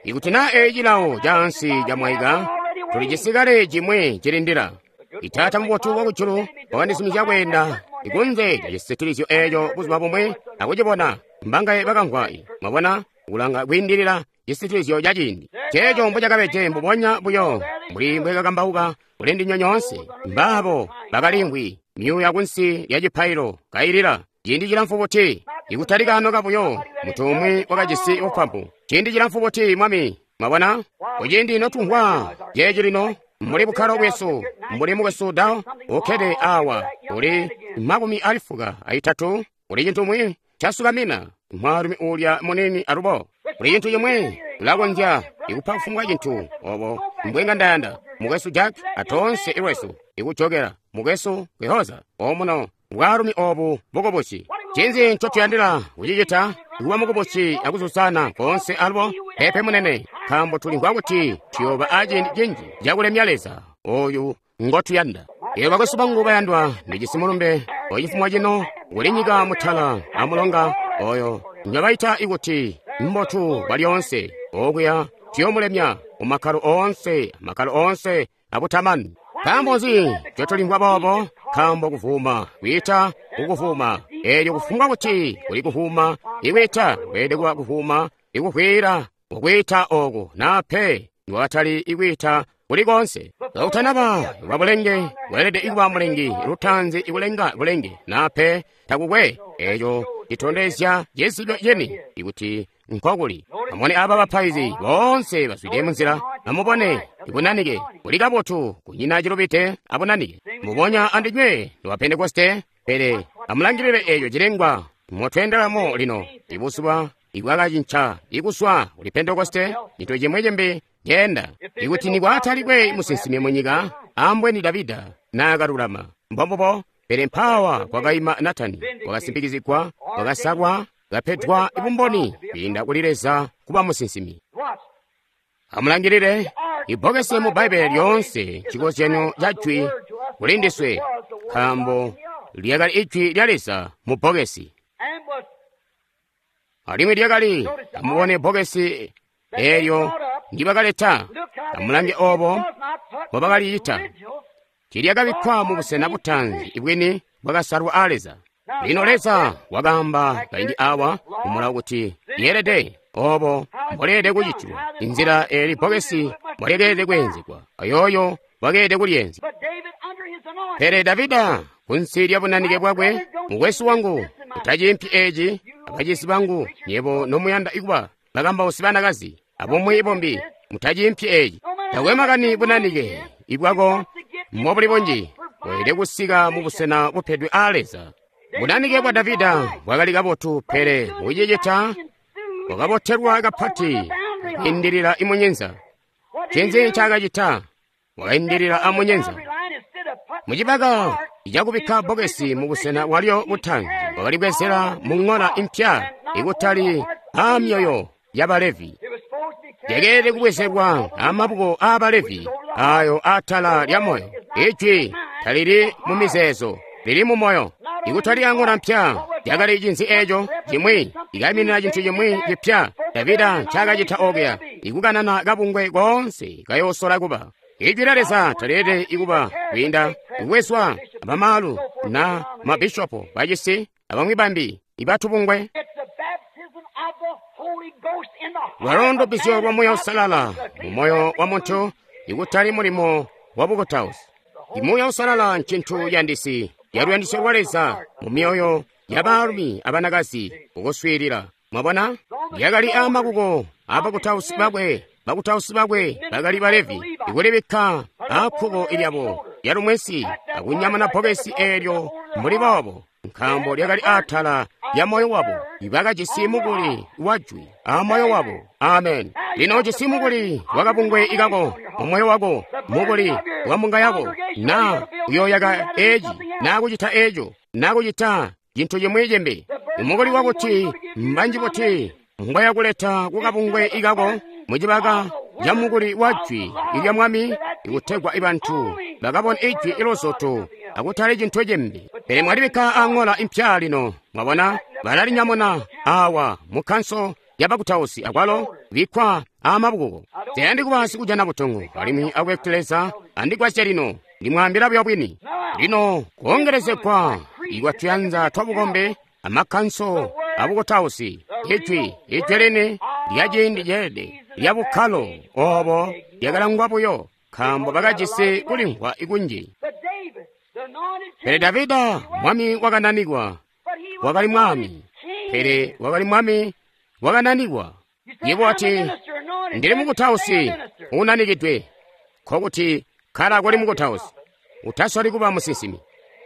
Ikuti naa eeci cilawo caansi camwaika, tulijisi kale cimwi cilindila. Itaata mubotu wakujulu wakandizumizya kweenda ikunze lya cisitilizyo eeco buzuba bumwi akucibona. Mbangaye bakamvwa. Mwabona kulanga kwiindilila cisitilizyo ca ciindi. Ceeco mbocakabede mbubonya buyo mbuli mbwekakambauka kuli ndinywe nyoonse. Mbaabo bakalimvwi myuuya kunsi lya cipailo kailila ciindi cilamfu buti? Ikutalika ano kabuyo muntu umwi wakajisi bupampu. Ciindi cilamfu buti, Mwami? Mwabona? Kuciindi notumvwa ceeci lino mbuli bukkalo bwesu, mbuli mukwesu Dao ukkede awa uli makumi alifuka aitatu, kuli cintu mwi casukamina mwaalumi uulya munini alubo. Kuli cintu cimwi ulakonzya ikupa kufumbwa cintu obo mbwenga ndayanda. Mukwesu Jack atoonse ilwesu ikujokela mukwesu Kwehoza omuno bwaalumi obu bukubusi. Cinzi ncotuyandila kucicita kuba mukubusi akuzuzana koonse alubo? Pepe munene, nkaambo tulimvwa kuti tuyooba aciindi cinji cakulemya Leza oyu ngotuyanda. Eyo bakwesu bangu bayandwa, ndijisi mulumbe ocifumo cino kuli nyika mutala amulonga oyo njobaita ikuti mbotu bwalyoonse. Okuya tuyomulemya mumakkalo oonse, amakkalo oonse abutamani. Nkaambo nzi ncotulimvwa boobo? Nkaambo kuvuma kwiita kukuvuma. Eelyo kufumbwa kuti kuli kuvuma ikwiita, kweelede kuba kuvuma ikuvwiila kukwiita oku naa pe niwatali ikwiita kuli koonse. Kautanaba wa bulenge, weelede kuba mulengi lutaanzi ikulenga bulenge naa pe takukwe. Eeco citondezya cizibyo cini ikuti nkokuli. Amubone aba bapaizi boonse bazwide munzila. Amubone ibunanike buli kabotu, kunyina cilubide abunanike. Mubonya andinywe lwa Pentekoste, pele amulangilile eeco cilengwa motweendelamo lino. Ibuzuba ibwakacinca ikuswa kuli Pentekoste, cintu cimwi cimbi ceenda. Ikuti nikwatalikwe musinsimi munyika, ambweni Davida naakalulama. Mbombubo. Pele mpaawa kwakaima Natani, wakasimpikizigwa, wakasalwa, kapedwa bumboni kwiinda kuli Leza kuba musinsimi. Amulangilile ibbokesi mu Bbaibbele lyoonse cikozyanyo ca jwi kuli ndiswe, nkaambo lyakali ijwi lya Leza mu bbokesi. Alimwi lyakali, amubone bbokesi eelyo ndibakaleta, amulange obo mbobakaliyita. Tiilyakabikkwa mu busena butaanzi ibwini bwakasalwa a Leza. Lino Leza wakaamba kaindi awa mumulawo kuti yeelede obo mboleelede kucitilwa, inzila eeli bbokesi mbolyeelede kweenzegwa, ayooyo wakeelede kulyenzya. Pele Davida kunsi lya bunanike bwakwe, mukwesu wangu, utaciimpi eeci, abacizi bangu, nyebo nomuyanda kuba bakambausi banakazi, abumwi bombi, mutaciimpi eeci. Takwe makani bunanike ibwako mbobuli bunji, Weelede kusika mu busena bupedwe aa Leza. Bunanike bwa Davida bwakali kabotu, pele mukucicita wakabotelwa kapati kwiindilila imunyenza. Ncinzi ncaakacita? Wakaindilila amunyenza. Mucibaka cakubikka bbokesi mubusena bwalyo butanzi, wakalibwezela mu ŋola impya ikutali aamyoyo yaba Levi. Lyakeelede kubwezelwa amaboko aa Levi ayo atala lya moyo. Ijwi talili mu mizeezo, lili mu moyo. Ikutali aŋola mpya, lyakali cinzi eeco cimwi ikaiminina cintu cimwi cipya Davida ncaakacita okuya, ikukanana kabungwe koonse kayoosola kuba. Ijwi lya Leza talielede ikuba kwiinda kubwezwa abamaalu na mabishopo bacisi abamwi bambi ibatubungwe. Lwalo ndubbizyo lwa Muuya Uusalala mu moyo wa muntu, ikutali mulimo wa bukutausi. Imuuya Uusalala ncintu yandisi yaluyandisyo lwa Leza mu myoyo yabaalumi abanakazi ukuswiilila. Mwabona, lyakali aamakuko abakutausi bakwe. Bakutausi bakwe bakali ba Levi, ikulibikka aakkuko lyabo lyalumwesi akunyamuna bbokesi eelyo mbuli boobo, nkaambo lyakali atala lya moyo wabo. Ibakajisi mukuli wa jwi a moyo wabo. Amen. Lino ujisi mukuli wakabungwe ikako mu moyo wako, mukuli wa mbunga yako, na uyoyaka eci, na kucita eco, na kucita cintu cimwi cimbi. Mukuli wakuti mbanji buti ngwaya kuleta kukabungwe ikako mucibaka ca mukuli wa jwi ilya Mwami, ikutegwa ibantu bakabona ijwi ilozoto akutali cintu cimbi. Pele mwalibikka aŋola impya lino, mwabona, balalinyamuna awa mu kkanso yabakutausi akwalo bikkwa aamabukuko. Tayandi kuba sikujana butongo alimwi akuti Leza andigwasye lino, ndimwaambila buyo bwini. Lino kuongelezegwa ikwatuyanza twabukombe amakkanso abukutausi, ijwi ijwi lini lya ciindi ceelede lya bukkalo obo lyakalangwa buyo, nkaambo bakajisi kulimvwa ikunji. Pele Davida mwami wakananikwa, wakali mwami, pele wakali mwami wakananikwa. Yebo wati, ndili mukutausi unanikidwe, nkokuti kkala kuli mukutausi, utasoli kuba musinsimi.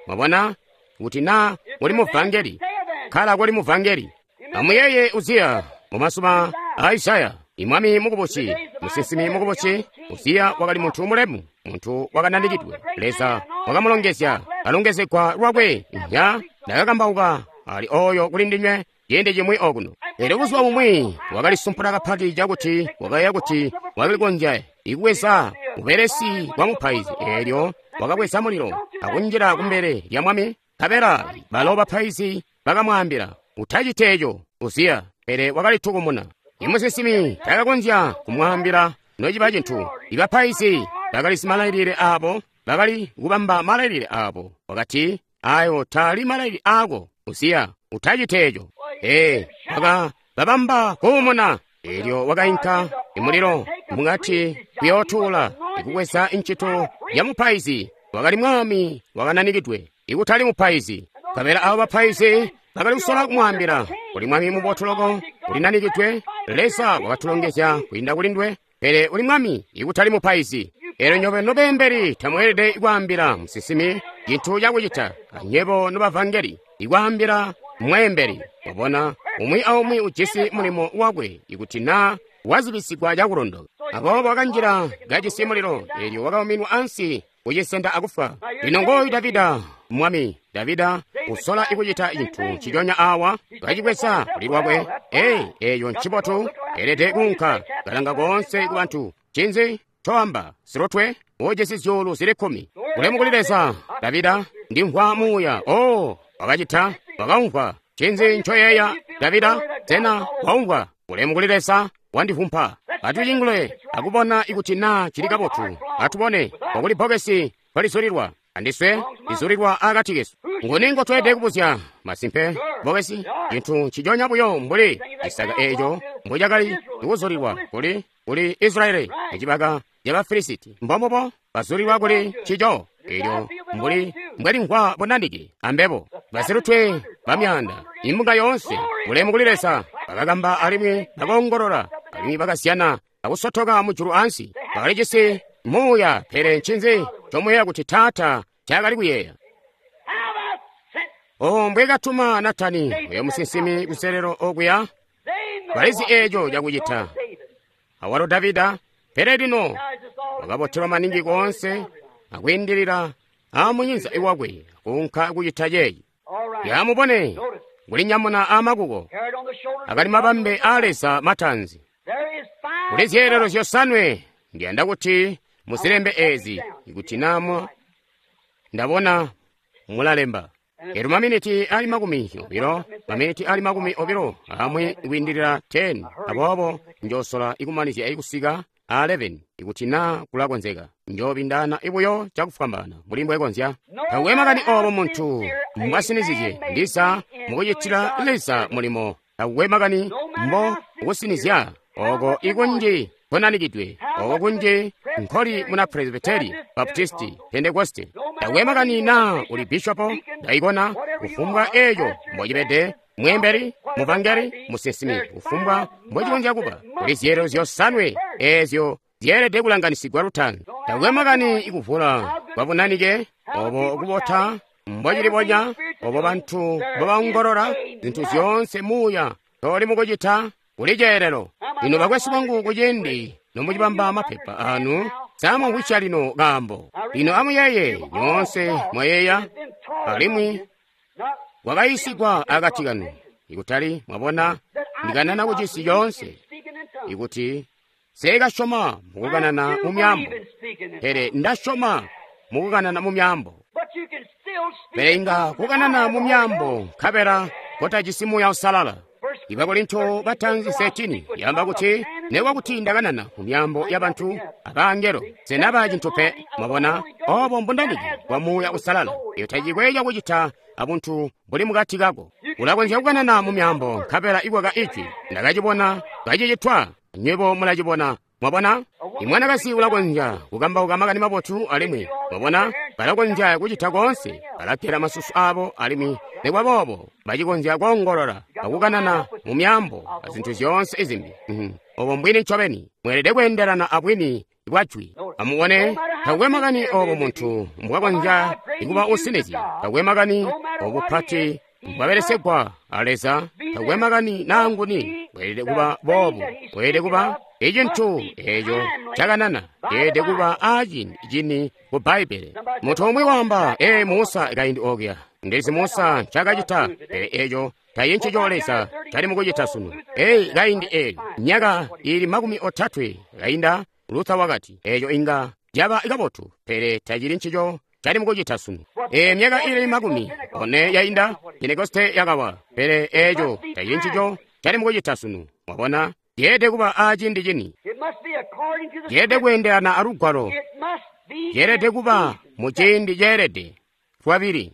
Mwabona, kuti na uli muvangeli, kkala kuli muvangeli. Amuyeeye Uziya mu mazuba a Isaya, imwami mukubusi, musinsimi mukubusi. Uziya wakali muntu mulemu, muntu wakananikidwe. Leza wakamulongezya, kalongezegwa lwakwe. Nya ndakakambauka ali oyo kuli ndinywe ciindi cimwi okuno. Pele buzuba bumwi wakalisumpula kapati cakuti wakayeeya kuti wakalikonzya ikubweza ubelesi bwa mupaizi. Eelyo wakabweza mulilo akunjila kumbele lya mwami. Nkabela balo bapaizi bakamwaambila, utacite eco, Uziya. Pele wakalitukumuna. Imusinsimi takakonzya kumwaambila nociba cintu. Ibapaizi bakali malailile aabo, bakali kubamba malailile aabo. Wakati, ayo taali malailile aako, Uziya, utacite eco. Ee, waka babamba kuumuna. Eelyo wakainka imulilo mukati kuyootuula ikubweza incito ya mupaizi. Wakali mwami wakananikidwe, ikutali mupaizi. Nkabela abo bapaizi bakali kusola kumwaambila, uli mwami mubotu loko, ulinanikidwe, Leza wakatulongezya kwiinda kuli ndwe, pele uli mwami ikutali mupaizi. Eelyo nyobe nobeembeli tamweelede kwaambila musinsimi cintu cakucita, anywebo nobavangeli ikwaambila mweembeli. Wabona, umwi aumwi ujisi mulimo wakwe ikuti na wazibisigwa cakulondoka. Aboobo wakanjila kajisi mulilo, eelyo wakauminwa ansi kucisenda akufa. Lino ngooyu Davida mwami. Davida usola ikucita cintu nciconya awa, kacibweza kuli lwakwe. Ee, eeyo ncibotu, elede kuunka kalanga koonse ku bantu. Cinzi coamba silutwe ujisi zyuulu zili kkumi. Bulemu kuli Leza. Davida, ndimvwa muuya. Oh, wakacita, wakaumvwa. Cinzi ncoyeeya Davida? Sena waumvwa? Bulemu kuli Leza, wandivumpa. Atucingule akubona ikuti naa cili kabotu. Atubone okuli bbokesi kwalizulilwa andiswe lizulilwa akati kesu. Nguni ngotweelede kubuzya? Masimpe, bbokesi cintu nciconya buyo mbuli cisaka eeco mbucakali kuzulilwa kuli kuli Israeli ecibaka ca Bafilisiti. Mbombubo bazulilwa kuli ncico. Eelyo mbuli mbwelimvwa bunanike ambebo basilutwe bamyaanda imbunga yoonse, bulemu kuli Leza, bakakamba alimwi bakoongolola alimwi bakazyana akusotoka mujulu ansi. Bakalijisi muuya, pele ncinzi ncomuyeeya kuti taata ncaakali kuyeeya. Oh, mbwekatuma Natani oyo musinsimi kuselelo okuya, balizi eeco cakucita. Awalo Davida, pele lino wakabotelwa maningi koonse akwiindilila amunyinza iwakwe kuunka kucita ceeci. Yamubone kulinyamuna amakuko akali mabambe a Leza matanzi. Kuli zyeelelo zyosanwe ndiyanda kuti muzilembe eezi, ikuti naa ndabona mulalemba. Elo maminiti ali makumi obilo, maminiti ali makumi obilo amwi kwiindilila ten. Aboobo njosola ikumanizya ikusika a eleven ikuti naa kulakonzeka. Njoobindana ibuyo cakufwambaana mbuli mbwekonzya. Takwe makani obo muntu mbwasinizizye ndiza mukucitila Leza mulimo. Takwe makani mbo kusinizya oko ikunji konanikidwe, oko kunji nkoli muna Presbyteri, Baptisti, Pentekoste. Takwe makani naa uli bishopo, daikona, kufumbwa eeco mbocibede, mwembeli, muvangeli, musinsimi, kufumbwa mbocikonzya kuba. Kuli zyeelelo zyosanwe eezyo zyeelede kulanganisigwa lutaanzi. Takwe makani ikuvula kwabunanike, obo kubota mbocilibonya, obo bantu mbobaongolola, zintu zyoonse muuya toli mukucita, kuli ceelelo. Lino bakwesu bangu, kuciindi nomucibamba mapepa anu, samumvwisya lino kaambo. Lino amuyeeye, nyoonse mwayeeya, alimwi kwakayiisigwa akati kanu, ikutali mwabona ndikanana kucisi coonse, ikuti seekasyoma mukukanana mu myaambo, pele ndasyoma mukukanana mu myaambo. Pele inga kukanana mu myaambo nkabela kotajisi Muuya Uusalala. Ibakorinto batanzi thirteen yamba kuti nekwa kuti ndakanana mu myaambo y'abantu abangelo senaba cintu pe. Mwabona obo mbundaniki bwa Muuya Uusalala. Iyo tacikwe cakucita abuntu buli mukati kako. Ulakonzya kukanana mu myaambo nkabela ikwaka ijwi. Ndakacibona kacicitwa, nywebo mulacibona. Mwabona, imwanakazi ulakonzya kukambauka makani mabotu alimwi mwabona balakonzya kucita koonse, balagela masusu abo alimwi nekwa boobo bacikonzya koongolola akukanana mu myaambo azintu zyoonse izimbi. Obo mbwini ncobeni, mweelede kweendelana abwini bwa jwi. Amubone, takwe makani obo muntu mbwakonzya kuba usinizya, takwe makani obupati mbwabelesegwa a Leza, takwe makani naanguni, weelede kuba boobu, weelede kuba icintu eeco cakanana, yeelede kuba aacini cini ku Bbaibbele. Muntu umwi waamba, ee Musa kaindi okuya, ndizi Musa ncakacita, pele eeco tayincico Leza cali mukucita sunu. Eyi kaindi eeli, myaka ili makumi otatwe kainda, Luther wakati, eeco inga caba kabotu, pele tacili ncico cali mukucita sunu. E myaka ili makumi one yainda, Pentekoste yakawa, pele eeco tacili ncico cali mukucita sunu. Mwabona, yeelede kuba aciindi cini, yeelede kweendelana alugwalo, yeelede kuba mu ciindi ceelede. Lwabili,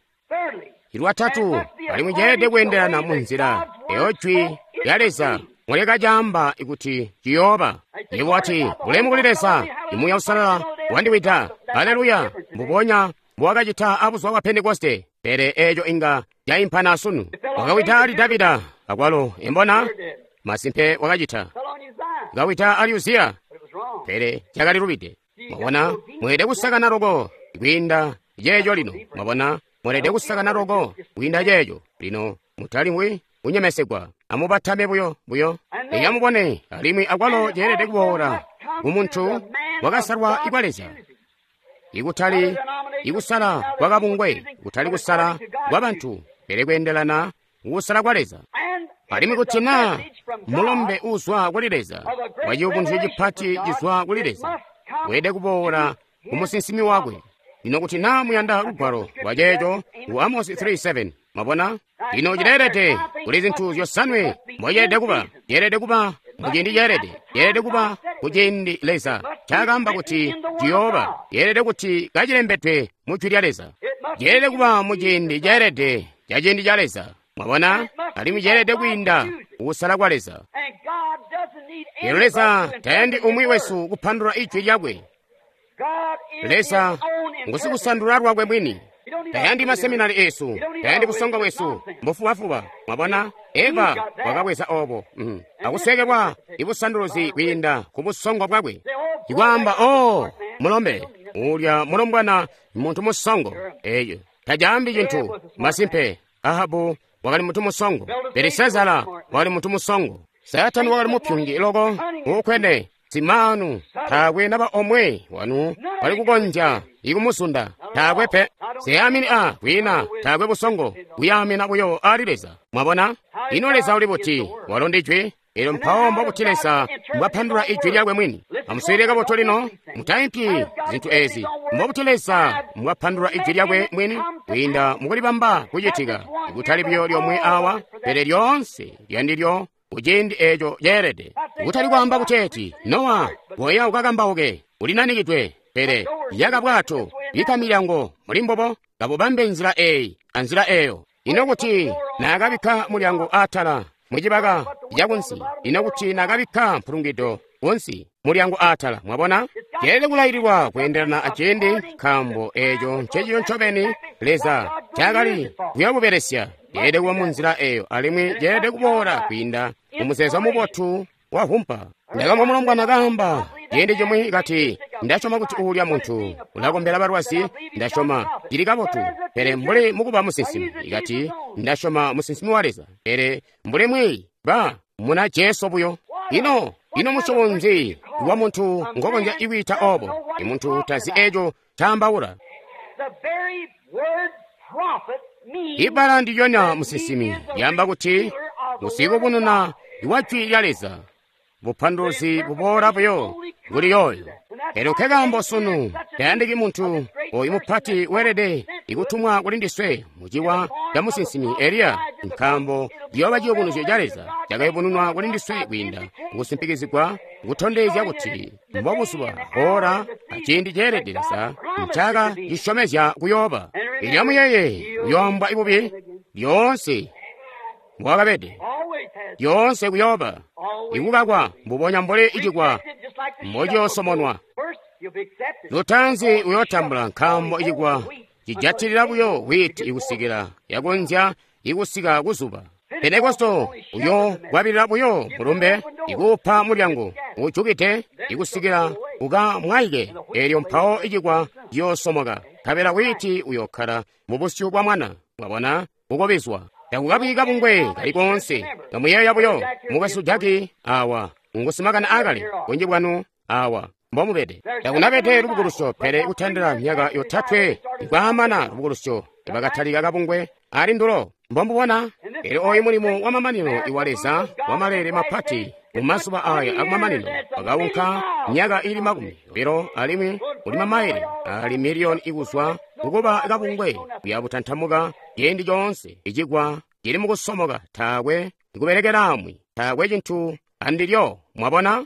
lwatatu, alimwi ceelede kweendelana mu nzila eyo jwi lya Leza mulekacaamba kuti ciyooba. Yebo wati, bulemu kuli Leza, Muuya Uusalala wandiwida. Aleluya! Mbubonya mbuwakacita abuzuba bwa Pentekoste, pele eeco inga caimpana sunu. Wakawida ali Davida akwalo, embona masimpe wakacita. Kawida ali Uziya, pele cakalilubide. Mwabona, mweelede kusakana loko kwiinda ceeco lino. Mwabona, mweelede kusakana loko kwiinda ceeco lino. Mutalimwi kunyemesegwa, amubatame buyo buyo. Eya amubone, alimwi akwalo ceelede kuboola kumuntu wakasalwa kwa Leza, ikutali ikusala kwa kabungwe, kutali kusala kwa bantu, pele kweendelana kusala kwa Leza. Alimwi kuti naa mulombe uzwa kuli Leza, waciyubunuzyo cipati cizwa kuli Leza, weelede kuboola kumusinsimi wakwe. Lino kuti naa muyanda lugwalo lwa ceeco, ku Amosi three seven. Mwabona, lino cileelede kuli zintu zyosanwe mboceelede kuba. Ceelede kuba muciindi ceelede, ceelede kuba kuciindi Leza ncaakaamba kuti ciyooba, ceelede kuti kacilembedwe mu jwi lya Leza, ceelede kuba muciindi ceelede ca ciindi ca Leza. Mwabona, alimwi ceelede kwiinda kusala kwa Leza. Lino Leza tayandi umwi wesu kupandulula ijwi lyakwe. Leza ngusikusandulula lwakwe mwini. Tayandi maseminari esu, tayandi busongo bwesu, mbufubafuba. Mwabona, Eva wakabweza obo mm. akusekelwa ibusanduluzi kwiinda ku busongo bwakwe. Ikwaamba, oh, mulombe, Ulya mulombwana muntu musongo. Eyo tajaambi cintu. Masimpe, Ahabu wakali muntu musongo. Belisazara wakali muntu musongo. Saatani wakali mupyungi loko uukwene simanu. Taakwe naba omwe wanu wali kukonzya ikumuzunda. Taakwe pe. Siyamini a kwina taakwe busongo kuyamina buyo ali Leza. Mwabona? Ino Leza uli buti? Walo ndi Ijwi. Elyo mpawo mbobuti Leza mbwapandula Ijwi lyakwe mwini? Amuswiilile kabotu lino, mutaimpyi zintu ezi. Mbobuti Leza mbwapandula Ijwi lyakwe mwini? Kwiinda mukulibamba kucitika, kutali buyo lyomwe awa, pele lyoonse lyandilyo kuciindi eco ceelede. Kutali kwaamba kuteeti, Nowa, goya ukakambauke, ulinanikidwe, pele yaka bwato, bikka milyango muli mbubo, kabubambe nzila eyi anzila eyo. Ino kuti naakabikka mulyango atala mucibaka cakunsi, ino kuti naakabikka mpulungido kunsi mulyango atala. Mwabona, ceelede kulaililwa kweendelana aciindi, nkaambo eco nceciyo ncobeni Leza ncaakali kuyakubelesya. Ceelede kuba mu nzila eyo, alimwi ceelede kuboola kwiinda mumuzeezo mubotu wa vumpa. Ndakamvwa mulombwana kaamba ciindi cimwi kati, ndasyoma kuti uulya muntu ulakombela balwazi, ndasyoma cili kabotu, pele mbuli mukuba musinsimi. Ikati, ndasyoma musinsimi wa Leza, pele mbuli mwiiyi ba muna Jesu buyo. Ino ino musyobo nzi wa muntu ngokonzya ikwiita obo? Imuntu tazi eco caambaula. Ibbala ndilyonya musinsimi lyaamba kuti ngusikubununa wa Jwi lya Leza. Bupanduluzi buboola buyo kuli yooyo. Elyo nkekaambo sunu tayandiki muntu oyu mupati weelede ikutumwa kuli ndiswe muciwa ca musinsimi Eliya, nkaambo ciyooba ciyubunuzyo ca Leza cakayubununwa kuli ndiswe kwiinda kukusimpikizigwa, kutondezya kuti mbobuzuba, ora, aciindi ceelede Leza ncaaka cisyomezya kuyooba. Elyo amuyeeye, uyooambwa ibubi lyoonse mbwakabede, lyoonse kuyooba ikukakwa mbubonya mbuli icikwa mbociyoosomonwa. Lutaanzi uyootambula, nkaambo icikwa cijatilila buyo wiiti ikusikila yakonzya ikusika kuzuba. Pentekosto uyokwabilila buyo mulumbe, ikuupa mulyango uujukide ikusikila ukamwaike. Elyo mpawo icikwa ciyoosomoka, nkabela wiiti uyookkala mubusyu bwa mwana. Mwabona, ukobizwa. Takukabi kabungwe kali koonse. Kamuyeeya buyo, mukwesu Jaki awa ngusimakani akale, bunji bwanu awa mbomubede. Takunabede lubukulusyo, pele kutandila myaka yotatwe ikwaamana lubukulusyo ibakatalika kabungwe ali ndulo. Mbombubona? Elyo oyu mulimo wa mamanino iwa Leza wa maleele mapati mu mazuba aya akumamanino wakaunka myaka ili makumi obilo alimwi uli mamaile ali miliyoni ikuzwa kukuba kabungwe kuya butantamuka ciindi coonse. Icikwa cili mukusomoka, taakwe ikubelekelaamwi, taakwe cintu andilyo. Mwabona,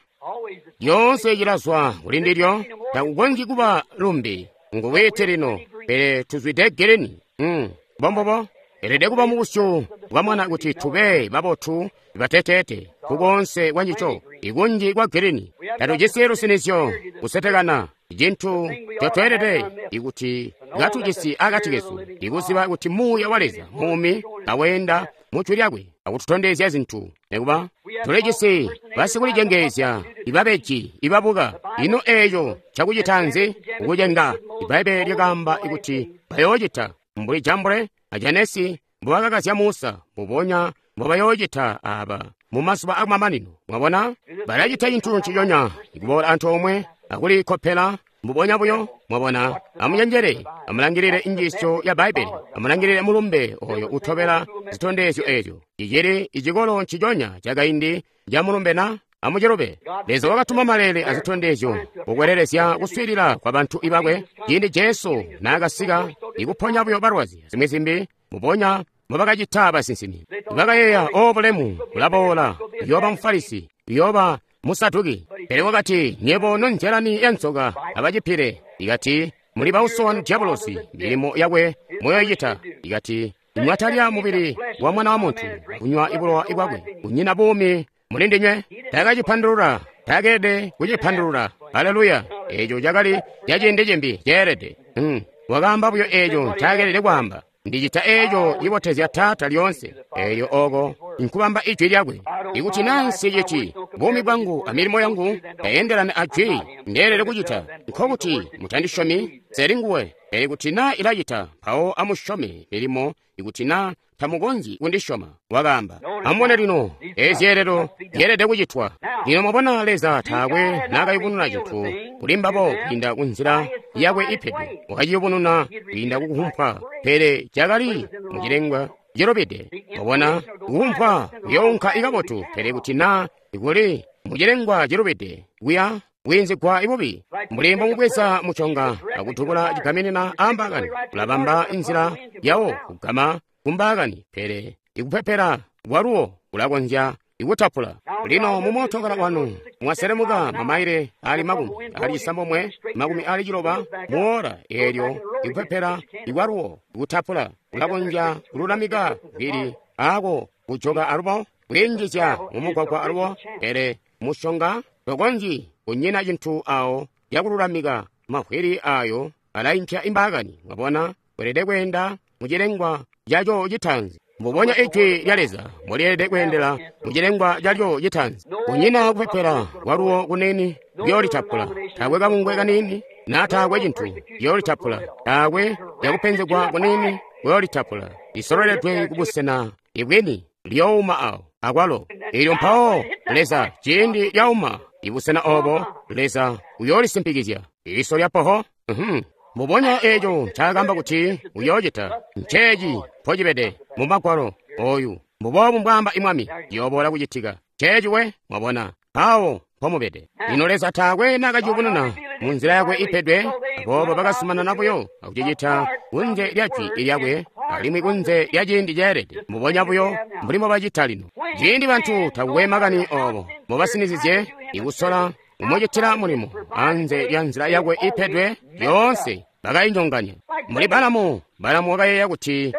lyoonse cilazwa kuli ndilyo, takukonzyi kuba lumbi. Nguwete lino, pele tuzwide geleni. Mm, mbombubo. Elede kuba mubusyu bwa mwana kuti tube babotu bateteete kukonse kwa ncico, ikunji kwa geleni. Tatujisi lusinizyo kusetekana, cintu ncotweelede ikuti katujisi akati kesu, ikuziba kuti Muuya wa Leza muumi aweenda mu Jwi lyakwe akututondezya zintu. Nekuba tulijisi basikulicengeezya ibabeji ibabuka. Ino eeco cakucita nzi? Kukucenga. Ibbaibbele lyakaamba kuti bayoocita mbuli Jambure a Janesi mbubakakazya Musa, mbubonya mbubayoocita aaba mu mazuba akumamanino. Mwabona, balacita cintu nciconya, ikuboola antoomwe akulikopela mbubonya buyo. Mwabona, amunyenjele, amulangilile injiisyo ya Bbaibbele, amulangilile mulumbe oyo utobela zitondezyo ezyo. Cicili icikolo nciconya cakaindi ca mulumbe na amucilube. Leza wakatuma maleele azitondezyo kukwelelezya kuswiilila kwa bantu ibakwe. Ciindi Jesu naakasika ikuponya buyo balwazi zimwi zimbi, mbubonya mbubakacita basinsimi. Bakayeeya, o bulemu bulaboola, uyooba Mufarisi, uyooba Musaduki. Pele wakati, nyebo nonzyalani ya nzoka abacipile. Ikati, muli bauso wanu Diabolosi, milimo yakwe muyoyicita. Ikati, mwatalya mubili wa mwana wa muntu, kunywa ibulowa bwakwe, kunyina buumi muli ndinywe. Taakacipandulula, taakeelede kucipandulula. Haleluya! Eeco cakali caciindi cimbi ceelede. Hmm. Wakaamba buyo eeco ncaakeelede kwaamba. Ndicita eeco cibotezya Taata lyoonse. Eelyo oko nkubamba Ijwi Lyakwe. Ikuti naa nsiciti, buumi bwangu a milimo yangu tayendelani a Jwi ndeelede kucita, nkokuti mutandisyomi, nseli nguwe. Pele kuti naa ilacita, mpawo amusyome milimo ikuti naa tamukonzyi kundisyoma. Wakaamba, amubone lino, ezi zyeelelo zyeelede kucitwa. Lino mwabona Leza taakwe naakayubununa cintu kuli mbabo kwiinda ku nzila yakwe ipedwe. Wakaciyubununa kwiinda ku kuhumpwa, pele cakali mucilengwa cilubide. Mwabona, kuhumpwa kuyounka ikabotu, pele kuti naa kuli mucilengwa cilubide, kuya bwiinzigwa ibubi. Mbuli mbomubweza muconga akudubula cigaminina aambaakani, kulabamba inzila yawo kugama kumbaakani, pele ikupepela kwaluwo kulakonzya ikutapula. Lino mumootokala wanu mwaselemuka mamaile ali makumi ali cisambomwe makumi ali ciloba muola eelyo ikupepela ikwaluwo ikutapula kulakonzya kululamika vili ako kujoka alubo kwiinjizya mumugwagwa alubo, pele mushonga tokonzyi kunyina cintu awo yakululamika mavwili ayo alaimpya imbaakani. Mwabona, weelede kweenda mucilengwa caco citaanzi. Mbubonya Ijwi lya Leza mulyeelede kweendela mucilengwa calyo citaanzi. Kunyina kupepela kwaluwo kunini kuyoolitapula, taakwe kabungwe kanini naa taakwe cintu kuyoolitapula, taakwe yakupenzegwa kunini kuyoolitapula. Lisololedwe kubusena ibwini lyouma awo akwalo. Eelyo mpawo Leza ciindi lyauma ibusena obo, Leza uyoolisimpikizya iso lya poho. Mhm. Mbubonya eeco ncaakamba kuti uyoocita, nceeci mpocibede mu Magwalo oyu. Mbuboobu mbwaamba Mwami, ciyooboola kucitika. Nceeci we, mwabona, awo mpomubede. Lino Leza taakwe naakaciyubununa mu nzila yakwe ipedwe, aboobo bakazumanana buyo akucicita kunze lya Jwi lyakwe alimwi kunze lya ciindi ceelede, mbubonya buyo mbuli mbobacita lino. Ciindi bantu takukwe makani oobo mbobasinizizye ikusola kumucitila mulimo anze lya nzila yakwe ipedwe, lyoonse bakayinyonganya. Mbuli Balamu, Balamu wakayeeya kuti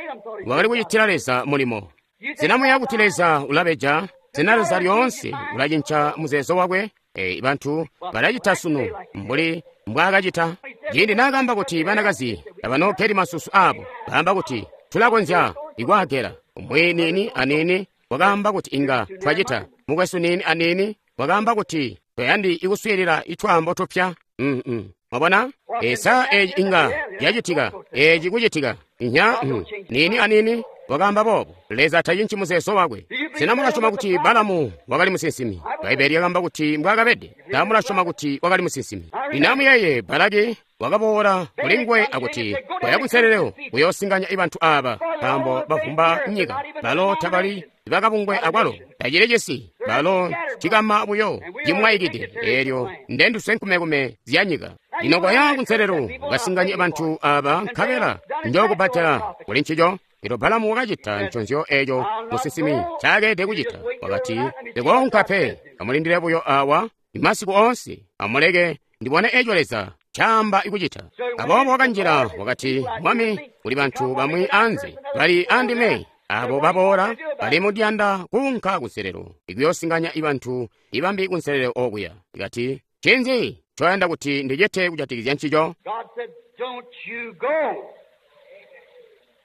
wakali kucitila Leza mulimo. Sinamuyeeya kuti Leza ulabeja? Sena Leza lyoonse ulacinca muzeezo wakwe? E, bantu balacita sunu mbuli mbwaakacita. Ciindi naakaamba kuti banakazi tabanoogeli masusu aabo, baamba kuti tulakonzya ikwaagela. Umwi niini aniini wakaamba kuti inga twacita. Mukwesu niini aniini wakaamba kuti toyandi ikuswiilila itwaambo tupya. Mm -mm. Mwabona? Esa eeci inga yacitika, eeci kucitika. Inya mm. Niini aniini wakaamba boobo. Leza tacinci muzeezo wakwe. Sena mulasyoma kuti Balamu wakali musinsimi? Bbaibeli lyakaamba kuti mbwaakabede. Sena mulasyoma kuti wakali musinsimi? Lino amuyeeye, Balaki wakaboola kuli nguwe akuti, koya kunselelo kuyoosinganya bantu aaba, nkaambo bavumba nyika. Balo tabali bakabungwe akwalo tacili cisi, balo cikama buyo cimwaikide, eelyo ndenduswe nkumekume zya nyika. Lino koya kunselelo ukasinganye bantu aaba, nkabela njookubbadela kuli ncico. Elyo Balamu wakacita nconzyo eeco musinsimi ncaakelede kucita. Wakati, ndikoonka pe, amulindile buyo awa imasiku oonse, amuleke ndibone eeco Leza ncaamba ikucita. Aboobo wakanjila wakati, Mwami, kuli bantu bamwi anze bali andime, abo baboola bali mudiyanda kuunka kunselelo ikuyoosinganya ibantu ibambi kunselelo okuya. Ikati, ncinzi ncoyanda kuti ndicite kujatikizya ncico? God said, don't you go.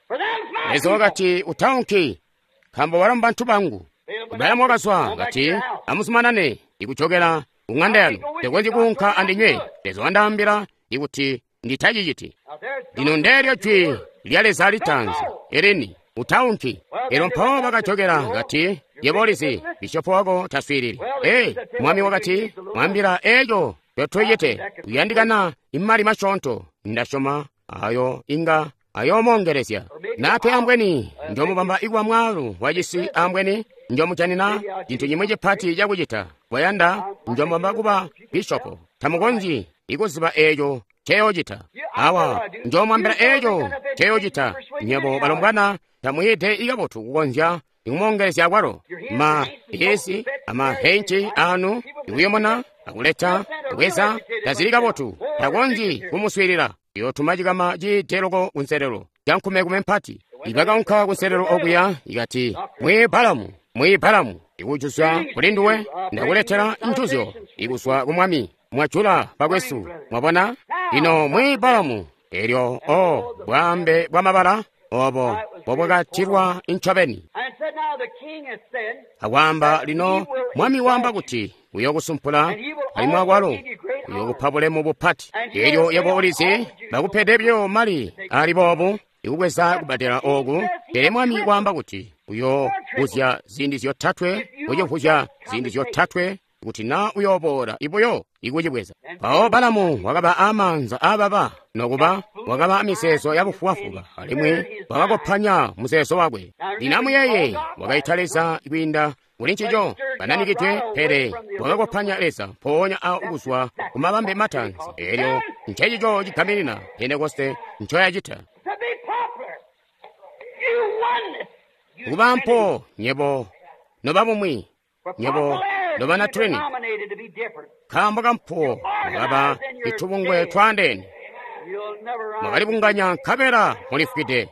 For them's my Leza wakati, utaunki, nkaambo balo mbantu bangu. Balamu wakazwa kati, amuzumanane ikujokela ku ŋanda yanu, ndikonzyi kuunka andinywe. Leza wandaambila ikuti nditaciciti. Now there's Lino ndeelyo jwi lya Leza litaanzi elini, utaunki. Elyo mpawo bakajokela kati, yebo ulizi, bishopo wako taswiilili. Ee, mwami wakati, mwambila eeco ncotucite, uyandikana imali masyoonto. Ndasyoma ayo inga ayoomoongelezya. Nape ambweni njomubamba ikuba mwaalu wacisi, ambweni njomujanina cintu cimwi cipati cakucita. Bwayanda njomubamba kuba bishopo. Tamukonzyi ikuziba eeco nceyoocita. Awa njomwambila eeco nceyoocita. Nywebo balombwana tamwiide ikabotu kukonzya ikumoongelezya akwalo. Ma hesi amahenci anu ikuyomona akuleta kubweza tazili kabotu, takonzyi kumuswiilila. Yootuma cikama ciite loko kunselelo cankumekume mpati. Ibakaunka kunselelo okuya ikati, mwi Balamu, mwi Balamu, ikujuzya kuli nduwe, ndakuletela ntuzyo ikuzwa ku Mwami. Mwajula bakwesu, mwabona? Lino mwi Balamu, elyo o bwaambe bwa mabala obo bobwakatilwa incobeni. And said, now, Akwaamba lino mwami waamba kuti uyokusumpula alimwi akwalo uyokupa bulemu bupati. Elyo yebo ulizi bakupede byo mali ali boobu ikubweza kubbadela ooku, pele mwami waamba kuti uyovuzya ziindi zyotatwe, ucivuzya ziindi zyotatwe kuti na uyoboola ibuyo ikucibweza. Mpawo Balamu wakaba amaanza aababa, nokuba wakaba amizeezo yabufubafuba, alimwi wakakopanya muzeezo wakwe. Lino amuyeeye, wakaita Leza kwiinda kuli ncico bananikidwe, pele wakakopanya Leza mpoonya awo kuzwa kumabambe mataanzi. Elyo ncecico cigaminina Pentekoste ncoyacita. Kuba mpo nyebo noba bumwi, nyebo nobana Trinity, nkaambo kampo mwakaba itubungwe twaandeene, mwakalibunganya nkabela mulifwide,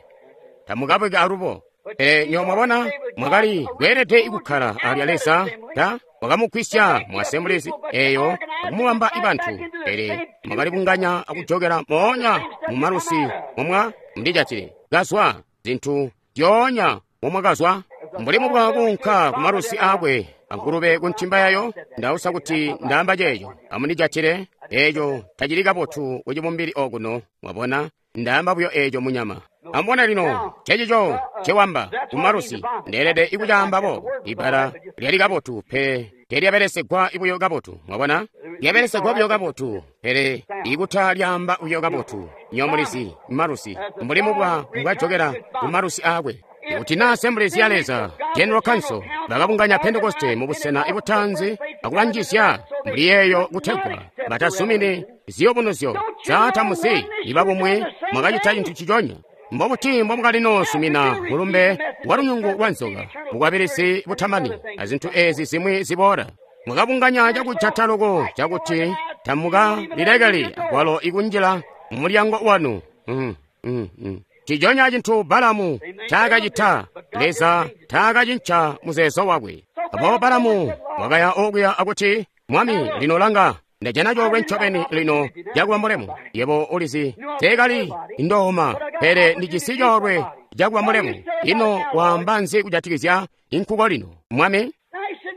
tamukabweki alubo. Pele nywebo mwabona, mwakali kweelede kukkala alya Leza ta wakamugwisya mu Assemblies eyo akumubamba ibantu, pele mwakalibunganya akujokela moonya mu malusi momwa mundijatile kazwa zintu zyoonya momwakazwa. Mbuli mubwa kuunka ku malusi aakwe angulube ku ntimba yayo, ndausa kuti ndaamba ceeco, amundijatile eeco tacili kabotu kucibumbili okuno, mwabona, ndaamba buyo eeco munyama. Amubone lino, cecico ncewamba kumalusi, ndeelede ikucaamba boobo. Ibbala lyali kabotu, pele teelyabelesegwa buyo kabotu, mwabona, lyabelesegwa buyo kabotu, pele ikuta lyaamba buyo kabotu. Nyomulizi malusi, mbuli mubwa mbwajokela kumalusi aakwe. Kuti na Assemblies ya Leza, General Council, bakabunganya Pentekoste mu busena ibutaanzi akubanjizya mbuli yeeyo kutegwa batazumini ziyobunuzyo zaatamuzi ibabumwi, mwakacita cintu ciconya. Mbobuti mbomwakalinoosumina mulumbe wa lunyungu lwa nzoka, bukwabilizi butamani, azintu ezi zimwi ziboola? Mwakabunganya cakujata loko cakuti tamukalilekeli akwalo ikunjila mumulyango wanu. Mm, mm, mm. Ciconya cintu Balamu ncaakacita, Leza taakacinca muzeezo wakwe. Aboobo Balamu wakaya okuya akuti, Mwami, lino langa, ndajana coolwe ncobeni lino cakuba mulemu. Yebo ulizi, teekali ndooma, pele ndijisi coolwe cakuba mulemu. Ino waamba nzi kujatikizya inkuko lino, Mwami?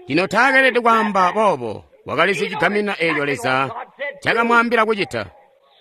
Lino taakeelede kwaamba boobo, wakalizi cigamina eeco Leza cakamwaambila kucita.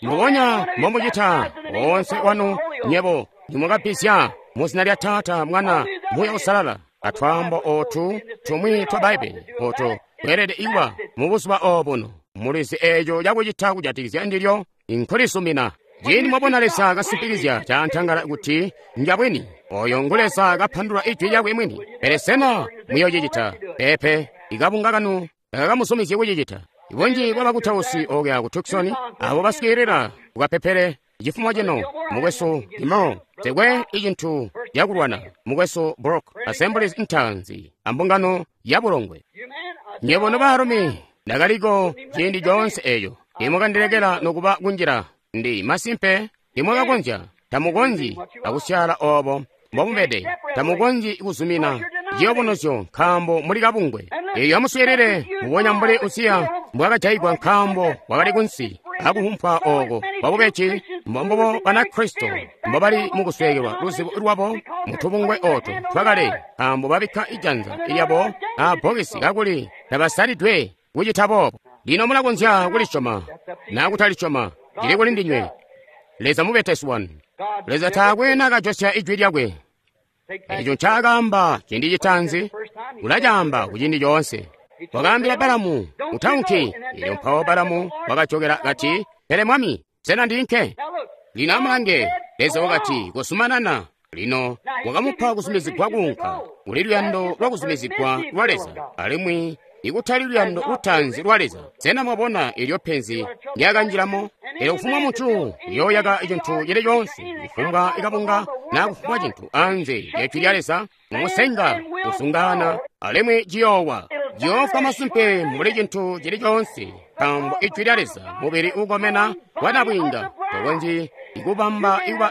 Mbubonya mbomucita woonse wanu nyebo nimwakabbizya muzina lya Taata, Mwana, Muuya Uusalala, atwaambo ootu tumwi twa Bbaibbele ooto kweelede ikuba mubuzuba oobuno. Mulizi eeco cakucita kujatikizya ndilyo inkulisumina. Ciindi mwabona Leza kasimpikizya caantangala kuti njabwini, oyo ngu Leza kapandula ijwi lyakwe mwini. Pele sena muyoocicita? Peepe, ikabunga kanu takakamuzumizye kucicita. Ibunji bwabakutausi okuya ku Tucson abo baswiilila kukapepele cifumo cino, mukwesu Gilmore, tekwe icintu cakulwana mukwesu Brook, Assemblies ntaanzi ambungano ya bulongwe. Nyebo nobaalumi, ndakaliko ciindi coonse eeco, timwakandilekela nokuba kunjila. Ndi masimpe timwakakonzya, tamukonzyi akusyaala oobo mbomubede, tamukonzyi kuzumina ciyobunuzyo nkaambo muli kabungwe. Eyo amuswiilile mbubonya mbuli Uziya mbwakajayigwa nkaambo wakali kunsi akuhumpwa ooko kwabubeji, mbombubo Banakristo mbobali mukusweekelwa luzibo lwabo mutubungwe ooto twakale, nkaambo babikka ijanza lyabo aabbokesi kakuli tabasalidwe kucita boobo. Lino mulakonzya kulisyoma naa kutalisyoma, cili kuli ndinywe. Leza mubetesi wanu. Leza taakwe naakajosya ijwi lyakwe. Eco ncaakaamba ciindi citaanzi, ulacaamba kuciindi coonse. Wakaambila Balamu, utaunki. Elyo mpawo Balamu wakajokela kati, pele mwami, sena ndiinke? Lino amulange, Leza wakati, kozumanana. Lino wakamupa kuzumizigwa kuunka. Kuli luyando lwa kuzumizigwa lwa Leza, alimwi ikutali luyando lutaanzi lwa Leza. Sena mwabona elyo penzi ndyakanjilamo? Elyo kufumbwa muntu uyooyaka cintu cili coonse, kufumbwa ikabunga naa kufumbwa cintu anze lya jwi lya Leza, mumusenga kusungaana, alimwi ciyoowa. Ciyoofwa masimpe mbuli cintu cili coonse, nkaambo ijwi lya Leza mubili uukomena wa nabwiinga, tokonzyi ikubamba ikuba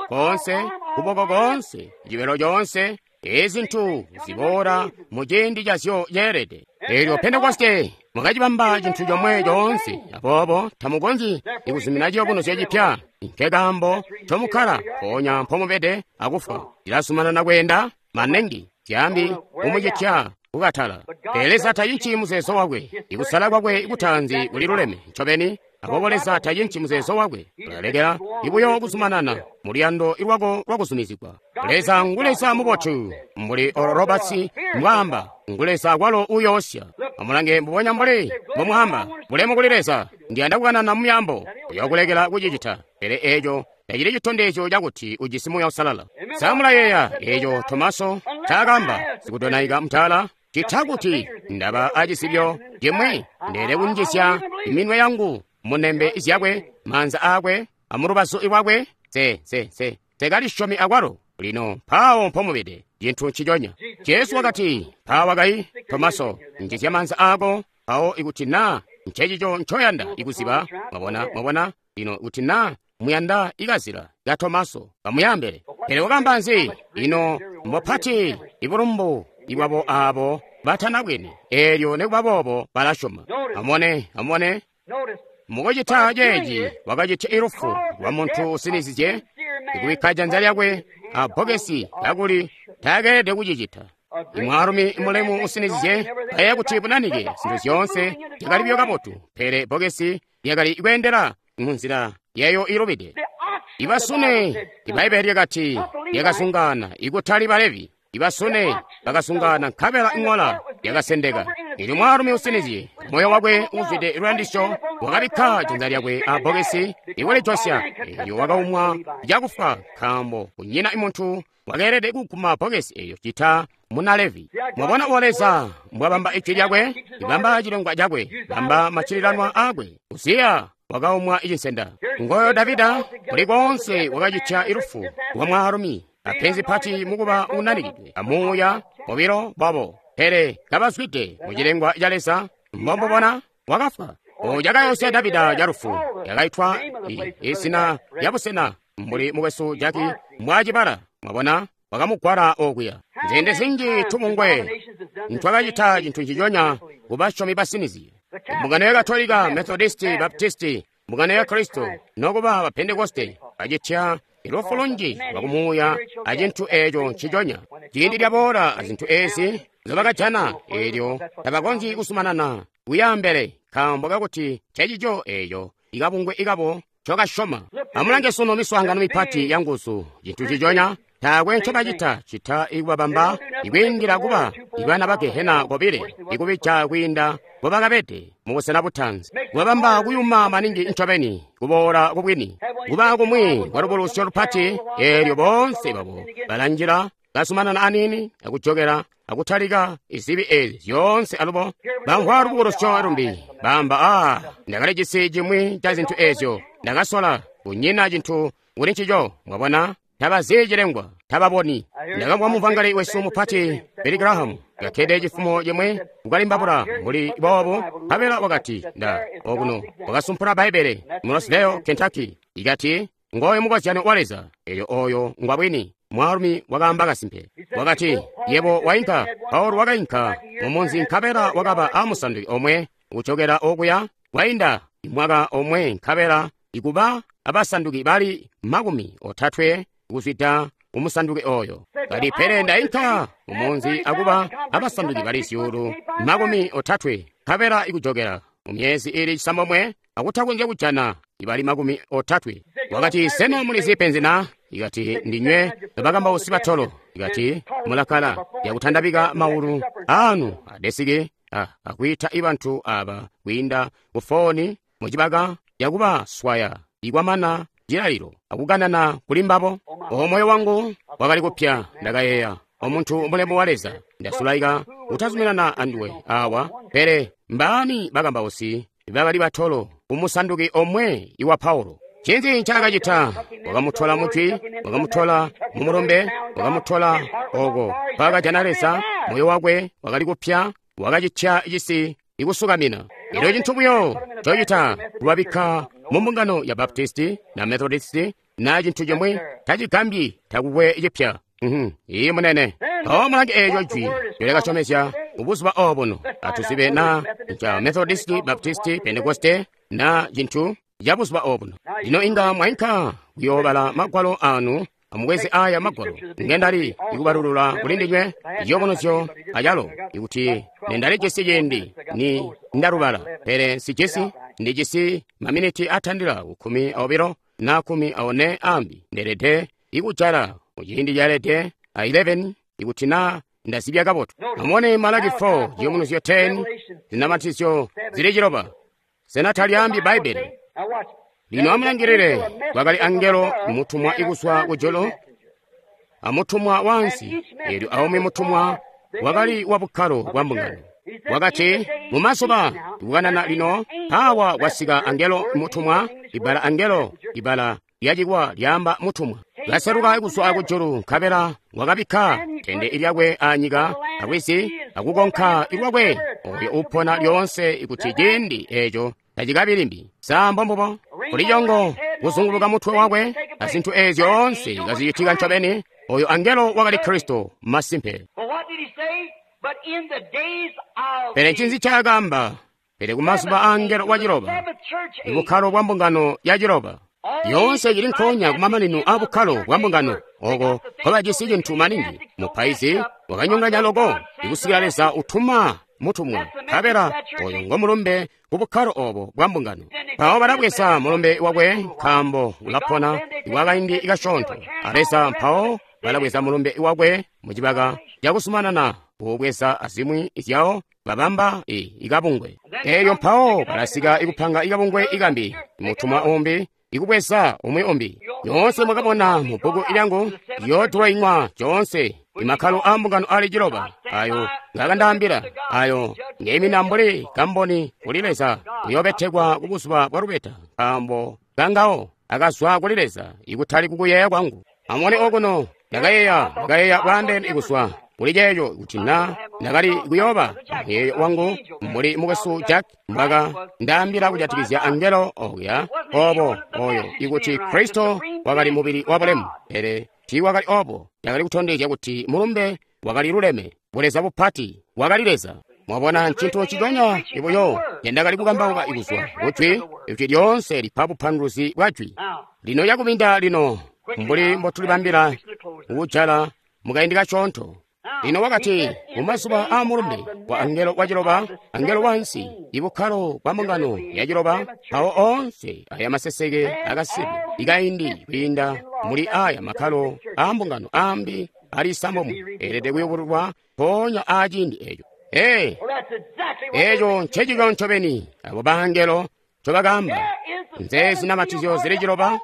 koonse, kuboko koonse, cibelo coonse. Ezi zintu ziboola mu ciindi cazyo ceelede. Elyo Pentekoste mwakacibamba cintu comwe coonse, aboobo tamukonzyi ikuzumina ciyobunuzyo cipya. Nke kaambo ncomukkala mpoonya mpomubede akufwa, cilazumanana kweenda manengi. Zyaambi kumucitya kukatala. Pele Leza tacinci muzeezo wakwe. Ikusala kwakwe kutaanzi kuli luleme ncobeni. Aboobo Leza tacinci muzeezo wakwe. Ulalekela ibuyo kuzumanana mu luyando lwako lwakuzumizigwa. Leza ngu Leza mubotu, mbuli Oral Roberts mbwaamba, ngu Leza kwalo uyoosya. Amulange mbubonya mbuli mbomwaamba, bulemu kuli Leza, ndiyanda kukanana mu myaambo, uyokulekela kucicita. Pele eeco tacili citondezyo cakuti ujisi Muuya Uusalala. Sa mulayeeya eeco Tomaso ncaakaamba, sikudonaika mutaala? Cita kuti ndaba acisibyo cimwi, ndeele kunjisya minwe yangu mu nembe zyakwe, maanza aakwe, amulubazu lwakwe, se se se sekalisyomi akwalo. Lino mpaawo mpomubede, cintu nciconya. Jesu wakati, mpaawa kai, Tomaso, njizya maanza aako, mpawo ikuti naa ncecico ncoyanda ikuziba, mwabona, mwabona, lino kuti naa muyanda ikazila ka Tomaso, kamuyambele. Pele wakamba nzi? Ino mbopati ibulumbu ibwabo aabo batanabwene, eelyo nikuba boobo balasyoma. Amubone, amubone. Mukucita ceeci wakacitya ilufu lwa muntu usinizizye ikubikka janza lyakwe a bbokesi kakuli taakeelede kucicita. Imwaalumi mulemu usinizizye kayeeya kuti bunanike zintu zyoonse zyakali buyo kabotu, pele bbokesi lyakali kweendela munzila yayo ilubide. Ibasune, Ibbaibbele lyakati lyakasungana, ikutali Balevi. Ibasune bakasungana nkabela iŋola yakasendeka. Eelyo mwaalumi usinizye, moyo wakwe uzwide luyandisyo, wakabikka janza lyakwe a bbokesi ikulijosya. Eelyo wakaumwa cakufa, nkaambo kunyina muntu wakeelede kuguma bbokesi eeyo cita muna Levi. Mwabona uwo Leza mbwabamba ijwi lyakwe, ibamba cilengwa cakwe, bamba maccililanwa aakwe. Uziya wakaumwa icinsenda. Ngoyo Davida kuli koonse wakacitya ilufu lwa mwaalumi apenzi pati mukuba unanikidwe amuuya bobilo bwabo, pele kabazwide mu cilengwa ca Leza. Mbombubona wakafwa. O cakayosya Davida calufu yakaitwa izina lya busena mbuli mukwesu Jaki mbwacibala. Mwabona wakamugwala okuya. Nzende zinji tubungwe ntwakacita cintu nciconya kubasyomi basinizi. Mbungano ya Katolika, Methodisti, Baptisti, mbungano ya Kristo nokuba ba Pentekoste bacitya ilufu lunji lwakumuuya acintu eeco nciconya. Ciindi lyaboola azintu eezi nzobakajana, eelyo tabakonzyi kuzumanana kuyaambele nkaambo kakuti ncecico eeco ikabungwe ikabo ncokasyoma. Amulange sunu miswaangano mipati ya nguzu, cintu nciconya. Taakwe ncobacita cita ikubabamba ikwiindila kuba ibana ba Gehena kobile, ikubija kwiinda mbobakabede mubusena butaanzi, kubabamba kuyuma maningi ncobeni kuboola kubwini, kuba kumwi kwa lubulusyo lupati. Eelyo boonse babo balanjila bazumanana aniini akujokela akutalika izibi eezi zyoonse alubo bamvwa lubukulusyo lumbi bamba, aa, ndakalijisi cimwi ca zintu eezyo, ndakasola, kunyina cintu kuli ncico. Mwabona, tabazi cilengwa, tababoni. Ndakamvwa muvangeli wesu mupati Billy Graham kakkede cifumo cimwe kukalimbabula mbuli boobo, nkabela wakati nda okuno wakasumpula Bbaibbele mu Rosedale, Kentucky, ikati ngoyo mukozyano wa Leza. Eelyo oyo ngwa bwini. Mwaalumi wakaamba kasimpe. Wakati, yebo wainka. Paulo wakainka mumunzi nkabela wakaba amusanduki omwe kucokera okuya kwainda mwaka omwe nkabela ikuba abasanduki bali makumi otatwe kuzwida umusanduki oyo. Kati pele ndainka mumunzi akuba abasanduki bali zyuulu makumi otatwe nkabela ikujokera mu myezi ili cisambomwe akutakonzya kujana ibali makumi otatwe. Wakati, sena mulizi penzi na? Ikati ndinywe bakambausi batolo. Ikati mulakala yakutandabika maulu anu adesiki akwiita ibantu aba kwiinda kufoni mucibaka yakubaswaya ikwamana cilalilo akukanana kuli mbabo. Omoyo wangu wakali kupya. Ndakayeeya, omuntu mulemu wa Leza, ndasulaika kutazuminana anduwe awa, pele mbaani bakambausi bakali batolo kumusanduki omwe iwa Paulo? Ncinzi ncaakacita? Wakamutola mujwi, wakamutola mumulumbe, wakamutola oko mpaakajana Leza. Moyo wakwe wakali kupya, wakacitya cisi ikusukamina. Elyo cintu buyo cocita kubabikka mu mbungano ya Baptisti na Methodisti na cintu cimwi tacigambyi, takukwe cipya. Iyi munene. Mpawo mulange eeco jwi lyakasyomezya mubuzuba obuno. Atuzibe na nca Methodisti, Baptisti, Pentekoste na cintu ca buzuba obuno. Lino inga mwainka kuyoobala magwalo anu Amubweze aya magwalo ngendali ikubalulula kuli ndinywe iciyubunuzyo acalo ikuti nendalijisi ciindi ni ndalubala pele nsijisi ndijisi maminiti atandila kukkumi aobilo na kkumi aone ambi ndelede ikujala muciindi calede a eleven ikuti na ndazibya kabotu. Amubone Malaki four ciyubunuzyo ten zinamatizyo zili ciloba. Sena talyaambi Bbaibbele? Lino amulangilile, kwakali angelo mutumwa ikuzwa kujulu amutumwa wansi, eelyo aumwi mutumwa wakali wa bukkalo bwa mbungano. Wakati mumazuba ikukanana lino awa kwasika angelo mutumwa. Ibbala angelo ibbala lyacikwa lyaamba mutumwa. Kaseluka kuzwa kujulu nkabela wakabikka tende lyakwe anyika alwizi akukonka lwakwe oyo upona lyoonse ikuti ciindi eeco tacikabi limbi. Sa mbombubo? Kuli congo kuzunguluka mutwe wakwe azintu eezyo zyoonse kazicitika ncobeni. Oyo angelo wakali Kristo masimpe. Pele ncinzi ncaakaamba? Pele kumazuba aangelo wa ciloba, ibukkalo bwa mbungano ya ciloba, yoonse cili nkoonya kumamanino a bukkalo bwa mbungano oko nkobajisi cintu maningi. Mupaizi wakanyonganya loko ikusikila Leza utuma mutumwa, nkabela oyo ngo mulumbe ku bukkalo obo bwa mbungano. Mpawo balabweza mulumbe wakwe nkaambo ulapona iwakaindi kasyoonto a Leza. Mpawo balabweza mulumbe wakwe mucibaka cakusumanana kuubweza azimwi zyawo babamba i ikabungwe. Elyo mpawo balasika ikupanga ikabungwe ikambi, mutumwa umbi ikubweza umwi umbi. Nyoonse mwakabona mu bbuku lyangu yoodroinywa coonse imakkalo a mbungano ali ciloba ayo ngakandaambila, ayo ngeimina mbuli kamboni kuli Leza uyobetekwa ku buzuba bwa lubeta, nkaambo kangawo akazwa kuli Leza ikutali kukuyeeya kwangu. Amubone okuno, ndakayeeya ndakayeeya bwaandeene ikuzwa kuli ceeco kuti na ndakali kuyooba muyeeyo wangu mbuli mukwesu Jack mbwaka ndaambila kujatikizya angelo okuya obo oyo ikuti Kristo wakali mubili wa bulemu, pele tiiwakali obo. Yakali kutondezya kuti mulumbe wakali luleme, buleza bupati wakali Leza. Mwabona, ncintu ciconya ibuyo ngendakali kukambauka ikuzwa kujwi, ijwi lyoonse lipa bupanduluzi bwa jwi. Lino yakubinda lino mbuli mbotulibambila kujala mukaindi kasyoonto. Lino wakati mumazuba a mulumbe wa angelo wa ciloba, angelo wansi, ibukkalo bwa mbungano ya ciloba, mpawo oonse aya maseseke akasibe ikaindi kwiinda muli aya makkalo a mbungano ambi ali sambomu eelede kuyubululwa mpoonya aaciindi eeco. Ee, eeco ncecico ncobeni abo bangelo ncobakaamba. Nze zinamatizyo zili ciloba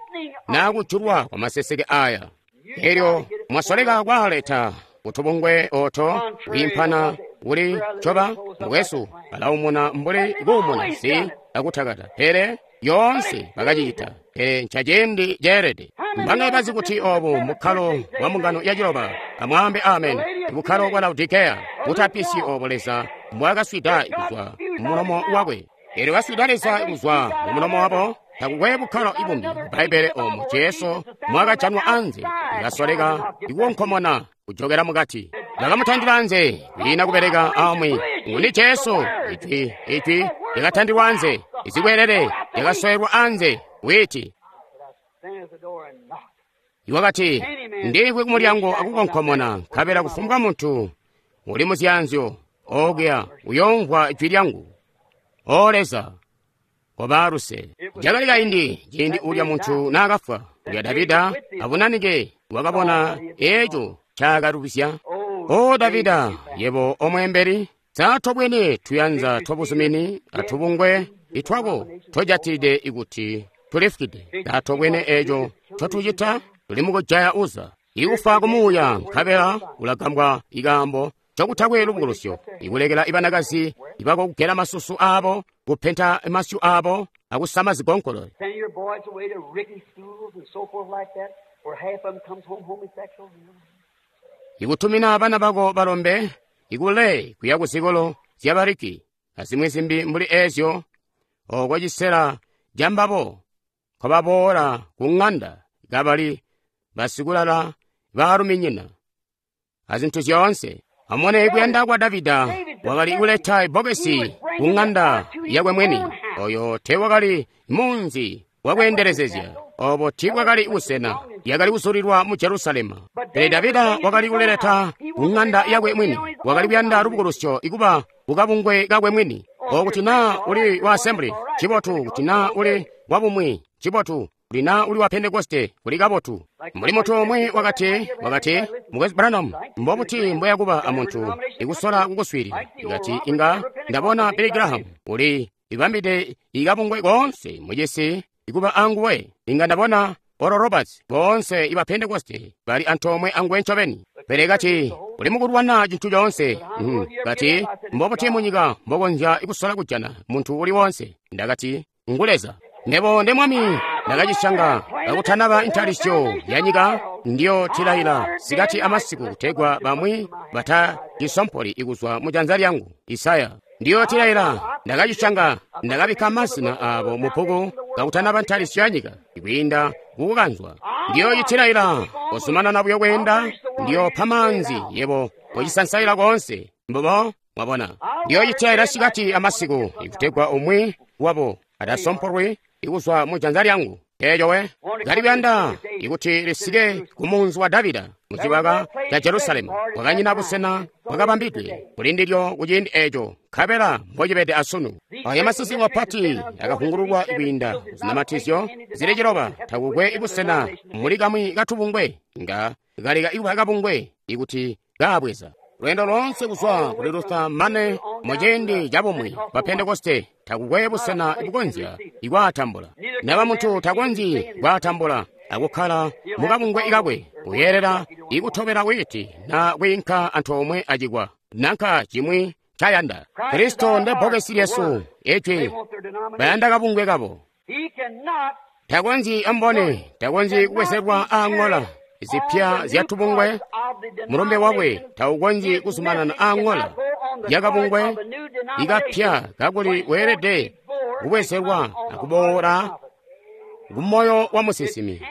na kujulwa kwa maseseke aya. Elyo mwasoleka kwaaleta kutubungwe oto kwiimpana kuli coba mukwesu balaumuna mbuli kuumuna si akutakata, pele yoonse bakacita, pele ncaciindi ceelede. Mbanga bazi kuti obu mukkalo wa mbungano ya ciloba? Amwaambe amen. Bukkalo bwa Laodikeya butapisi obo Leza mbwakaswida kuzwa mumulomo wakwe. Elyo kaswida Leza kuzwa mumulomo wabo. Takukwe bukkalo ibumbi Bbaibbele omo Jesu mwakajanwa anze ikasoleka ikuwonkomona kujokera mukati. Bakamutandila anze kwiina kubeleka amwi. Nguni Jesu? Ijwi, ijwi lyakatandilwa anze, izikwelele lyakasoyelwa anze witi. Iwakati, ndikwe kumulyango akukonkomona, nkabela kufumbwa muntu uli muzyanzyo okuya uyomvwa ijwi lyangu. O Leza, koba luse. Cakali kaindi ciindi ulya muntu naakafwa, ulya Davida abunanike wakabona eeco ncaakatubisya. O Davida, yebo omweembeli, sa tobwene tuyanza twabuzumini atubungwe itwako tojatilide ikuti tulifukide. Sa tobwene eeco ncotucita? Tuli mukujaya Uza ikufa kumuuya, nkabela ulagambwa ikaambo cokutakwe lubukulusyo, ikulekela ibanakazi ibakokugela masusu aabo, kupenta masyu aabo, akusama zigonkolo. Ikutumina bana bako balombe ikule kuya kuzikolo zyabariki azimwi zimbi mbuli eezyo, oko cisela cambabo nkobaboola ku ŋanda kabali basikulala baaluminyina azintu zyoonse. Amubone kuyanda kwa Davida wakali kuleta ibbokesi ku ŋanda yakwe mwini. Oyo teewakali munzi wakweendelezezya, Obo tiibwakali busena, yakali kuzulilwa mu Jerusalema. Pele Davida wakali kuleleta ku ng'anda yakwe mwini, wakali kuyanda lubukulusyo ikuba kukabungwe kakwe mwini. Okuti naa uli wa Assembly, cibotu, kuti naa uli wa bumwi, cibotu, kuti naa uli wa Pentekoste, kuli kabotu. Mbuli muntu umwi wakati, wakati, Mukwesu Branham, mbobuti mbweyakuba amuntu ikusola kukuswiilila? Ikati inga ndabona Billy Graham uli ibambide ikabungwe koonse mucisi ikuba anguwe. Inga ndabona Oral Roberts boonse iba Pentekoste bali antoomwe anguwe ncobeni. Pele kati uli mukulwana cintu coonse. Mm. Kati mbobuti munyika mbokonzya kusola kujana muntu uli wonse? Ndakati ngu Leza. Nebo nde Mwami ndakacisyanga kakutanaba intalisyo ya nyika, ndiyo tilaila sikati amasiku kutegwa bamwi batacisompoli ikuzwa mu janza lyangu. Isaya. Ndiyo tilaila ndakacisyanga, ndakabikka mazina abo mu bbuku kakutanaba ntalisyo ya nyika ikwiinda kukukanzwa. Ndiyo citilaila kozumanana buyo kweenda, ndiyo pa maanzi yebo kocisansaila koonse. Mbubo mwabona. Ndiyo citilaila sikati amasiku ikutegwa umwi wabo atasompolwi ikuzwa mu janza lyangu. Eeco we kali kuyanda ikuti lisike ku munzi wa Davida mucibaka ca Jerusalemu. Kwakanyina busena bwakabambidwe kuli ndilyo kuciindi eeco, nkabela mbocibede asunu. Aya masisi mapati akavungululwa kwiinda zinamatizyo zili ciloba. Takukwe busena muli kamwi katubungwe nga kaleka ikuba kabungwe ikuti kaabweza. Lweendo loonse kuzwa kuli Luther mane muciindi cabumwi ba Pentekoste takukwe busena bukonzya ikwaatambula. Naba muntu takonzyi kwaatambula akukkala mukabungwe kakwe, uyeelela ikutobela witi na kwiinka antoomwe acikwa nanka cimwi cayanda. Kristo nde bbokesi lyesu, ijwi bayanda kabungwe kabo. Takonzyi ambone, takonzyi kubwezelwa aaŋola zipya zyatubungwe. Mulumbe wakwe taukonzyi kuzumanana aaŋola yakabungwe ikapya kakuli weelede kubwezelwa akuboola kumoyo wa musinsimi.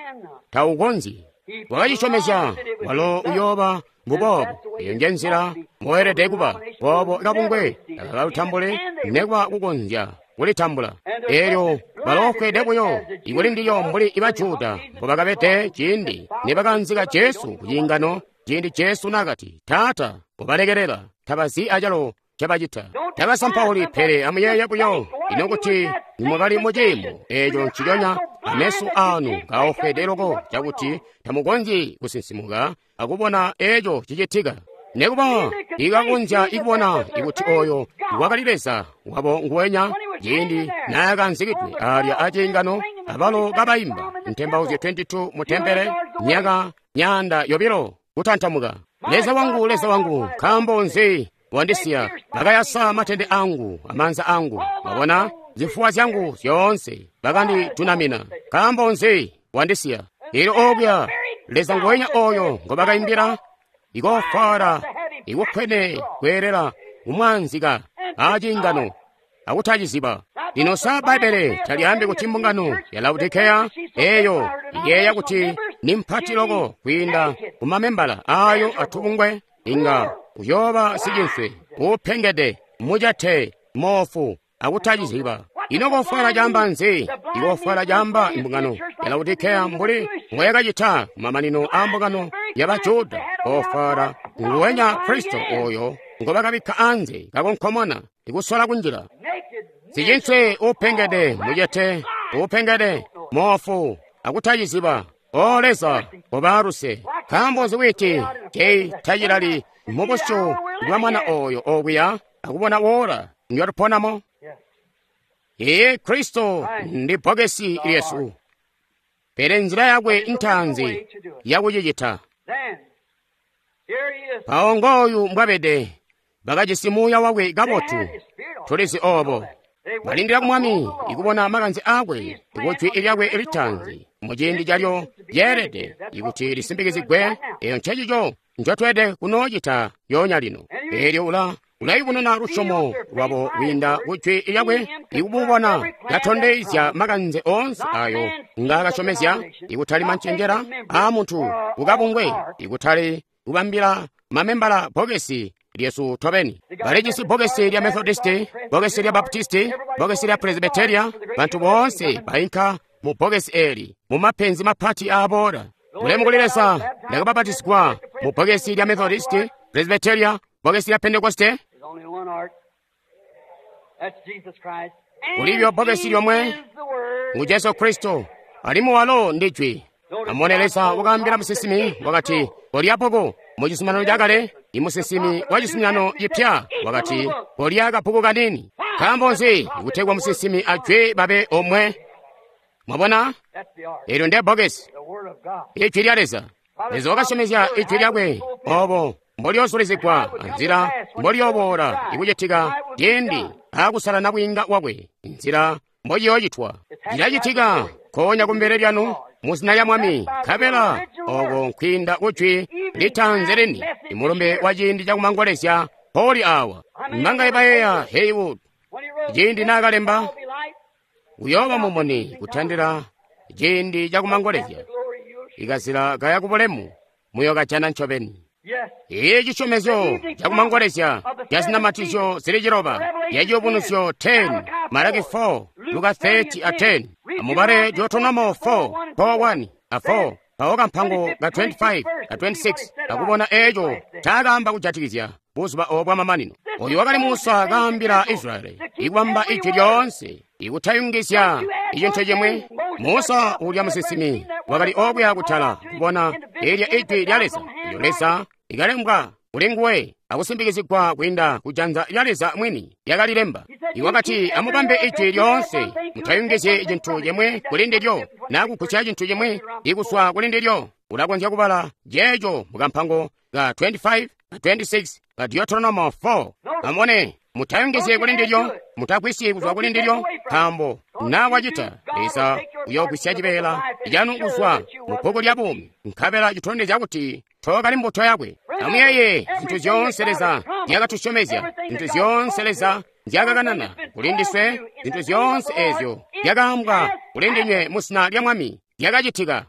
Taukonzyi. Wakacisyomezya walo uyooba mbuboobo. Eyo nje nzila mboelede kuba boobo. Kabungwe takalutambule nekuba kukonzya kulitambula. Eelyo baloofwede buyo ikuli ndilyo mbuli iba Juda mbobakabede ciindi nibakanzika Jesu ku ciingano, ciindi Jesu nakati, Taata, ubalekelela, tabazi acalo cabacita. Tabasampauli, pele amuyeeye buyo ino kuti nimwakali muciimo eeco nciconya, ameso aanu kaofwede loko cakuti tamukonzyi kusinsimuka akubona eeco cicitika. Nekuba ikakonzya ikubona ikuti oyo wakali Leza wabo nguwenya ciindi naakanzikidwe alya aciingano, abalo kabaimba ntembauzyo makumi obilo mu tempele myaka myaanda yobilo kutantamuka. Leza wangu, Leza wangu, nkaambo nzi wandisiya? Bakayasa matende angu amaanza angu, wabona zifuwa zyangu zyoonse bakanditunamina. Nkaambo nzi wandisiya? Eelyo obuya Leza nguwenya oyo ngobakaimbila ikofwala ikukwene kweelela kumwanzika aciingano akutaciziba. Lino sa Bbaibbele talyaambi kuti mbungano ya Laodikeya eeyo iyeeya kuti ni mpati loko kwiinda kumamembala ayo atubungwe, inga uyooba sicinswe uupengede, mucete, moofu akutaciziba. Ino kofwala caamba nzi? Ikofwala caamba imbungano ya Laodikeya mbuli mboyakacita kumamanino a mbungano ya Bajuda. Kofwala nguwenya Kristo oyo ngobakabikka anze kakonkomona ikusola kunjila. Sicinswe uupengede, mucete, uupengede, moofu akutaciziba. O Leza, kobaluse. Nkaambo nzi witi cei tacilali mubusyu bwa mwana oyo okuya akubona wola ndyatuponamo? Iye Kristo ndi bbokesi lyesu, pele nzila yakwe ntaanzi yakucicita. Mpawo ngooyu mbwabede, bakajisi muuya wakwe kabotu. Tulizi obo. Balindila ku Mwami ikubona makanze aakwe ikujwi lyakwe litaanzi muciindi calyo lyeelede ikuti lisimbikizigwe. Eyo ncecico ncotweelede kunoocita yoonya lino. Eelyo ula ulayubununa lusyomo lwabo kwiinda kujwi lyakwe ikububona katondezya makanze oonse ayo ngaakasyomezya, ikutali mancenjela aamuntu kukabungwe, ikutali kubambila mamembala bbokesi lyesu tobeni. Balijisi bbokesi lya Methodisti, bbokesi lya Baptisti, bbokesi lya Presbyteria. Bantu boonse bainka mu bbokesi eli mu mapenzi mapati aaboola. Mulemu kuli Leza, ndakabapatizigwa mu bbokesi lya Methodist, Presbyteria, bbokesi lya Pentekoste. Kulibyo bbokesi lyomwe ngu Jesu Kristo, alimwi walo ndi Jwi. Amone Leza wakaambila musinsimi wakati, kolya bbuku. Mu Cizuminano Chakale, imusinsimi wa Cizuminano Chipya wakati, kolya kabbuku kanini. Nkaambo nzi? Kutegwa musinsimi a Jwi babe omwe. Mwabona? Eelyo nde bbokesi, Ijwi lya Leza. Leza wakasyomezya Ijwi lyakwe obo mbolyoozulizigwa anzila mbolyooboola ikucitika ciindi aakusala nabwiinga wakwe, nzila mbociyoocitwa. Cilacitika nkoonya kumbele lyanu mu zina lya Mwami, nkabela oko nkwiinda ku Jwi litaanzi lini, imulumbe wa ciindi cakumangolezya mpoli awa. Mbangaye bayeeya Haywood ciindi naakalemba, uyooba mumuni kutandila ciindi cakumangolezya, ikazila kaya kubulemu muyokajana ncobeni. Iyi cisyomezyo cakumangolezya ca zinamatizyo zili ciloba, ya Ciyubunuzyo ten, Malaki four, Luka thirty a ten, amubale Deuteronomo four, four one a four, mpawo kampango ka twenty-five a twenty-six akubona eco ncaakaamba kujatikizya buzuba obo bwamamanino. Oyu wakali Musa kaambila Israyeli ikubamba ijwi lyoonse, ikutayungizya icintu cimwi. Musa uulya musinsimi wakali okuya kutala kubona elya ijwi lya Leza, elyo Leza likalembwa kuli nguwe akusimbikizigwa kwiinda kujanza lya Leza mwini lyakalilemba. Iwakati, amubambe ijwi lyoonse, mutayungizye cintu cimwi kuli ndilyo, naa kugusya cintu cimwi ikuswa kuli ndilyo. Ulakonzya kubala ceeco mukampango ka twenty-five a twenty-six ka Deuteronomo four. Amone, mutayungizye kuli ndilyo, mutagwisyi kuzwa kuli ndilyo, nkaambo naa wacita, Leza uyoogwisya cibeela canu kuzwa mu bbuku lya buumi, nkabela citondezya kuti tookali mbuto yakwe. Amuyeeye zintu zyoonse Leza nzyakatusyomezya, zintu zyoonse Leza nzyakakanana kuli ndiswe, zintu zyoonse eezyo zyakaambwa kuli ndinywe mu zina lya Mwami zyakacitika.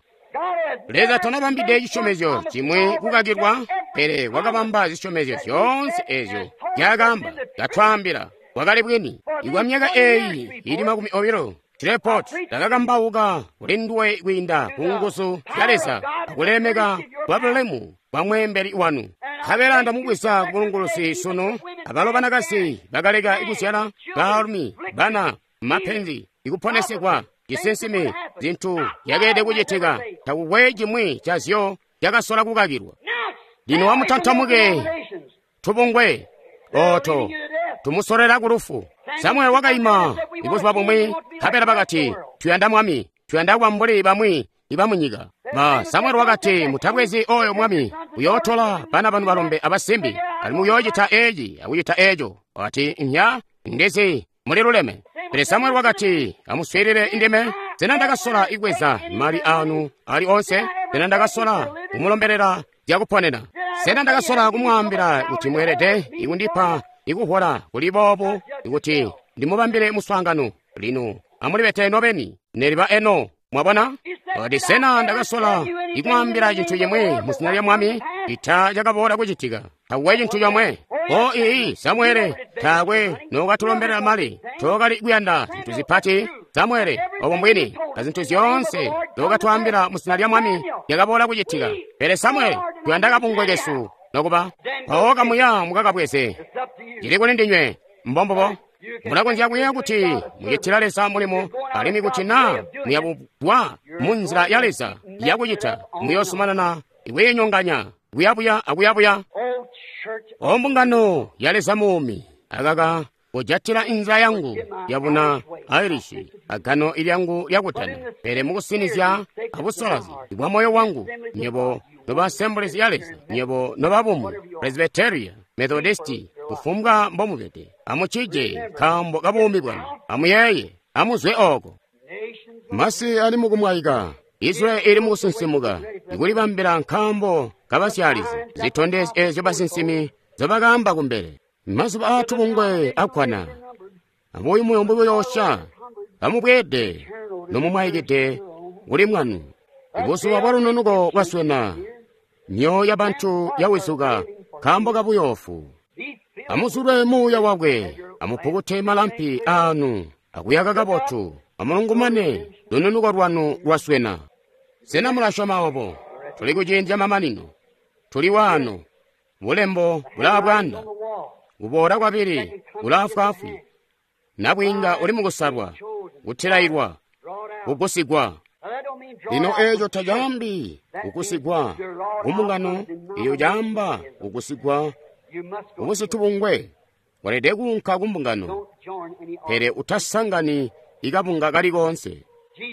Leza tanabambide cisyomezyo cimwi kukakilwa, pele wakabamba zisyomezyo zyoonse eezyo nzyakaamba, katwaambila wakali bwini. Ikwa myaka eeyi ili makumi obilo, Treport ndakakambauka kuli nduwe kwiinda ku nguzu zya Leza akulemeka kwa bulemu bwa mweembeli wanu. Nkabela ndamubweza ku bulunguluzi sunu, abalo banakazi bakaleka kuzyala, baalumi, bana, mapenzi, ikuponesekwa, cisinsimi, zintu zyakeelede kucitika, takukwe cimwi cazyo cakasola kukakilwa. Lino amutantamuke tubungwe oto tumusolera ku lufu. Samuel wakaima ibuzuba bumwi, nkabela bakati, tuyanda mwami, tuyanda kuba mbuli bamwi ibamunyika. Ma Samuel wakati, mutabwezi oyo mwami, uyootola bana banu balombe abasimbi, alimwi uyoocita eci akucita eco. Wakati, nya ndizi muli luleme. Pele Samuel wakati, amuswiilile ndime, sena ndakasola ikweza mali anu ali onse? Sena ndakasola kumulombelela zyakuponena? Sena ndakasola kumwaambila kuti mweelede ikundipa ikuhola kuli boobu ikuti ndimubambile muswaangano? Lino amulibete nobeni neliba eno. Mwabona? Wakati, sena ndakasola ikumwaambila cintu cimwi mu zina lya Mwami ita cakaboola kucitika? Takukwe cintu comwe. O ii Samuele, taakwe nokatulombelela mali, tookali kuyanda zintu zipati. Samuele, obo mbwini, azintu zyoonse nokatwaambila mu zina lya Mwami zyakaboola kucitika. Pele Samuele, tuyanda kabungwe kesu nokuba mpawo kamuya mukakabweze. Cili kuli ndinywe. Mbombubo. Mulakonzya kuyeeya kuti mucitila Leza mulimo, alimwi kuti naa muyabugwa mu nzila ya Leza yakucita, muyoosumanana ikwiinyonganya kuyabuya akuyabuya. O mbungano ya Leza muumi, akaka kujatila inzila yangu yabuna Irish agano ilyangu lyakutana, pele mukusinizya abusolazi bwa moyo wangu, nyebo noba Assemblies ya Leza, nyebo nobabumwi, Presbyteria, Methodisti, kufumbwa mbomubede, amucije nkaambo kabuumi bwanu, amuyeeye, amuzwe oko. Masi ali mukumwaika, Israeli ili mukusinsimuka, ikulibambila nkaambo kabasyalizi, zitondezyo eezyo basinsimi zobakaamba kumbele. Mazuba aatubungwe akkwana, abuyumuyumu buyoosya, amubweede nomumwaikide kuli mwanu. Buzuba bwa lununuko bwaswena, myoyo yabantu yawizuka nkaambo kabuyoofu. Amuzulwe muuya wakwe, amupukute malampi aanu akuyaka kabotu, Amulungumane, lununuko lwanu lwaswena. Sena mulasyoma obo? Tuli kuciindi camamanino. Tuli waano. Bulembo bulaabwanda. Kuboola kwabili kulaafwaafwi. Nabwiinga uli mukusalwa, kutilailwa, kugusigwa. Lino eeco tacaambi kugusigwa kumbungano, iyo caamba kugusigwa kubusitubungwe. Walede kuunka kumbungano, pele utasangani ikabunga kali koonse.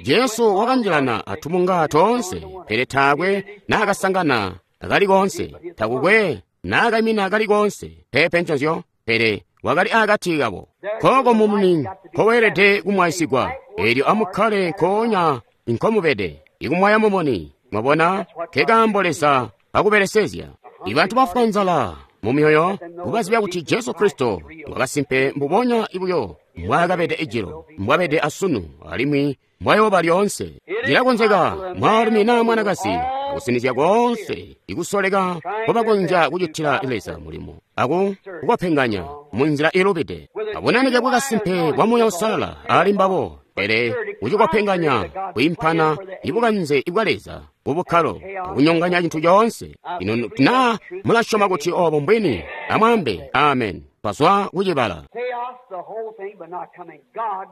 Jesu wakanjilana atubunga toonse, pele taakwe naakasangana kali koonse, takukwe naakaimina kali koonse, peepe nconzyo, pele wakali akati kabo. Kooko mumuni nkoweelede kumwaisigwa, eelyo amukkale nkoonya nkomubede, ikumwaya mumuni. Mwabona, nkekaambo Leza akubelesezya. Ibantu bafwa nzala mu myoyo kubazibya kuti Jesu Kristo wakasimpe mbubonya ibuyo mbwaakabede ijilo, mbwabede asunu, alimwi mbwayooba lyoonse. Cilakonzeka mwaalumi naa mwanakazi akusinizya koonse ikusoleka nkobakonzya kucitila Leza mulimo aku kukopenganya munzila ilubide. Abunanike bwakasimpe bwa Muuya Uusalala ali mbabo, pele kucikopenganya kwiimpana ibukanze ibwa Leza bubukkalo akunyonganya cintu coonse. Ino naa mulasyoma kuti obo mbwini? Amwaambe amen. Twazwa kucibala.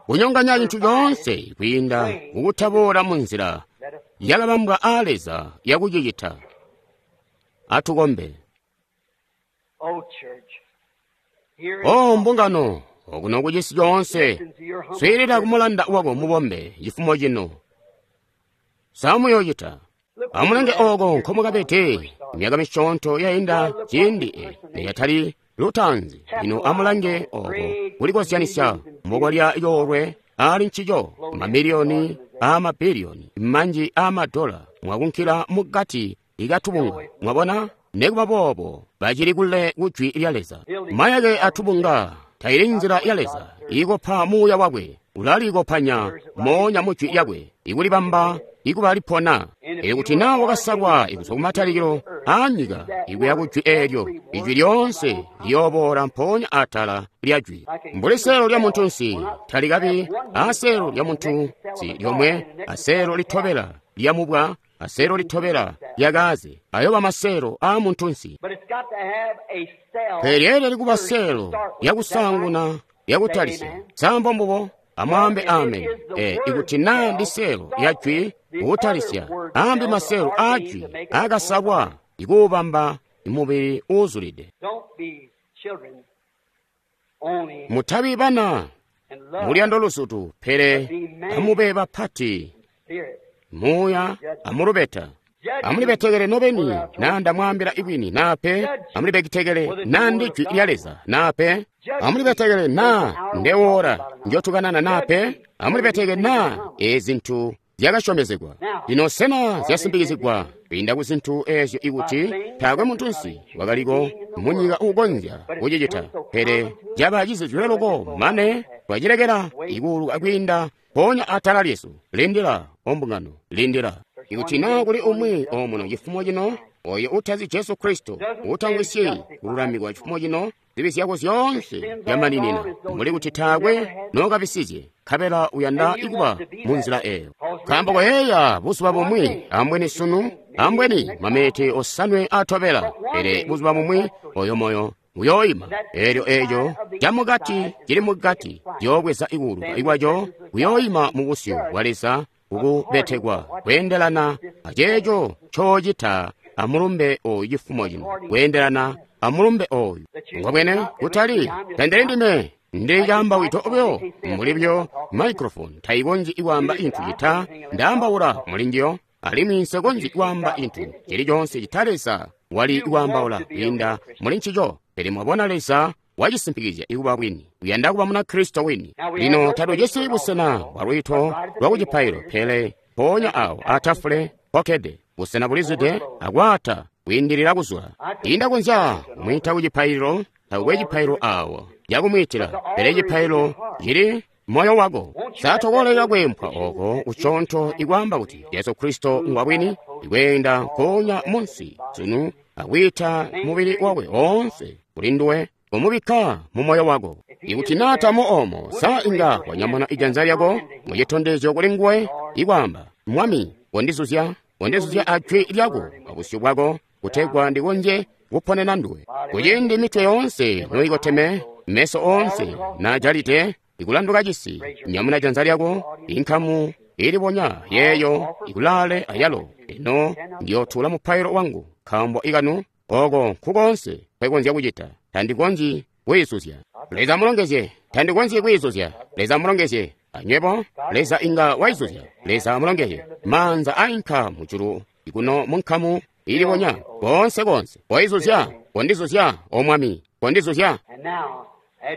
Kunyonganya cintu coonse kwiinda kukutaboola munzila yakabambwa aa Leza yakucicita. Atukombe. O mbungano, okuno kucisi coonse, swiilila kumulanda wako mubombe cifumo cino. Samuyocita. Amulange oko nkomukabede myaka misyoonto yainda ciindi neyatali lutaanzi. Lino amulange oko kulikozyanisya mbokwalya yoolwe ali ncico, mamiliyoni amabiliyoni manji amadola mwakunkila mukati ikatubunga. Mwabona, nekuba boobo bacili kule kujwi lya Leza. Mayake atubunga taili nzila ya Leza ikopa muuya wakwe, ulalikopanya moonya mujwi lyakwe ikulibamba ikuba lipona. Elyo kuti naa wakasalwa ikuzwa kumatalikilo aanyika ikuya kujwi eelyo, ijwi lyoonse liyooboola mpoonya atala lya jwi. Mbuli seelo lya muntunsi talikabi aseelo lya muntunsi lyomwe, aseelo litobela lya mubwa, aseelo litobela lyakaaze, ayoba maseelo aa muntunsi. Pele lyeelede kuba seelo lyakusaanguna lyakutalisya. Sambo mbubo. Amwaambe amen. E, ikuti naa ndi seelo lya jwi kutalisya, ambi maseelo aa jwi akasalwa ikuubamba mubili uuzulide. Mutabi bana muluyando luzutu, pele amube bapati muuya amulubeta. Amulibetekele nobeni naa ndamwaambila ibwini, naa pe. Amulibetekele naa ndi jwi lya Leza, naa pe. Amulibetekele naa ndewoora njotukanana, naa pe. Amulibetekele naa ezi zintu zyakasyomezegwa. Lino sena zyasimbikizigwa kwiinda ku zintu eezyo ikuti taakwe muntunsi wakaliko munyika uukonzya kucicita, pele caba cizizilwe loko mane twacilekela ikuuluka kwiinda mpoonya atala lyesu. Lindila, ombungano, lindila. Ikuti naa kuli umwi omuno cifumo cino oyo utazi Jesu Kristo, utamvwisyi kululamikwa cifumo cino, zibi zyako zyoonse zyamaninina, mbuli kuti taakwe nookabisizye, nkabela uyanda ikuba munzila eyo. Nkaambo koyeeya buzuba bumwi, ambweni sunu, ambweni maminiti osanwe atobela, pele buzuba bumwi oyo moyo uyooima. Eelyo eeco camukati cili mukati ciyoobweza ikuuluka ikwaco, kuyooima mu busyu bwa Leza kukubetekwa kweendelana aceeco ncoocita amulumbe oyu cifumo cino, kweendelana amulumbe oyu. Ngwabwene kutali tandili ndime ndi caambawito buyo, mbuli buyo microphone tayikonzyi kwaamba inthu cita ndaambaula mulinjiyo, alimwi nsekonzyi kwaamba inthu cili coonse cita Leza wali kwaambaula kwiinda muli ncico. Pele mwabona Leza wacisimpikizya ikuba bwini, uyanda kuba Munakristo wini. Lino tatujisi busena bwa lwiito lwa kucipailo, pele mpoonya awo atafule pokkede busena bulizwide akwaata kwiindilila kuzula. Indakonzya kumwiita ku cipaililo, takukwe cipaililo awo cakumwiitila, pele cipaililo cili moyo wako. Satokoleka kweempwa oko kuconto ikwaamba kuti Jesu Kristo ngwabwini, ikweenda nkoonya munsi sunu akwiita mubili wakwe oonse kuli nduwe, kumubikka mu moyo wako. Ikuti naa tamo omo, sa inga wanyamuna ijanza lyako mucitondezyo kuli nguwe ikwaamba, Mwami, kondizuzya, kondizuzya ajwi lyako abusyu bwako, kutegwa ndikonzye kuponena nduwe. Kuciindi mitwe yoonse noikoteme, meso oonse naajalide, ikulanduka cisi, nyamuna janza lyako, inkamu ilibonya yeeyo ikulaale ayalo. Eno ndiyotula mupailo wangu, nkaambo ikanu oko nkukoonse nkwekonzya kucita. Tandikonzyi kwiizuzya. Leza mulongezye. Tandikonzyi kwiizuzya. Leza mulongezye. Anywebo, Leza inga waizuzya. Leza mulongezye. Maanza ainka mujulu ikuno munkamu ilibonya konse konse. Waizuzya, kondizuzya, o Mwami, kondizuzya.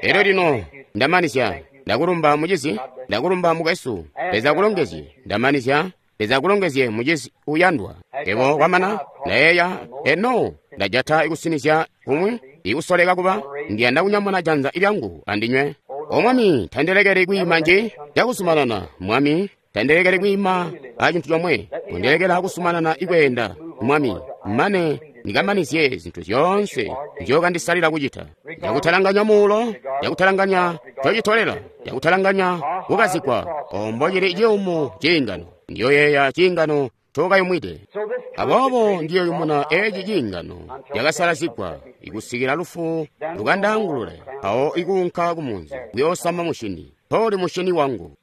Elyo lino ndamanizya. Ndakulumba mucizi, ndakulumba mukwesu. Leza kulongezye. Ndamanizya. Leza kulongezye mucizi uyandwa. Ebo kwamana ndayeeya eno ndajata ikusinizya kumwi ikusoleka kuba ndiyanda kunyamuna janza lyangu andinywe. O Mwami, tandilekeli kwiima nji cakusumanana. Mwami, tandilekeli kwiima a cintu comwe. Kundilekela kusumanana ikweenda. Mwami, mane ndikamanizye zintu zyoonse nzyokandisalila kucita. Njakutalanganya muulo, njakutalanganya cocitolela, njakutalanganya kukazigwa, ombo cili ciyumu ciingano. Ndiyoyeeya ciingano cokayumwide. Aboobo ndiyoyumuna eci ciingano cakasalazigwa ikusikila lufu lukandangulule, awo ikuunka kumunzi kuyoosama mushini. Mpoli mushini wangu.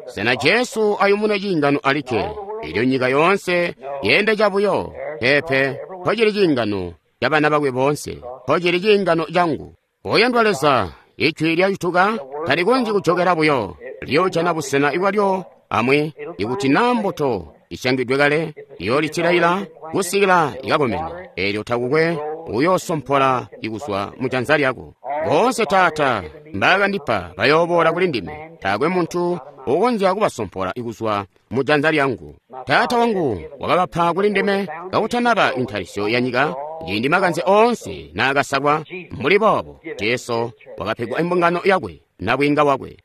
Sena Jesu ayumune ciingano alikke, elyo nyika yoonse yende cabuyo? Peepe, mpocili ciingano cabana bakwe boonse, mpocili ciingano cangu. Oyandwa Leza, ijwi lyacutuka talikonzyi kujokela buyo, liyoojana busena ibwalyo amwi. Ikuti naa mbuto isyangidwe kale, iyoolitilaila kusikila ikakomena, eelyo takukwe uyoosompola ikuzwa mujanza lyako. Boonse Taata mbaakandipa bayooboola kuli ndime, taakwe muntu ukonzya kubasompola ikuzwa mujanza lyangu. Taata wangu wakabapa kuli ndime kakutanaba intalisyo ya nyika, ciindi makanze oonse naakasalwa. Mbuli boobo Jesu wakapegwa imbungano yakwe nabwiinga wakwe.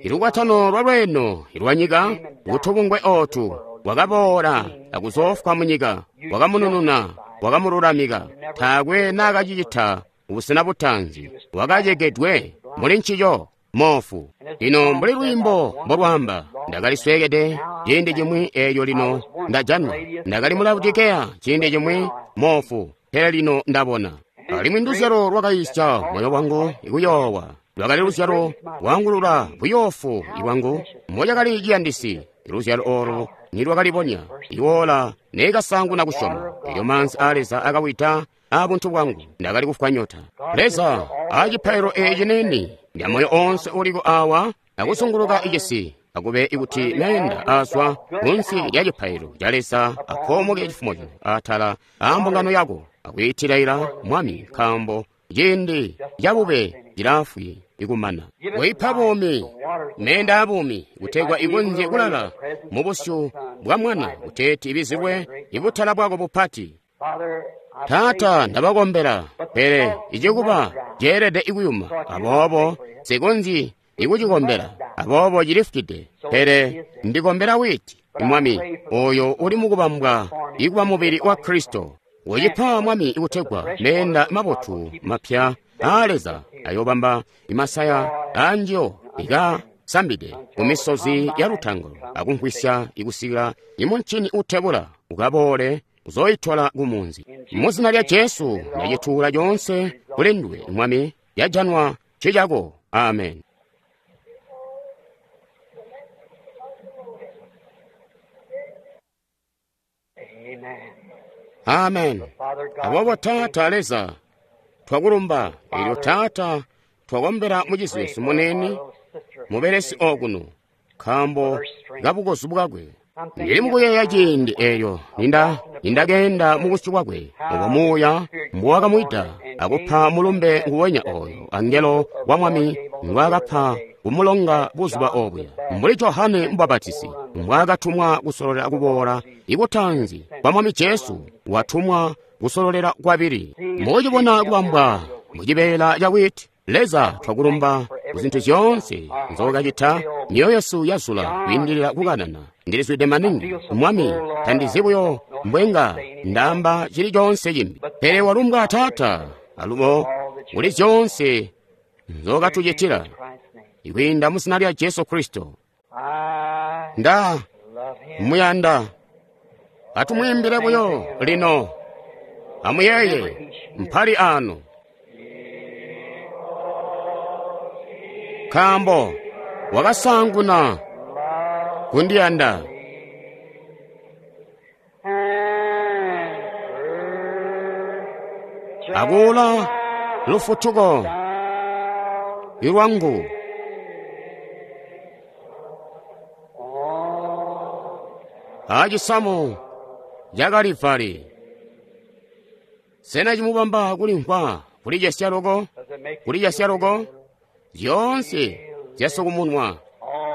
Ilukwatano lwa lweeno ilwa nyika kutubungwe ootu wakaboola akuzoofwa munyika, wakamunununa, wakamululamika. Taakwe naakacicita busena butaanzi, wakacegedwe muli ncico moofu. Lino mbuli lwiimbo mbolwaamba, ndakalisweekede ciindi cimwi, eelyo lino ndajanwa. Ndakali mu Laodikeya ciindi cimwi moofu, pele lino ndabona. Alimwi nduzyalo lwakayisya moyo wangu ikuyoowa, lwakali luzyalo lwaangulula buyoofu ibwangu. Mocakali ciyandisi luzyalo oolu nilwakalibonya, iwoola neekasaanguna kusyoma. Elyo maanzi aa Leza akawida aabuntu bwangu, ndakali kufwa nyota. Leza, aacipailo eeci neni ndya moyo oonse uliko awa akusunguluka icisi, akube ikuti meenda aazwa kunsi lya cipailo ca Leza akoomoke cifumo cino atala aambungano yako, akwiitilaila Mwami, nkaambo ciindi cabube cilaafwi ikumana. Koipa buumi, meenda abuumi, kutegwa ikonzye kulala mubusyu bwa Mwana, kuteeti ibizilwe ibutala bwako bupati. Taata, ndabakombela, pele icikuba ceelede ikuyuma, aboobo sikonzyi ikucikombela, aboobo cilifukide. Pele ndikombela witi, Mwami, oyo uli mukubambwa ikuba mubili wa Kristo. Ucipa Mwami ikutegwa meenda mabotu mapya aa Leza ayobamba imasaya anjiyo ikasambide kumisozi ya lutangalo akumvwisya ikusikila imuncini utebula ukaboole uzoyitola kumunzi. Muzina lya Jesu ndacituula coonse kuli nduwe Mwami, yajanwa cicako. Amen. Amen. Aboobo Taata Leza, twakulumba. Elyo Taata, twakombela mucizi wesu munene, mubelesi okuno, nkaambo kabukozu bwakwe. Ndili mukuyeeya ciindi eelyo ninda nindakeenda mubusyu bwakwe, obo Muuya mbuwakamwida akupa mulumbe nguwenya oyo angelo wa Mwami ngwaakapa kumulonga buzuba obuya, mbuli Johane Mubapatisi mbwaakatumwa kusololela kuboola ikutanzi kwa Mwami Jesu, watumwa kusololela kwabili. Mukucibona kubambwa mucibeela ca witi, Leza twakulumba kuzintu zyoonse nzookacita. Myoyo yesu yazula kwiindilila kukanana. Ndilizwide maningi Mwami, tandizi buyo mbwenga ndaamba cili coonse cimbi. Pele walumbwa Taata, alubo kuli zyoonse nzookatucitila kwiinda mu zina lya Jesu Kristo. Nda muyanda. Atumwiimbile buyo lino. Amuyeeye mpali ano, nkaambo wakasaanguna kundiyanda. Akuula lufutuko lwangu. Acisamu ca Kalivali. Sena cimubamba kulimvwa kulicesya loko? Kulicesya loko? Zyoonse zyasukumunwa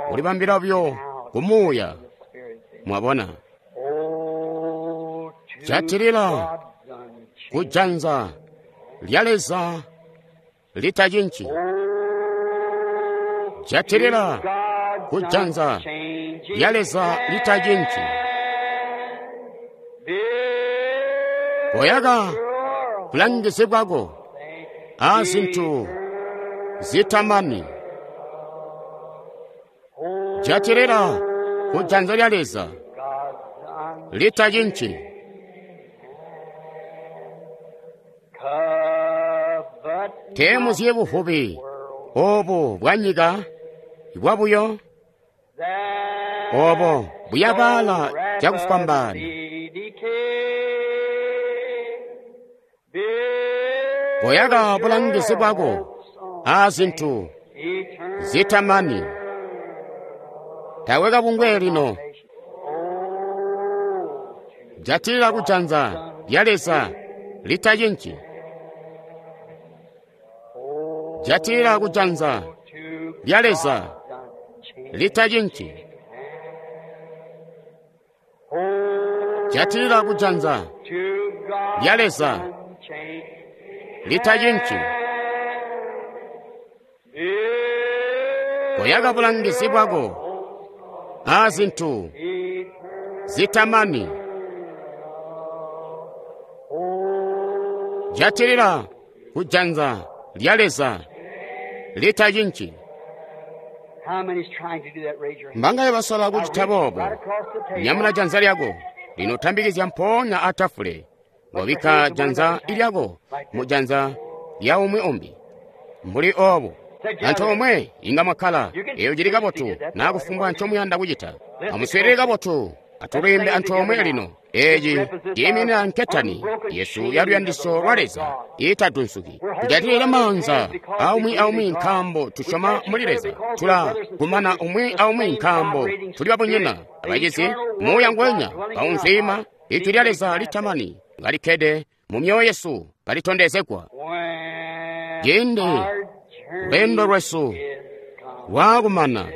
kulibambila buyo kumuuya. Mwabona? Jatilila kujanza lya Leza litacinci. Jatilila kujanza lya Leza litacinci. Koyaka bulangizi bwako a zintu zitamani. Jatilila kujanza lya Leza litacinci. Teemuzye buvubi obu bwa nyika bwabuyo, obo buyabaala cakufwambaana. Koyaka bulangizi bwako a zintu zitamani. Tawe kabungwe lino. Jatilila kujanza lya Leza litacinci. Jatilila kujanza lya Leza litacinci. Jatilila kujanza lya Leza litacinci. Koyaka bulangizi bwako a zintu zitamani. Jatilila kujanza lya Leza litacinci. Mbangaye basola kucita boobo? Nyamula janza lyako lino, tambikizya mpoonya atafule. Wabikka janza lyako mu janza lya umwi umbi mbuli obo. Antoomwe inga mwakkala. Eyo cili kabotu, naa kufumbwa ncomuyanda kucita. Amuswiilile kabotu. Atulwiimbe antoomwe lino. Eeci ciiminina nketani yesu ya luyandisyo lwa Leza iitadunsuki. Tujatilile maanza aumwi aumwi nkaambo tusyoma muli Leza. Tula kumana umwi aumwi nkaambo tuli babunyina abacizi. Muuya ngwenya kaunzwiima ijwi lya Leza litamani ngalikkede mu myoyo yesu kalitondezegwa. Ciindi lweendo lwesu lwaakumana,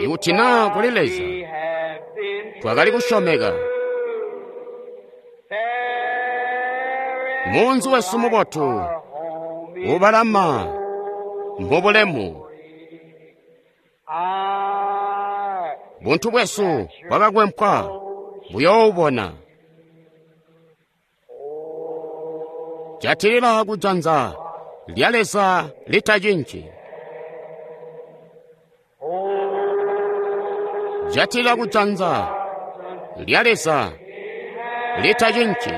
ikuti naa kuli Leza twakali kusyomeka, munzi wesu mubotu ubalama mubulemu, buntu bwesu bwakakwempwa buyoobona. Jatilila kujanza lya Leza litacinci. Jatilila kujanza lya Leza litacinci.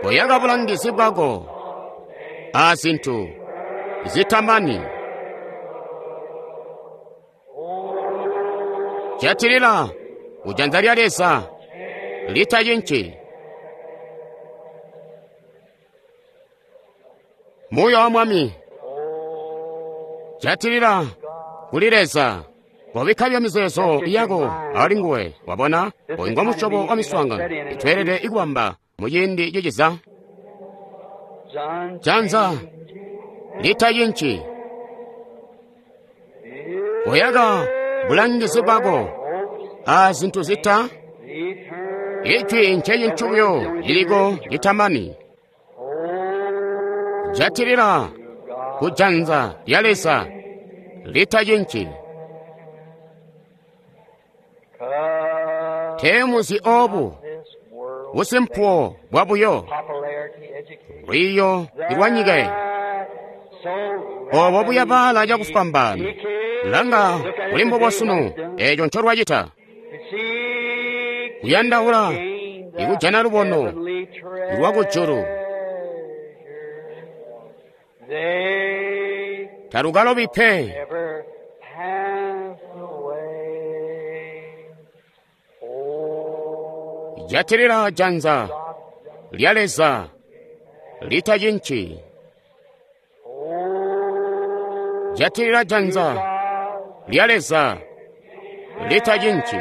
Koyaka bulangizi bwako a zintu zitamani. Jatilila kujanza lya Leza litacinci. Muuya wa Mwami, jatilila kuli Leza. Kobikka bya mizeezo yako ali nguwe. Wabona, oyu ngo musyobo wa miswaangano itweelede ikubamba mu ciindi ciciza. Janza litacinci. Koyaka bulangizi bwako a zintu zita. Ijwi ncecintu buyo liliko litamani. Jatilila kujanza lya Leza litacinci. Teemuzyi obu busimpuwo bwabuyo, lwiiyo lwa nyika eyi, obo buyabaala cakufwambaana. Langa kuli mbubo sunu, eco ncolwacita. Kuyandaula ikujana lubono lwakujulu talukalobi pe. Jatilila janza lya Leza litacinci. Jatilila janza lya Leza litacinci.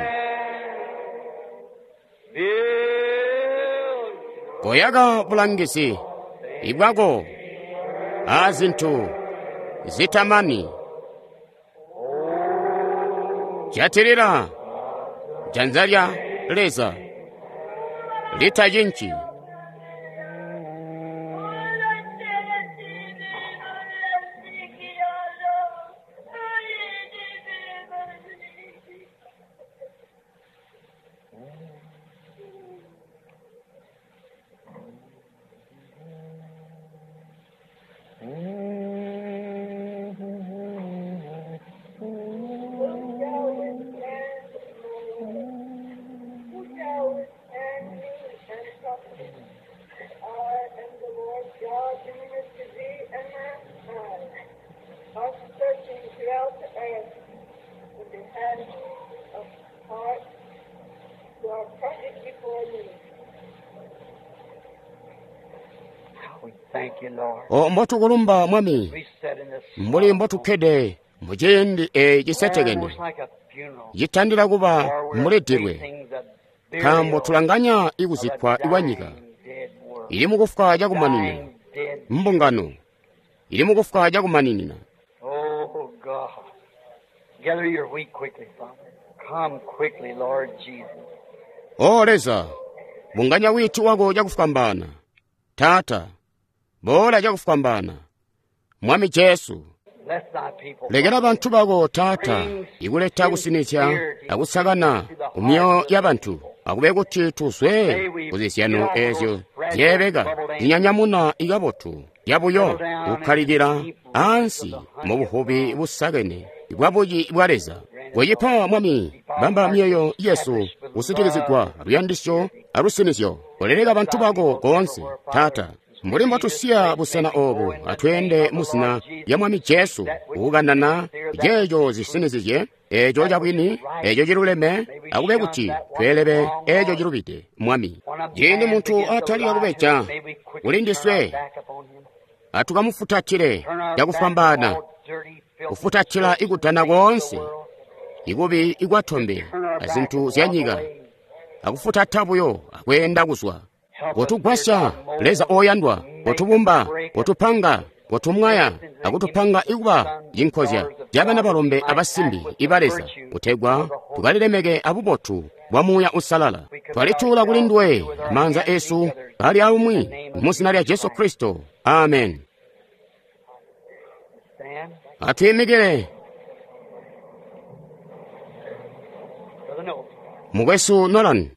Koyaka bulangizi ibwako aazintu zitamani. Jatilila janza lya Leza litacinci. O mbotukulumba Mwami, mbuli mbotukkede muciindi eeci cisetekene citandila kuba mbuli dilwe, nkaambo tulanganya ikuzikkwa kwanyika ili mukufwa cakumaninina, mbungano ili mukufwa cakumaninina. O Leza, bunganya wiiti wako cakufwambaana. Taata, boola cakufwambaana. Mwami Jesu, lekela bantu bako Taata ikuleta kusinizya akusakana kumyoyo ya bantu, akube kuti tuzwe kuzizyano eezyo zyeebeka zinyanyamuna ikabotu yabuyo kukkalikila ansi mu buvubi busakene bwa buci bwa Leza. Koyipa Mwami, bamba myoyo yesu kusitikizigwa luyandisyo alusinizyo. Koleleka bantu bako koonse, Taata. Mbuli mbotusiya busena obu, atweende muzina lya Mwami Jesu, kukanana ceeco zisinizizye, eeco cabwini, eeco ciluleme, akube kuti tweelebe eeco cilubide, Mwami. Ciindi muntu atalika kubeja kuli ndiswe, atukamufutatile cakufwambaana, kufutatila ikudana koonse, ikubi ikwatombe azintu zya nyika, akufutata buyo akweenda kuzwa. Kotugwasya, Leza oyandwa, kotubumba, kotupanga, kotumwaya, akutupanga ikuba cinkozya cabana balombe abasimbi iba Leza, kutegwa tukalilemeke abubotu bwa Muuya Uusalala. Twalituula kuli nduwe amaanza esu kali aumwi muzina lya Jesu Kristo. Amen. Atwiimikile. Mukwesu Nolan.